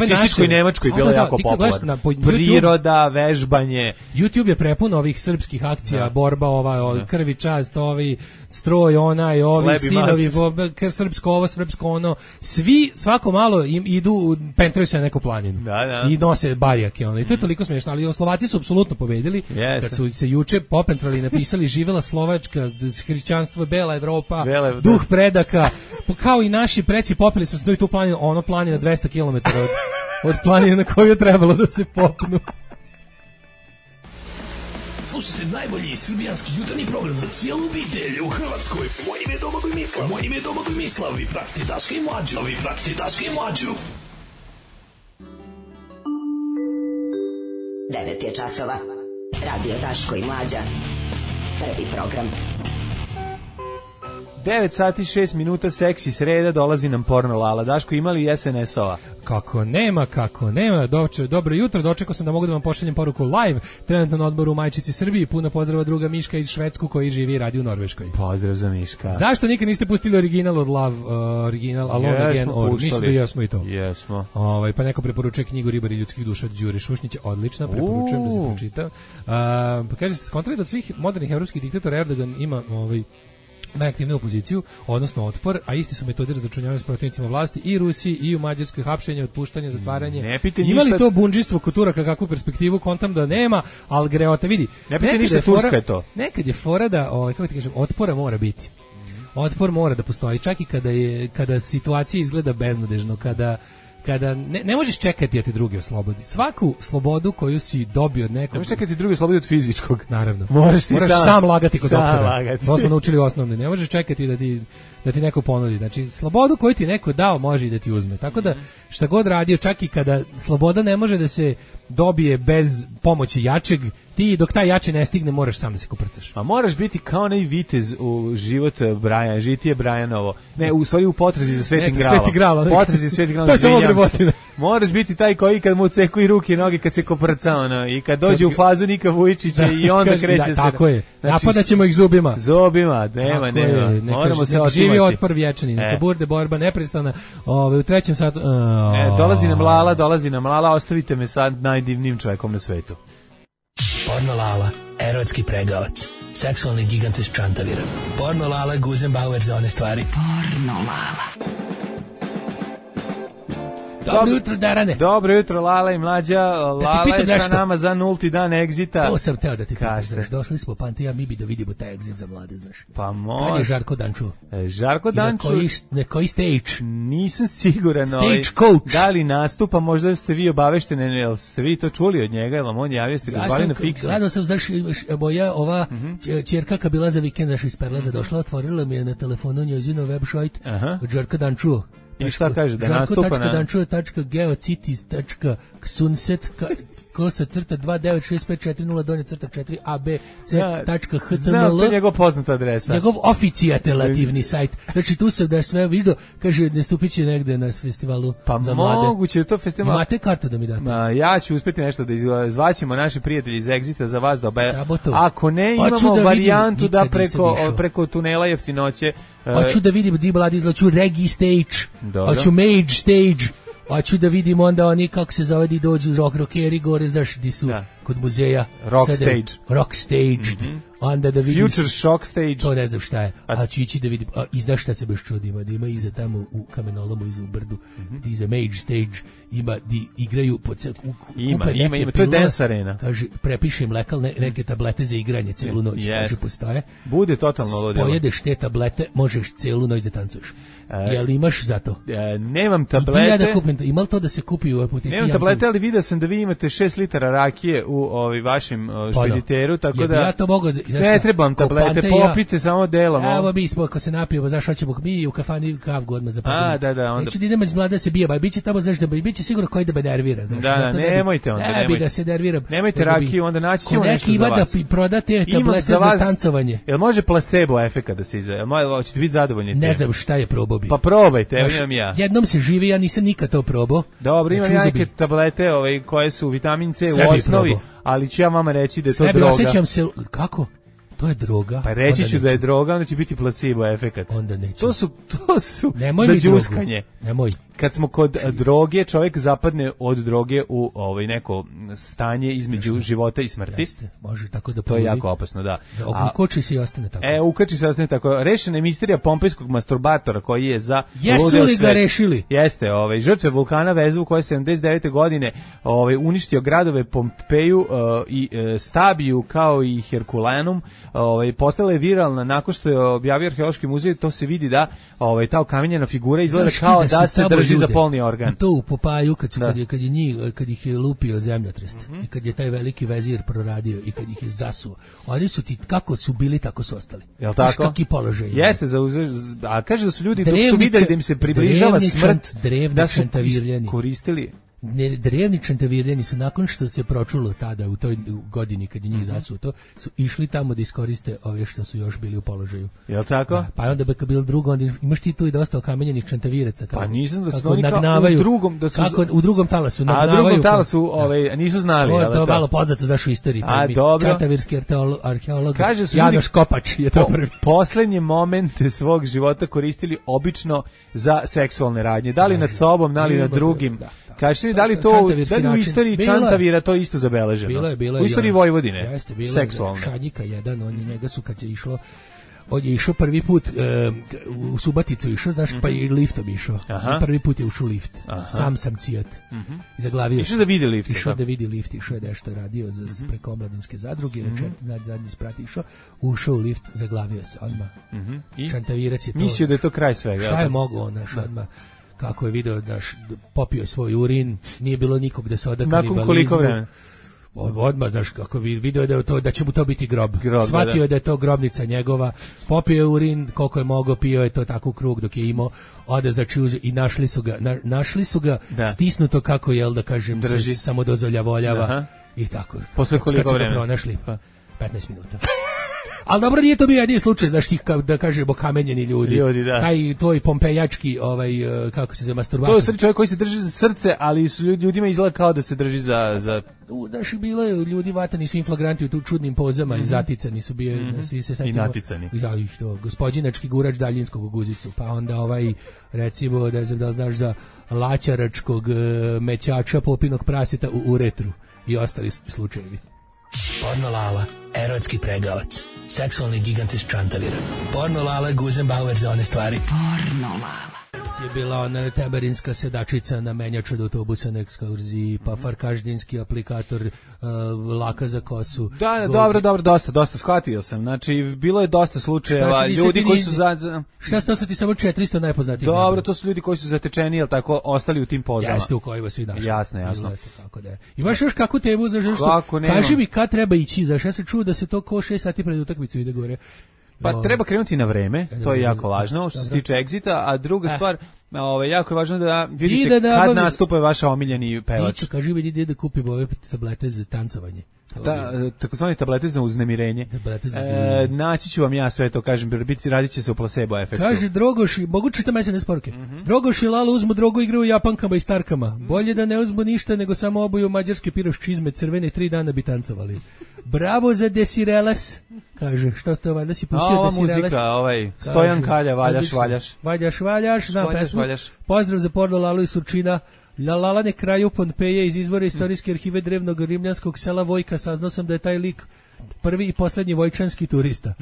nacističkoj Nemačkoj bilo da, jako popularno. Priroda, vežbanje. YouTube je prepun ovih srpskih akcija, da. borba ova, da. krvi čast, ovi stroj, onaj, ovi Lebi sinovi, kr, srpsko ovo, srpsko ono. Svi svako malo im idu, pentraju se na neku planinu. Da, da. I nose barijake. Ono. I to je toliko smiješno, ali Slovaci su apsolutno pobedili. Yes. Kad su se juče popentrali i napisali živela Slovačka, hrišćanstvo, bela Evropa, Bele, duh predaka, kao i naši preci popili smo se do i tu planinu, ono planina dvesta kilometara od, od planine na koju je trebalo da se popnu. Slušajte najbolji srbijanski jutarnji program za cijelu obitelj u Hrvatskoj. Moje ime je Domagoj Mislav. Moje ime je Domagoj Mislav. Vi pratite Daška i Mlađu. Vi pratite Daška i Mlađu. devet je časova. Radio Daško i Mlađa. Prvi program. devet sati šest minuta, seksi sreda, dolazi nam porno Lala. Daško, imali es en es-ova? Kako nema, kako nema. Doče, dobro jutro, dočekao sam da mogu da vam pošaljem poruku live, trenutno na odboru u Majčici Srbiji. Puno pozdrava druga Miška iz Švedsku koji živi i radi u Norveškoj. Pozdrav za Miška. Zašto nikad niste pustili original od Love, uh, original Alone Jesmo Again, or puštali. mislim da jesmo i to. Jesmo. Ovaj, pa neko preporučuje knjigu Ribari ljudskih duša od Đure Šušnjića, odlična, preporučujem da se pročita. Uh, pa kaže, ste skontrali da od svih modernih evropskih diktatora Erdogan ima ovaj najaktivniju opoziciju, odnosno otpor, a isti su metodi razračunjavanja s protivnicima vlasti i Rusiji i u Mađarskoj, hapšenje, otpuštanje, zatvaranje. Ne pite Ima li ništa... to bundžinstvo kod Turaka kakvu perspektivu, kontam da nema, ali greota, vidi. Ne pite ništa, je Turska je to. Nekad je fora da, ovaj, kako ti kažem, otpora mora biti. Otpor mora da postoji, čak i kada je kada situacija izgleda beznadežno, kada kada ne, ne možeš čekati da te drugi oslobodi. Svaku slobodu koju si dobio od nekog... Ne možeš čekati drugi oslobodi od fizičkog. Naravno. Moraš ti Moraš sam, sam lagati kod doktora. Lagati. To smo naučili osnovne. Ne možeš čekati da ti, da ti neko ponudi. Znači, slobodu koju ti neko dao može i da ti uzme. Tako da, šta god radio, čak i kada sloboda ne može da se dobije bez pomoći jačeg, ti dok taj jači ne stigne moraš sam da se koprcaš. A moraš biti kao onaj vitez u život Brajan, žitije Brajanovo. Ne, u stvari u potrazi za Svetim Gralom. Sveti Gral. Potrazi za Svetim Gralom. To je samo brebotina. Moraš biti taj koji kad mu ceku i ruke i noge kad se koprca ono, i kad dođe u fazu Nika Vujičića i onda kaže, kreće da, se. Tako je. Znači, napadat ćemo ih zubima. Zubima, nema, tako nema. Je, Moramo se nek otimati. živi otpor vječni, neka e. bude borba neprestana. Ove, u trećem satu... Uh, e, dolazi nam Lala, dolazi nam Lala, ostavite me sad najdivnijim čovjekom na svetu. Porno Lala, erotski pregavac, seksualni gigant iz Čantavira. Porno Lala, Guzenbauer za one stvari. Porno Lala. Dobro jutro, Darane. Dobro jutro, Lala i Mlađa. Lala pitam je sa nešto. nama za nulti dan egzita. To sam teo da ti pitam, Kažete. znaš, došli smo Pantija, mi bi da vidimo taj egzit za mlade, znaš. Pa može. Kad je Žarko Danču? E, Žarko I na Danču... koji, na koji stage? Nisam siguran Stage ovaj, coach. da li nastupa, možda ste vi obavešteni, jel ste vi to čuli od njega, jel vam on javio, ste ga Ja zvali sam, na fiksnu? gledao sam, znaš, moja ova Mhm. ć- ćerka kad bila za vikend, znaš, iz Perlaza došla, otvorila mi je na telefonu njezino website Aha. od Žarka Danču. I šta kaže, da nastupa na... Žarko tačka danču tačka geocities tačka ksunset kosa crta dva devet šest pet četiri nula donje crta četiri a b c tačka h t m Znam, l to je njegov poznata adresa. njegov oficijatelativni sajt. Znači tu sam da je sve vidio, kaže nastupit će negde na festivalu Pa za mlade. moguće je to festival. Imate kartu da mi date? Ma, ja ću uspeti nešto da izva- zvaćemo naši prijatelji iz Exita za vas da obe... Sabotu. Ako ne, Hoću imamo da varijantu vidim, da nikad nisam preko, išao. preko tunela jeftinoće... e, Hoću da vidim di mladi izlaču Regi stage, Dobro. hoću Mage stage, hoću da vidim onda oni kako se zove di dođu rock rockeri gore, znaš di su Da. kod muzeja. Rock Sada- stage. Rock stage. Onda da vidim... Future Shock stage. To ne znam šta je, a ću ići da vidim, a, i znaš šta se baš čudima, da ima iza tamo u kamenolomu, iza u brdu, iza Mage stage, ima di igraju po cel, u, kupe Ima, neke ima, ima, to je pilule, dance arena. kaže, prepišem lekal, ne, neke tablete za igranje celu noć, Jest. kaže, postoje. Bude totalno ludilo. Pojedeš te tablete, možeš celu noć da tancuješ. E, Jel imaš za to? E, nemam Idi ja tablete. da kupim, ima li to da se kupi u apoteki? Nemam Ja tablete, kupim. ali vidio sam da vi imate šest litara rakije u ovaj vašem o, Pa da. špediteru, tako Jel bi da ja to mogao, znaš ne šta, trebam ko tablete, Pante i ja. popite samo delom. ovo. Evo mi smo, ako se napijemo, znaš, hoćemo mi u kafani kavgu odmah zapadamo. A, da, da, onda- Neću da idemo iz mlada se bije, ba biće tamo, znaš, da biće sigurno koji da me nervira, znaš. Da, da, zato ne bi- nemojte onda, Ne bi nemojte. da se nerviram. Nemojte nego bi- rakiju, onda naći ko ćemo neki nešto za ima da vas. pi- proda te Imam tablete za, vas- tancovanje. Jel može placebo efekat da se iza? Jel mo- hoćete biti zadovoljni? Ne time? znam šta je probao bi. Pa probajte, evo Znaš, imam ja. Jednom se živi, ja nisam nikad to probao. Dobro, imam Znači, ja uzeo bi- neke tablete ovaj, koje su vitamin C Sve u bi osnovi, probao. ali ću ja vama reći da je to Sebi droga. osjećam se, kako? To je droga. Pa reći Onda ću da je neću. droga, onda će biti placebo efekat. Onda neću. To su, to su Nemoj za mi drogu. đuskanje. Nemoj. Kad smo kod a, droge, čovjek zapadne od droge u ovaj neko stanje između života i smrti. Jeste, može tako da To je poludi. jako opasno, da. Da A- ukoči se i ostane tako. E, ukači se ostane tako. Rešena je misterija pompejskog masturbatora koji je za Jesu ludeo li ga svet. rešili? Jeste, ovaj žrtve vulkana Vezuv koji je sedamdeset devete godine ovaj uništio gradove Pompeju uh, i uh, Stabiju kao i Herkulanum, ovaj postala je viralna nakon što je objavio arheološki muzej, to se vidi da ovaj ta okamenjena figura izgleda Znaš ti kao su da se tamo drži za ljude, polni organ. i to u Popaju kad, su, Da. kad, je, kad, je njih, kad ih je lupio zemljotres Mhm. i kad je taj veliki vezir proradio i kad ih je zasuo, oni su ti kako su bili tako su ostali. Jel Znaš tako? kakvi položaj imaju. Jeste, za a kaže da su ljudi dok su Drevni videli ča- da im se približava drevni smrt, čant- drevni da su čantavirljani. koristili ne, drevni čantavirjani su nakon što se pročulo tada u toj godini kad je njih mm-hmm. zasuto, su išli tamo da iskoriste ove što su još bili u položaju. Jel tako? Da, pa onda beka bilo drugo, onda imaš ti tu i dosta okamenjenih čantaviraca. Kako, pa nisam da su kako oni nagnavaju, u drugom, da su... Kako, u drugom talasu nagnavaju. A u drugom talasu ove, nisu znali. To je to, to malo poznato zaš u istoriji. A, dobro. Čantavirski arheolog Kaže Janoš Kopač je to prvi. Poslednje momente svog života koristili obično za seksualne radnje. Da li nad sobom, da li nad drugim. Da, da. Kažete mi, da li to da li u istoriji Čantavira to isto zabeleženo? Bilo je, bilo je. U istoriji Vojvodine. Jeste, bilo seksualne. Je. Šanjika jedan, on je njega su kad je išlo on je išao prvi put e, u Subaticu išao, znaš, mm-hmm. pa i liftom išao. Aha. Prvi put je ušao u lift. Aha. Sam sam cijat. Mm-hmm. Zaglavio. Išao da vidi lift. Išao da vidi lift, išao je nešto radio za mm-hmm. preko omladinske zadruge, mm-hmm. večer, zadnji sprat išao, ušao u lift, zaglavio se odmah. Mm-hmm. I Čantavirac je to. Mislio da je to kraj svega. Šta je mogao, naš, odmah. Kako je video da popio svoj urin, nije bilo nikog da se oda kanibalizmu. Nakon koliko vremena? Odmah, znaš, kako bi video da, je to, da će mu to biti grob. grob Shvatio da. je da je to grobnica njegova, popio je urin, koliko je mogao, pio je to tako u krug dok je imao, ode znači uze, i našli su ga, na, našli su ga da. stisnuto kako, jel da kažem, Drži. se samo dozvoljavoljava. Aha. I tako. Posle koliko vremena? Kad su ga pronašli, pa petnaest minuta. Ali dobro, nije to bio jedini slučaj, znaš ti, da kažemo, kamenjeni ljudi. ljudi da. Taj tvoj pompejački, ovaj, kako se za masturbator. To je srce čovjek koji se drži za srce, ali su ljudima izgleda kao da se drži za... za... Znaš, bilo je ljudi vatani su inflagranti u tu čudnim pozama mm-hmm. i zaticani su bio, mm-hmm. svi se I naticani. Za ih to, gospodinački gurač daljinskog u guzicu, pa onda ovaj, recimo, ne znam da li znaš za laćaračkog mećača popinog praseta u uretru i ostali slučajevi. Porno Lala, erotski pregavac, seksualni gigant iz Čantavira. Porno Lala, Guzenbauer za one stvari. Porno Lala. Je bila ona teberinska sedačica na menjaču od autobusa na ekskurziji, pa farkaždinski aplikator, uh, laka za kosu. Da, da dobro, dobro, dosta, dosta shvatio sam. Znači, bilo je dosta slučajeva ljudi koji su za... Šta sto se ti samo četiristo najpoznatijih? Dobro, to su ljudi koji su zatečeni, jel tako, ostali u tim pozama. Jeste u kojima svi našli. Jasno, jasno. Kako da je. Imaš još kakvu temu za što? Kaži mi kad treba ići, zašto ja se čuo da se to ko šest sati pred utakmicu ide gore. Pa no. treba krenuti na vreme, to je jako važno što se tiče egzita, a druga eh. stvar, ovaj jako je važno da vidite da kad nastupa vaša omiljeni pevač. Ti kaži mi ide da kupimo ove tablete za tancovanje. Da, takozvane tablete za uznemirenje. Tablete za e, naći ću vam ja sve to, kažem, biti radit će se u placebo efektu. Kaže Drogoš, mogu čitam es em es poruke. Mm-hmm. Drogoš i Lalo uzmu drogu, igraju Japankama i Starkama. Mm-hmm. Bolje da ne uzmu ništa nego samo obuju mađarske piroš čizme crvene, tri dana bi tancovali. Bravo za Desireles. Kaže, što ste ovaj, da si pustio ova Desireles? Ova muzika, ovaj, Stojan kaže, Kalja, valjaš, valjaš. Valjaš, valjaš, znam valjaš, pesmu. Valjaš. Pozdrav za Porno Lalu i Surčina. La Lalane kraju Pompeje iz izvora istorijske arhive drevnog rimljanskog sela Vojka. Saznao sam da je taj lik prvi i poslednji vojčanski turista.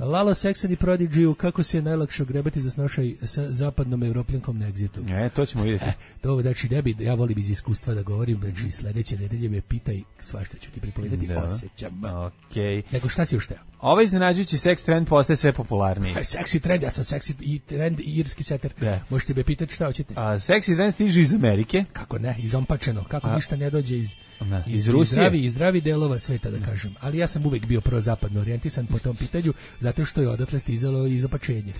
Lalo Sex and the Prodigy, kako se je najlakše ogrebati za snošaj sa zapadnom evropljankom na egzitu. E, to ćemo vidjeti. E, to, znači, ne bi, ja volim iz iskustva da govorim, znači, sledeće nedelje me pitaj, svašta ću ti pripovedati, osjećam. Okay. Nego šta si još teo? Ovaj iznenađujući seks trend postaje sve popularniji. Seksi trend, ja sam seksi i trend i irski seter. Yeah. Možete me pitati šta hoćete. A seksi trend stiže iz Amerike. Kako ne, izompačeno, kako A, ništa ne dođe iz, ne, iz, iz Rusije. Zdravi, iz zdravi delova sveta, da kažem. Ali ja sam uvek bio prozapadno orijentisan po tom pitanju, zato što je odatle stizalo izopačenje.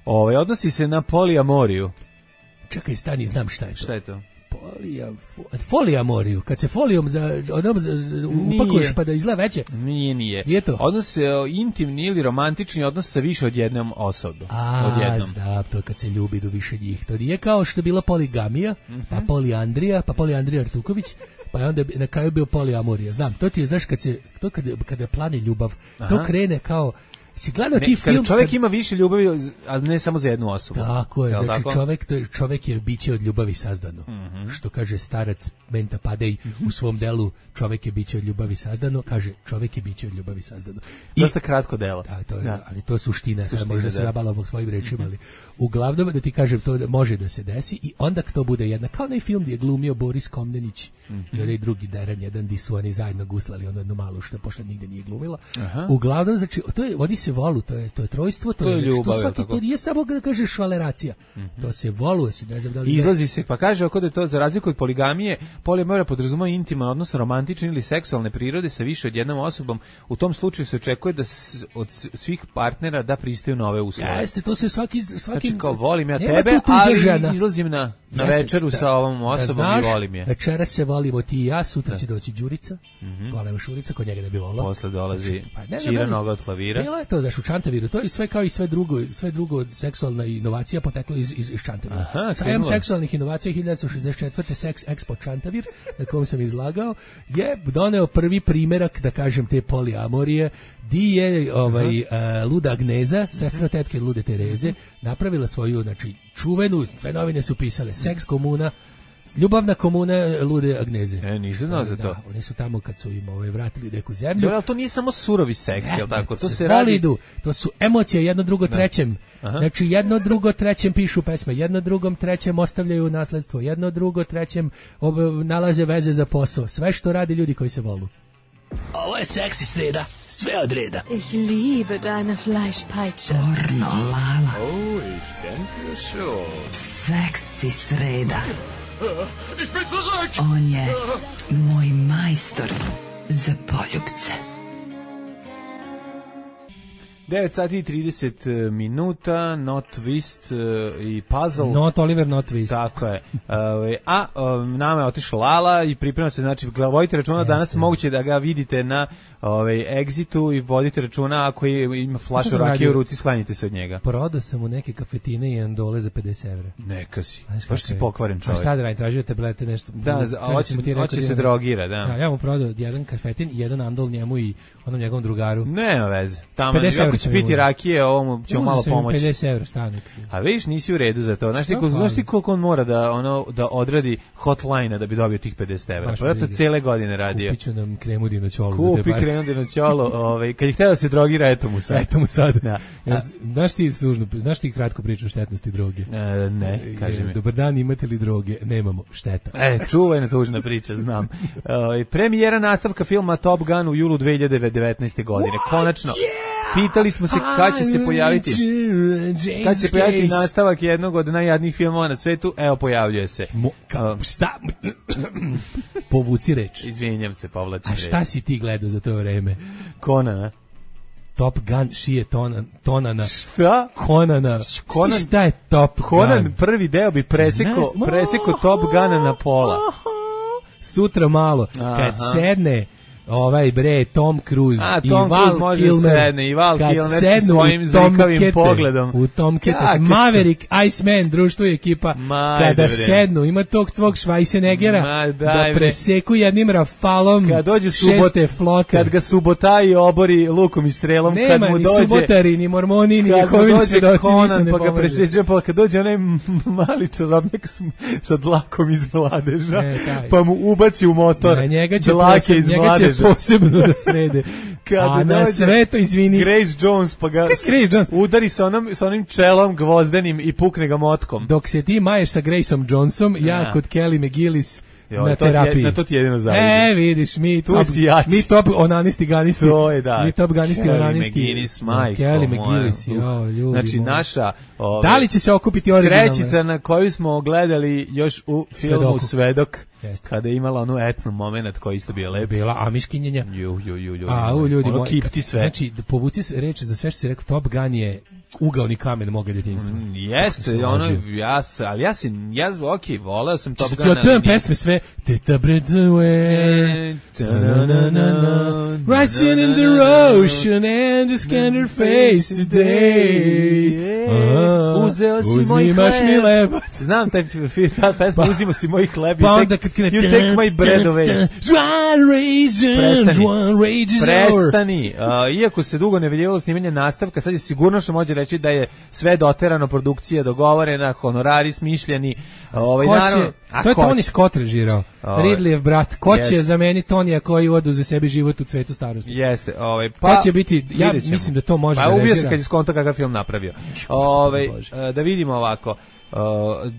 Ovaj odnosi se na polijamoriju. Čekaj, stani, znam šta je to. Šta je to? Polija, folijamoriju, kad se folijom za, onom, za, upakuješ pa da izgleda veće. Nije, nije. Nije to? Odnos se intimni ili romantični odnos sa više od jednom osobom. A, odjednom. da, to kad se ljubi do više njih. To nije kao što je bila poligamija, mm-hmm. pa polijandrija, pa polijandrija Artuković, pa je onda na kraju bio polijamorija. Znam, to ti je, znaš, kad se, to kada, kada plane ljubav, Aha. to krene kao... Si gledao ti film... Kada čovjek kad... ima više ljubavi, a ne samo za jednu osobu. Tako je, znači tako? Čovjek, to je, čovjek je biće od ljubavi sazdano. Mm-hmm. Što kaže starac Menta Padej mm-hmm. u svom delu, čovjek je biće od ljubavi sazdano, kaže čovjek je biće od ljubavi sazdano. I, Dosta kratko delo. Da, to je, da. Ali to je suština, suština sad možda se nabala svojim rečima, ali uglavnom da ti kažem, to može da se desi i onda to bude jedna, kao onaj film gdje je glumio Boris Komnenić mm-hmm. i onaj drugi Deran, jedan di su oni zajedno guslali, ono jednu malu što pošle nigde nije glumila. Aha. Uglavnom, znači, to je, vodi se volu, to je, to je trojstvo, to, to je, je ljubav, to, svaki, to nije samo da kažeš švaleracija, mm-hmm. to se voluje se, ne znam da li... Izlazi se, pa kaže oko da je to za razliku od poligamije, polijamorija podrazumeva intiman odnos romantične ili seksualne prirode sa više od jednom osobom. U tom slučaju se očekuje da s, od svih partnera da pristaju na ove uslove. Jeste, to se svaki... svaki znači kao volim ja tebe, ali žena. Izlazim na... na večeru da, sa ovom osobom da znaš, i volim je. Večera se volimo ti i ja, sutra da. će doći Đurica, mm-hmm. golema Šurica, kod njega ne bi volao. Posle dolazi pa, Čira noga od klavira. Bilo je to, znaš, u Čantaviru, to je sve kao i sve drugo, sve drugo seksualna inovacija poteklo iz, iz, iz Čantavira. Sajam seksualnih inovacija hiljadu devetsto šezdeset četvrte Sex Expo Čantavir, na kojem sam izlagao, je doneo prvi primerak, da kažem, te poliamorije, di je ovaj, uh, luda Agneza, sestra tetke lude Tereze, napravila svoju, znači, čuvenu, sve novine su pisale, seks komuna, ljubavna komuna lude Agneze. E, nisam znao za to. Da, oni su tamo kad su im ovaj, vratili neku zemlju. Ali to nije samo surovi seks, jel tako? To se, se radi... Idu, to su emocije, jedno, drugo, da. trećem. Aha. Znači, jedno, drugo, trećem pišu pesme, jedno, drugom, trećem ostavljaju nasledstvo, jedno, drugo, trećem ob, nalaze veze za posao. Sve što radi ljudi koji se volu. Ovo je seksi sreda, sve od reda. Ich liebe deine Fleischpeitsche. Pornolala. Oh, ich denke schon. Seksi sreda. Ich bin zurück. On je moj majstor za poljubce. devet sati i trideset minuta, Not Twist uh, i Puzzle. Not Oliver, Not Twist. Tako je. Uh, a um, nama je otišla Lala i priprema se, znači, vodite računa, yes, danas moguće da ga vidite na ovaj, Exitu i vodite računa ako je, ima flašu rakije u ruci, sklanjite se od njega. Prodao sam u neke kafetine i andole za pedeset evra. Neka si. Baš si pokvaren čovjek. A šta da radim, tražio tablete, nešto. Da, hoće, hoće se drogira, da. Da, ja mu prodao jedan kafetin i jedan andol njemu i onom njegovom drugaru. Nema veze. Tamo ako će piti rakije, ovom ćemo malo pomoći. pedeset evra, stanek. A vidiš, nisi u redu za to. Znaš ti, znaš ti koliko on mora da ono da odradi hotline da bi dobio tih pedeset evra? Pa to cele godine radio. Kupit ću nam kremu dinoćolu. Kupi kremu dinoćolu, ovaj, kad je htio da se drogira, eto mu sad. Eto mu sad. Da. Ja, znaš ti služno, znaš ti kratko priču o štetnosti droge? E, ne, kaži mi. Dobar dan, imate li droge? Nemamo, šteta. E, čuvena tužna priča, znam. E, premijera nastavka filma Top Gun u julu dve hiljade devetnaeste godine. Konačno. Pitali smo se kad će se pojaviti kad će se pojaviti nastavak jednog od najjadnijih filmova na svetu. Evo, pojavljuje se. Mo, ka, šta? Povuci reč. Izvinjam se, povlačim reč. A šta si ti gledao za to vreme? Konana. Top Gun šije tonan, tonana. Šta? Konana. Konan, šta je Top Gun? Konan prvi deo bi preseko, preseko Top Guna na pola. Sutra malo, aha, kad sedne ovaj bre Tom Cruise A, i Tom Val Cruise Kilmer, sedne, i Val Kilmer sa svojim zrikavim pogledom. U Tom Kete, Maverick, Iceman, društvo i ekipa, ma, kada bre. sednu, ima tog tvog Schweizenegera da preseku jednim rafalom kad dođe subot, šeste flote. Kad ga subotaji obori lukom i strelom, nema, kad mu dođe... Nema ni subotari, ni mormoni, ni njehovi svedoci, ništa ne pa pomože. Ga preseđe, pa kad dođe onaj mali čarobnjak sa dlakom iz mladeža, ne, pa mu ubaci u motor na njega će dlake iz mladeža. Posebno da srede. A na sve to, izvini, Grace Jones pa ga Grace Jones udari sa onom, sa onim čelom gvozdenim i pukne ga motkom. Dok se ti maješ sa Graceom Jonesom, ja, ja kod Kelly McGillis jo, na terapiji. Je, na to ti jedino zavidim. E, vidiš, mi tu top, mi top onanisti ganisti. To je, da. Mi top ganisti Kelly onanisti. McGillis, majko, Kelly McGillis, jo, ljudi. Znači, moja. naša... Ove, da li će se okupiti originalno? Srećica na koju smo gledali još u filmu Svedoku. Svedok, Jeste. kada je imala onu etnu moment koji isto bio lep. Bila amiškinjenja. Ju, ju, ju, ljudi. A, u, ljudi, ono moj, kipti sve. Znači, povuci reč za sve što si rekao, Top Gun je ugaoni kamen moga djetinjstva. Mm, jeste, ono, ja sam, ali ja sam, ja, ok, voleo sam Top Gun. Ja tujem pesme sve, Teta Bredue, rising in the ocean and the scanner face today. Uzeo si moj hleb. Znam taj ta pesma, uzimo si moj hleb. Pa onda kad krene, you take my bread away. Prestani. Prestani. Iako se dugo ne vidjelo snimanje nastavka, sad je sigurno što može reći da je sve doterano, produkcija dogovorena, honorari smišljeni. Ovaj, naravno, to je Tony Scott režirao. Ridleyev brat. Ko će zameniti Tonija koji oduze sebi život u cvetu starosti? Jeste. Ovaj, pa, ko će biti, ja mislim da to može pa, da režira. Pa ubio se kad je skonto kakav film napravio. Ovaj, da vidimo ovako. Uh,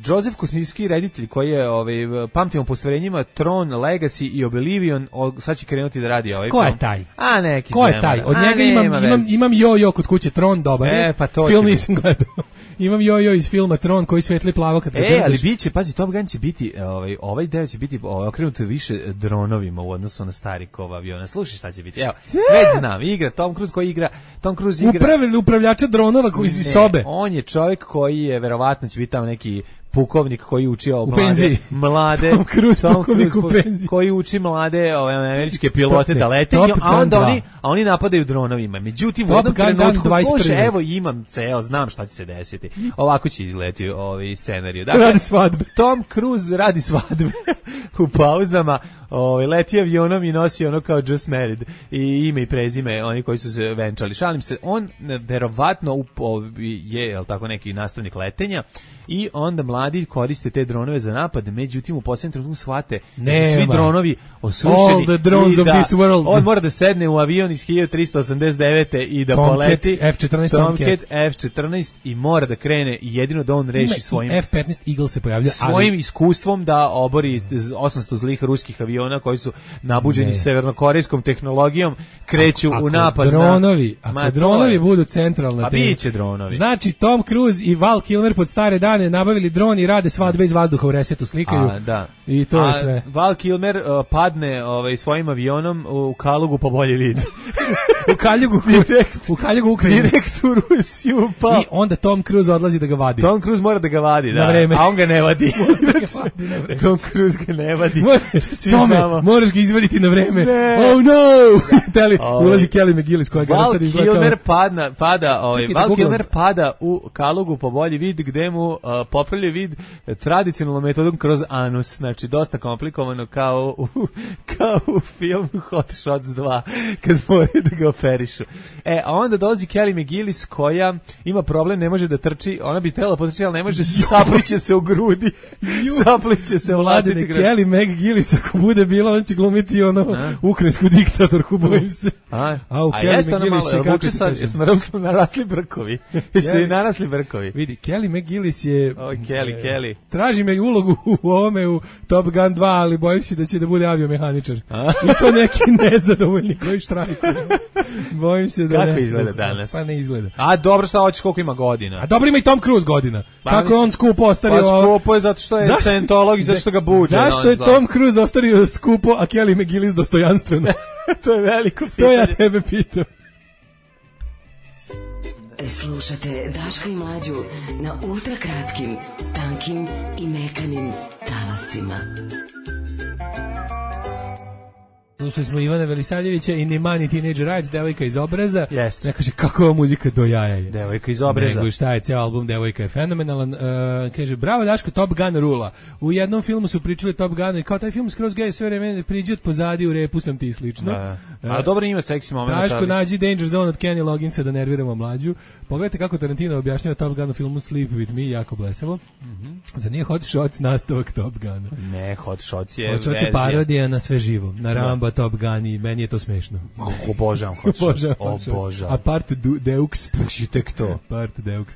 Joseph Kosinski, reditelj koji je ovaj, pamtimo po stvarenjima Tron, Legacy i Oblivion, sad će krenuti da radi ovaj ko film. Je taj? A neki ko je taj? Od njega imam, imam, imam jo-jo kod kuće, Tron dobar. E, pa to film nisam gledao. imam jojo iz filma Tron koji svetli plavo kad E, ali biće, pazi, Top Gun će biti, ovaj, ovaj deo će biti ovaj, okrenut više dronovima u odnosu na stari kov aviona. Slušaj šta će biti. Evo, već znam, igra Tom Cruise koji igra, Tom Cruise igra... Upravili upravljača dronova koji iz sobe. On je čovjek koji je, verovatno će biti tamo neki pukovnik koji uči o mlade, mlade Tom Cruise, Tom pukovnik Cruise, u penziji. koji uči mlade ove američke pilote top, da lete, a onda oni, a oni napadaju dronovima. Međutim, u jednom trenutku, slušaj, evo imam ceo, znam šta će se desiti. Ovako će izleti ovaj scenarij. Dakle, radi svadbe. Tom Cruise radi svadbe u pauzama, ovaj leti avionom i nosi ono kao Just Married i ime i prezime oni koji su se venčali. Šalim se, on verovatno je, jel tako, neki nastavnik letenja. I onda mladi koriste te dronove za napad, međutim u posljednjem trenutku shvate da su svi dronovi osušeni. All the drones i of da this world. On mora da sedne u avion iz hiljadu trista osamdeset devete i da Tomcat, poleti F četrnaest Tomcat F četrnaest i mora da krene i jedino da on reši Ima svojim F petnaest Eagle se pojavlja, svojim ali... iskustvom da obori osamsto zlih ruskih aviona koji su nabuđeni ne. severnokorejskom tehnologijom, kreću ako, u napad dronovi, na... Ako Ma, dronovi je... budu centralna tema. Pa biće dronovi. Znači Tom Cruise i Val Kilmer pod stare dane nabavili dron i rade svadbe iz vazduha u resetu, slikaju. A, da. I to A, je sve. Val Kilmer uh, padne ovaj, svojim avionom u Kalugu po bolji vid. u Kaljugu, direkt, u Kaljugu Ukrajinu. Direkt u Rusiju pa. I onda Tom Cruise odlazi da ga vadi. Tom Cruise mora da ga vadi, da. Na vreme. A on ga ne vadi. da ga vadi na vreme. Tom Cruise ga ne vadi. Tome, moraš ga izvaditi na vreme. Ne. Oh no! Teli, ovaj. Ulazi Kelly McGillis koja ga sad izgleda. Val Kilmer padna, pada, ovaj, Val Kilmer pada u Kalugu po bolji vid gde mu uh, popravlja vid tradicionalnom metodom kroz anus, znači dosta komplikovano kao u, kao u filmu Hot Shots dva kad moraju da ga operišu. E, a onda dolazi Kelly McGillis koja ima problem, ne može da trči, ona bi htjela potrči, ali ne može, sapliće se u grudi, sapliće se u vlastiti grudi. Kelly McGillis ako bude bila, on će glumiti ono a? ukrajinsku diktatorku, bojim se. A, a u a Kelly McGillis je kako se kaže? Jesu narasli, narasli brkovi. Jesu i narasli brkovi. Vidi, Kelly McGillis je... O, Kelly, e, Kelly. Traži me ulogu u ovome u Top Gun dva, ali bojim se da će da bude aviomehaničar. I to neki nezadovoljni koji štrajkuju. Bojim se da kako ne. Izgleda danas? Pa ne izgleda. A dobro, šta hoćeš, koliko ima godina? A dobro ima i Tom Cruise godina. Pa, kako je on skupo ostario? Pa skupo je zato što je scientolog i zato što ga buđe. Zašto je Tom Cruise ostario skupo, a Kelly McGillis dostojanstveno? To je veliko pitanje. To ja tebe pitam. Slušate Daška i Mlađu na ultra kratkim, tankim i mekanim talasima. Slušali smo Ivana Velisaljevića i Nimani Teenager Rides, devojka iz obraza. Jeste. Ne kaže kakva muzika do jaja je. Devojka iz obraza. Nego šta je, cijel album Devojka je fenomenalan. Uh, kaže, bravo Daško, Top Gun rula. U jednom filmu su pričali Top Gun i kao taj film skroz gej, sve vreme priđi od pozadi, u repu sam ti slično. Da. A uh, dobro ima seksi moment. Daško, ali... nađi Danger Zone od Kenny Logginsa da nerviramo Mlađu. Pogledajte kako Tarantino objašnjava Top Gun u filmu Sleep With Me, jako blesavo. Mm-hmm. Za nije Hot Shots nastavak Top Guna. Ne, Hot Shots je Hot Shots je parodija na sve živo. Na Rambo, Top Gun i meni je to smešno. Obožavam Hot Shots. Obožavam. A part Deux. Puši tek to. Part Deux.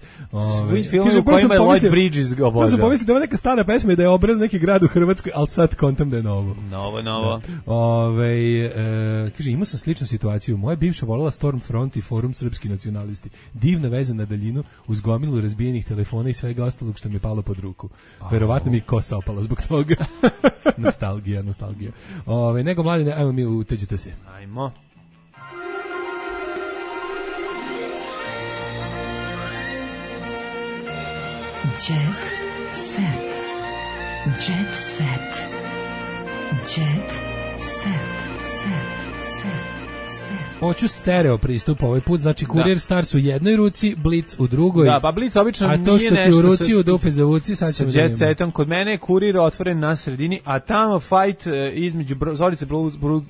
Svi filmi u kojima je Lloyd Bridges obožavam. Možda pomislim da je neka stara pesma i da je obraz neki grad u Hrvatskoj, ali sad kontam da je novo. Novo, novo. Ove, e, kaže, imao sam sličnu situaciju. Moja bivša volala Stormfront i Forum Srpski nacionalisti. Divna veza na daljinu uz gomilu razbijenih telefona i svega ostalog što mi je palo pod ruku. Verovatno mi kosa opala zbog toga. Nostalgija, nostalgija. Ove, nego mladine, ajmo mi uteđite se. Ajmo. Jet set. Jet set. Jet set. Set. Hoću stereo pristup ovaj put, znači Kurir da. Stars u jednoj ruci, Blitz u drugoj. Da, pa Blitz obično nije nešto. A to što ti u ruci u dupe zavuci, sad ćemo da Jet setom, kod mene je Kurir otvoren na sredini, a tamo fight uh, između Bro, Zorice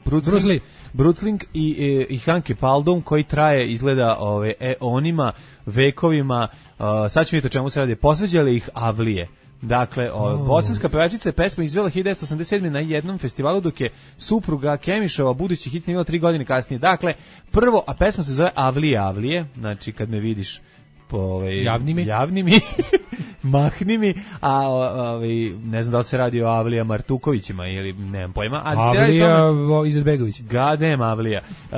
Brucling Brucling i, i, i Hanke Paldum, koji traje, izgleda ove, eonima, vekovima, uh, sad ćemo vidjeti o čemu se radi, posveđale ih Avlije. Dakle, oh. bosanska pevačica je pesmu izvela hiljadu devetsto osamdeset sedme na jednom festivalu, dok je supruga Kemišova budući hit snimila tri godine kasnije. Dakle, prvo, a pesma se zove Avlije, Avlije, znači kad me vidiš po ovaj, javni mi, javni mi. mahni mi, a ovaj ne znam da li se radi o Avlija Martukovićima ili nemam pojma, ali se radi Avlija Izetbegović. Gadem Avlija. Uh,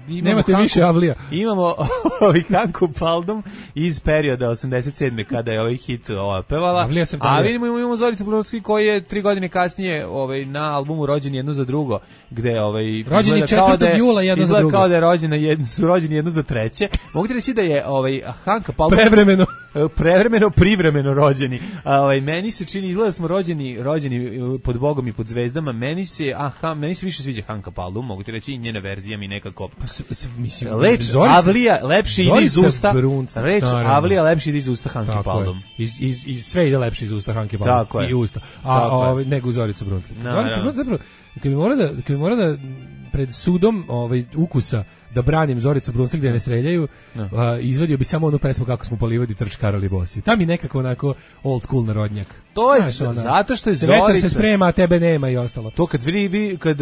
Nemate Hanku, više Avlija. Imamo ovaj Hanku Paldum iz perioda osamdeset sedme kada je ovaj hit ova pevala. A vidimo imamo Zoricu Brunski koji je tri godine kasnije ovaj na albumu Rođeni jedno za drugo, gde ovaj rođeni četvrtog jula jedno za drugo. Kao da je rođena jedno, su rođeni jedno za treće. Mogu ti reći da je ovaj Hanka Paldum prevremeno prevremeno privremeno rođeni. A, ovaj meni se čini izgleda smo rođeni rođeni pod Bogom i pod zvezdama. Meni se aha, meni se više sviđa Hanka Paldum, mogu ti reći i njena verzija mi nekako pa, mislim Leč, Zorica, Avlija lepši ide iz usta. Brunca, reč naravno. Avlija lepši ide iz usta Hanke Paldum. Iz, iz, iz sve ide lepši iz usta Hanke Paldum i usta. A ovaj nego Zoricu Bruncu. Zorica Bruncu zapravo kad mi mora da kad mi mora da pred sudom ovaj ukusa da branim Zoricu Brunslik da ne streljaju, no. uh, izvadio bi samo onu pesmu Kako smo polivodi trč Karoli Bosi. Tam je nekako onako old school narodnjak. To je znaš, ona, zato što je Zorica... Vetar se sprema, a tebe nema i ostalo. To kad vi, vi kad,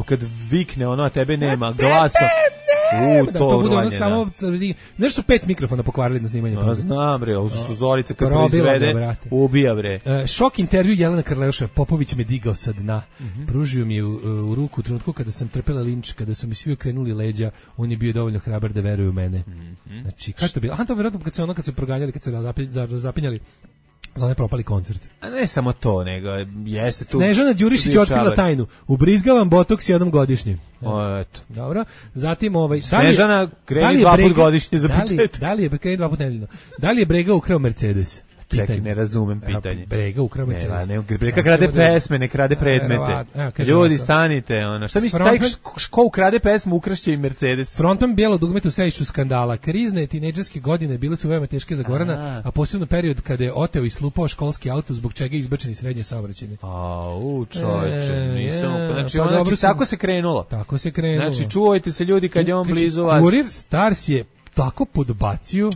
kad vikne ono, a tebe nema, glasom... U, to, da, to bude ono samo, znaš su pet mikrofona pokvarili na snimanju toga. Znam bre, ovo što Zorica kad proizvede, ubija bre. Uh, šok intervju Jelena Karleuša, Popović me digao sa dna. Mm -hmm. Pružio mi je u, u ruku u trenutku kada sam trpela linč, kada su mi svi okrenuli leđa, on je bio dovoljno hrabar da veruje u mene. Mm -hmm. Znači, kako to bilo? Aha, to vjerojatno kad se ono, kad su proganjali, kad se zapinjali za onaj propali koncert. A ne samo to, nego jeste tu... Snežana Đurišić otkrila tajnu. Ubrizgavam botoks jednom godišnje. O, eto. Dobro. Zatim ovaj... Snežana kreni dva put godišnje za početak. Da li je kreni dva put nedeljno? Da li je Brega ukrao Mercedes? Čekaj, ne razumem pitanje. Brega ukrao Mercedes. Ne, ne, Brega krade pesme, ne krade predmete. Ljudi, stanite, ono. Šta misli, taj ko ukrade pesmu, ukrašće i Mercedes. Frontman bijelo dugmet u sejšu skandala. Krizne tinejdžerske godine bile su veoma teške za Gorana, a posebno period kada je oteo i slupao školski auto, zbog čega je izbačen srednje saobraćajne. A, u čoveče, nisam. Znači, znači tako se krenulo. Tako se krenulo. Znači, čuvajte se ljudi kad je on blizu vas. Kurir Stars je tako podbacio.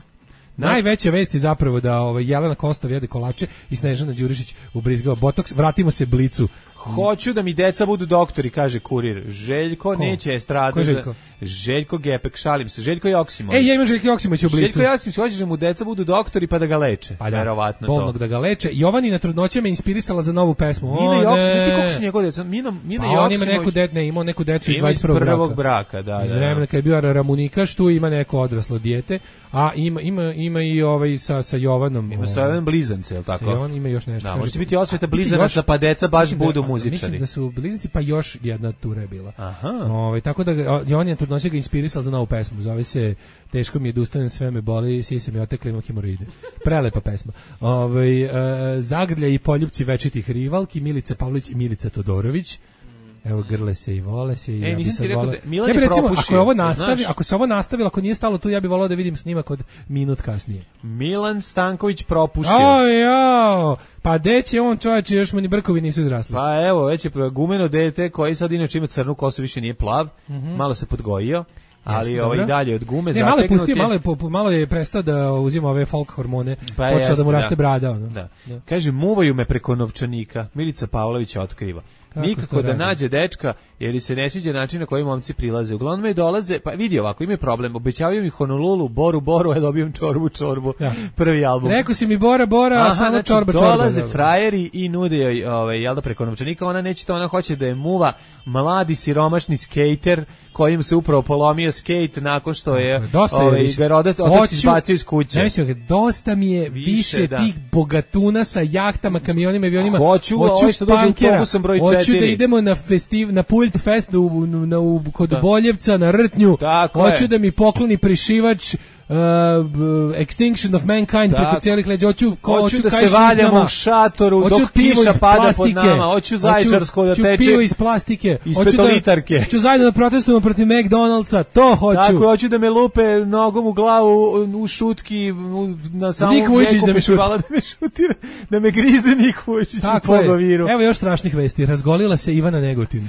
Najveća vest je zapravo da ovaj Jelena Kostov jede kolače i Snežana Đurišić ubrizgava botoks. Vratimo se Blicu. Hoću da mi deca budu doktori, kaže Kurir. Željko Ko? neće estradu. Ko Željko? Željko Gepek, šalim se. Željko Joksimović. Ej, ja imam Željko Joksimović u Blicu. Željko Joksimović hoće da mu deca budu doktori pa da ga leče. Pa da, verovatno bolnog to. Da ga leče. Jovanina trudnoća me inspirisala za novu pesmu. Mina Joksimović, znaš ti koliko su njegove deca? Mina, Mina pa Joksimović. On ima neku decu, ne, imao neku decu iz dvadeset prvog prvog braka. Da, iz da, vremena kad je bio Ramunikaš, tu ima neko odraslo dijete, a ima, ima, ima i ovaj sa, sa Jovanom. Ima sa Jovanom blizance, je li tako? Sa Jovan ima još nešto. Da, može biti osveta blizanaca, pa deca baš budu muzičari. Mislim da su blizanci, pa još jedna tura je bila. Aha. Ovaj, tako da Jovan je trudnoća ga inspirisala za novu pesmu. Zove se Teško mi je da ustanem, sve me boli, sise mi otekle, imam hemoroide. Prelepa pesma. Ovaj e, Zagrlja i poljupci večitih rivalki, Milica Pavlović i Milica Todorović. Evo grle se i vole se i e, ja bi sad volao. Ja bi recimo, ako je ovo nastavi, ako se ovo nastavilo, ako nije stalo tu, ja bih volao da vidim snimak od minut kasnije. Milan Stanković propušio. O, jo, pa deće on čovječe, još mu ni brkovi nisu izrasli. Pa evo, već je gumeno dete koji sad inače ima crnu kosu, više nije plav, mm -hmm. malo se podgojio. Ali Jeste, ovaj dalje od gume ne, malo je pustio, malo je, po, malo je prestao da uzima ove folk hormone, pa počeo da mu raste da. brada. Ono. Da. Da. Kaže, muvaju me preko novčanika, Milica Pavlović otkriva. Kako nikako da nađe dečka, jer se ne sviđa način na koji momci prilaze. Uglavnom me dolaze, pa vidi ovako, imaju problem, obećavaju mi Honolulu, Boru, Boru, a dobijem čorbu, čorbu, ja. prvi album. Rekao si mi Bora, Bora, Aha, a samo znači, čorba, čorba. Dolaze frajeri i nude joj, ovaj, jel da preko novčanika, ona neće to, ona hoće da je muva mladi siromašni skejter, kojim se upravo polomio skejt nakon što je ovaj, ga rodat otac izbacio iz kuće. Ne mislim, dosta mi je više, više da. tih bogatuna sa jahtama, kamionima, avionima. Hoću, hoću ovaj što dođe autobusom broj četiri. Hoću da idemo na festiv, na Pult Fest u, na, u, kod da. Boljevca, na Rtnju. Tako hoću je. da mi pokloni prišivač Uh, Extinction of Mankind tak. preko cijelih leđa. Hoću, ko, hoću da se valjamo u šatoru hoću dok kiša pada pod nama. Hoću zajčarsko da teče. Hoću pivo iz plastike. Iz petolitarke. Da, hoću zajedno da protestujemo protiv McDonald'sa. To hoću. Tako, hoću da me lupe nogom u glavu u šutki na samom Nik Vujčić da me šuti. Da me šutira, da me grize Nik Vujčić u pogoviru. Evo još strašnih vesti. Razgolila se Ivana Negotin.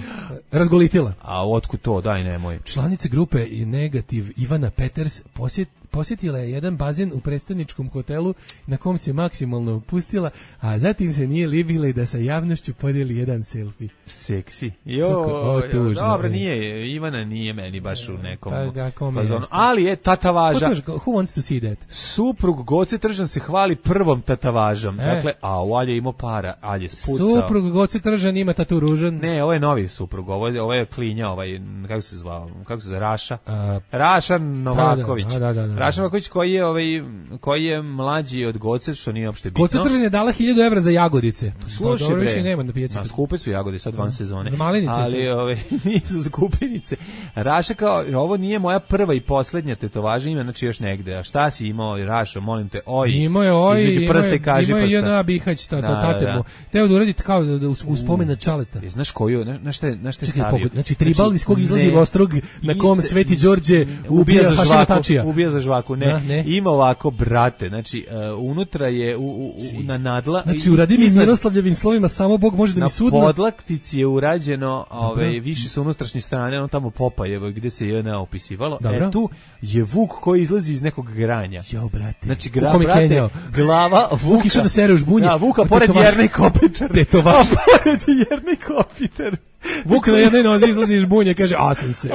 Razgolitila. A otkud to? Daj, nemoj. Članice grupe Negativ Ivana Peters posjet posjetila je jedan bazen u predstavničkom hotelu na kom se maksimalno opustila, a zatim se nije libila i da sa javnošću podijeli jedan selfie. Seksi. Jo, o, tužno, dobro, e. nije, Ivana nije meni baš u nekom Pa ga, kome fazonu. jeste? Ali je tatavaža. Ko to, who wants to see that? Suprug Goce Tržan se hvali prvom tatavažom. E. Dakle, a u Alje imao para, Alje je spucao. Suprug Goce Tržan ima tatu ružan. Ne, ovo je novi suprug, ovo je, ovo je klinja, ovaj, kako se zvao, kako se zove, Raša. A, Raša Novaković. Da, da, da, da. Raša Novaković koji je, ovaj, koji je mlađi od Goce, što nije uopšte bitno. Goce Tržan je dala hiljadu evra za jagodice. Slušaj, dobro, bre, više nema na pijaci. Ma, skupe su jagode sad van sezone. Za malinice ali su. ove, nisu skupinice. Raša kao, ovo nije moja prva i poslednja tetovaža, ima znači još negde. A šta si imao, Rašo, molim te, oj. Imao je oj, između imao prsta je, i kaži imao je prsta. jedna Bihać, ta, Da, ta, da, tatemo. da. Teo da uradi kao da, da u, u spomen na Čaleta. E, znaš koju, na, na šta je, na šta je Čekaj, stavio? pogod, znači tribal iz kog izlazi ne, ostrog na kom iste- Sveti Đorđe ubija za Hašima žvaku, Tačija. ubija za žvaku, ne. Da, ne. Ima ovako, brate, znači, uh, unutra je u, u, u, na nadla. Znači, uradi mi iznad- Miroslavljevim slovima, samo Bog može da na mi sudna. podlaktici je urađeno, ovaj, više sa unutrašnje strane, ono tamo Popajevo, gde se je opisivalo. Dobro. E, tu je Vuk koji izlazi iz nekog granja. Jo, brate. Znači, U gra, kom je brate, kenjao? glava Vuka. Vuk išao da sere u žbunje. Da, Vuka, A pored tetovaž- Jernej Kopitar. Tetovaž. A pored Jernej Kopitar. Vuk na jednoj nozi izlazi iz žbunje, kaže, a sam se.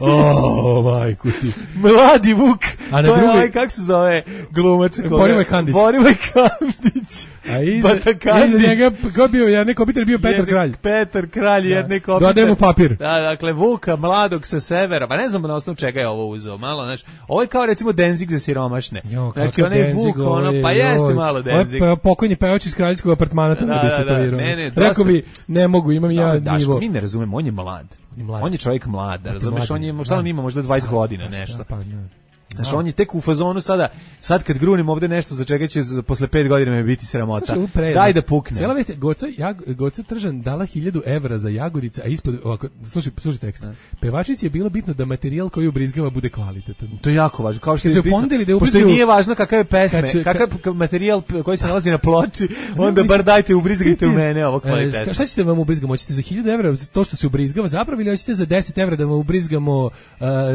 O, majku ti. Mladi Vuk. A na to je drugoj- ovaj, kako se zove, glumac. koga- Borivoj Kandić. Borivoj Kandić. A iza, Bata Kandić. iza njega, ko je bio, Jernej Kopitar bio Petar Jedni- Kralj. Petar Kralj, Da. Jernej Kopitar. Dodaje mu papir. Da, dakle, Vuka, mladog sa severa, pa ne znam na osnovu čega je ovo uzeo, malo, znaš, ovo je kao recimo Denzig za siromašne. Jo, Znači, kakav onaj Denzig, Vuk, ono, ovaj, pa jeste joj. malo Ovaj Denzig. pe- pokojni pevač iz kraljevskog apartmana tamo Da, bi da, da. istetovirao. Ne, ne, Rekao dosta- bi, ne mogu, imam ja Da, Daško, nivo. mi ne razumemo, on je mlad. On je mlad. On je čovjek mlad, da, razumeš, mlad on je, je, šta on da. ima, možda dvadeset godina, Pa šta, nešto. pa ne. Znaš, on je tek u fazonu sada, sad kad grunim ovde nešto za čega će za- posle pet godina me biti sramota. Slušaj, ovo predno. Daj da pukne. Cijela vest je, Goca, Jag, Goca Tržan dala hiljadu evra za jagodice, a ispod, ovako, slušaj, slušaj tekst. Pevačici je bilo bitno da materijal koji ubrizgava bude kvalitetan. To je jako važno, kao što Kad je se bitno, ponudili da pošto ubrizgaju- nije važno kakav je pesme, Kad se- kakav k- materijal p- koji se nalazi na ploči, onda mislim- bar dajte ubrizgajte u mene ovo E, kvalitetno. šta ćete vam ubrizgamo? Hoćete za hiljadu evra to što se ubrizgava zapravo ili hoćete za deset evra da vam ubrizgamo uh,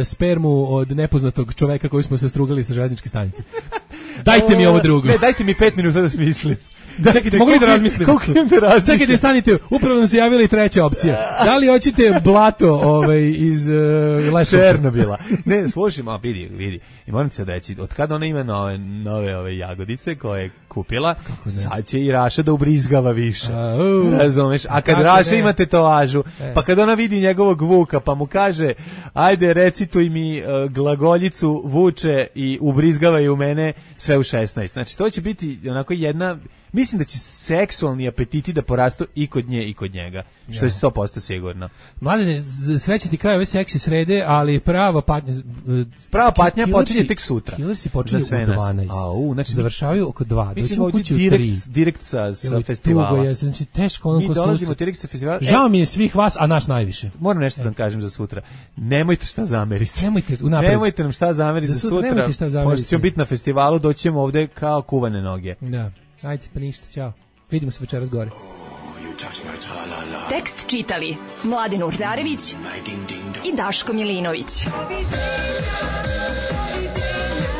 spermu od nepoznatog čoveka koji smo se strugali sa železničke stanice? Dajte mi ovo drugo. Ne, dajte mi pet minuta da smislim. Čekajte, mogu li da razmislim? Koliko imam da razmislim? Čekajte, stanite, upravo nam se javila i treća opcija. Da li hoćete blato ovaj, iz uh, Leskovca? Černobila. Ne, slušaj, ma vidi, vidi. I moram ti sad reći, od kada ona ima nove, nove ove jagodice koje je kupila, sad će i Raša da ubrizgava više. A, u. Razumeš? A kad Kako Raša ne? ima tetovažu, E. pa kad ona vidi njegovog Vuka, pa mu kaže, ajde recituj mi uh, glagoljicu Vuče i ubrizgavaj u mene sve u šesnaest. Znači, to će biti onako jedna, mislim da će seksualni apetiti da porastu i kod nje i kod njega. Što je sto posto sigurno. Mladene, z- srećan ti kraj ove seksi srede, ali prava patnja... e, Prava patnja Killersi- počinje tek sutra. Killersi počinju Za sve u nas. dvanaest. Au, znači, završavaju oko dva. Mi Doćemo ćemo ovdje kući u tri. direkt, direkt sa, sa Jel, festivala. tugo je, znači teško ono Mi ko dolazimo sluša. direkt sa festivala. Žao mi je svih vas, a naš najviše. Moram nešto da vam kažem za sutra. Nemojte šta zameriti. Nemojte unapred. Nemojte nam šta zameriti Za za sutra sutra. nemojte šta zameriti. Pošto ćemo biti na festivalu, doćemo ovde kao kuvane noge. Da. Ajde, pa ništa, ćao. Vidimo se večeras gore. Tekst čitali Mladin Urdarević i Daško Milinović.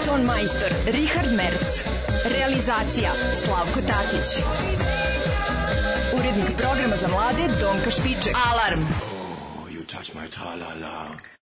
Ton majstor Richard Merc. Realizacija Slavko Tatić. Urednik programa za mlade Donka Špiček. Alarm! You touch my tra-la-la.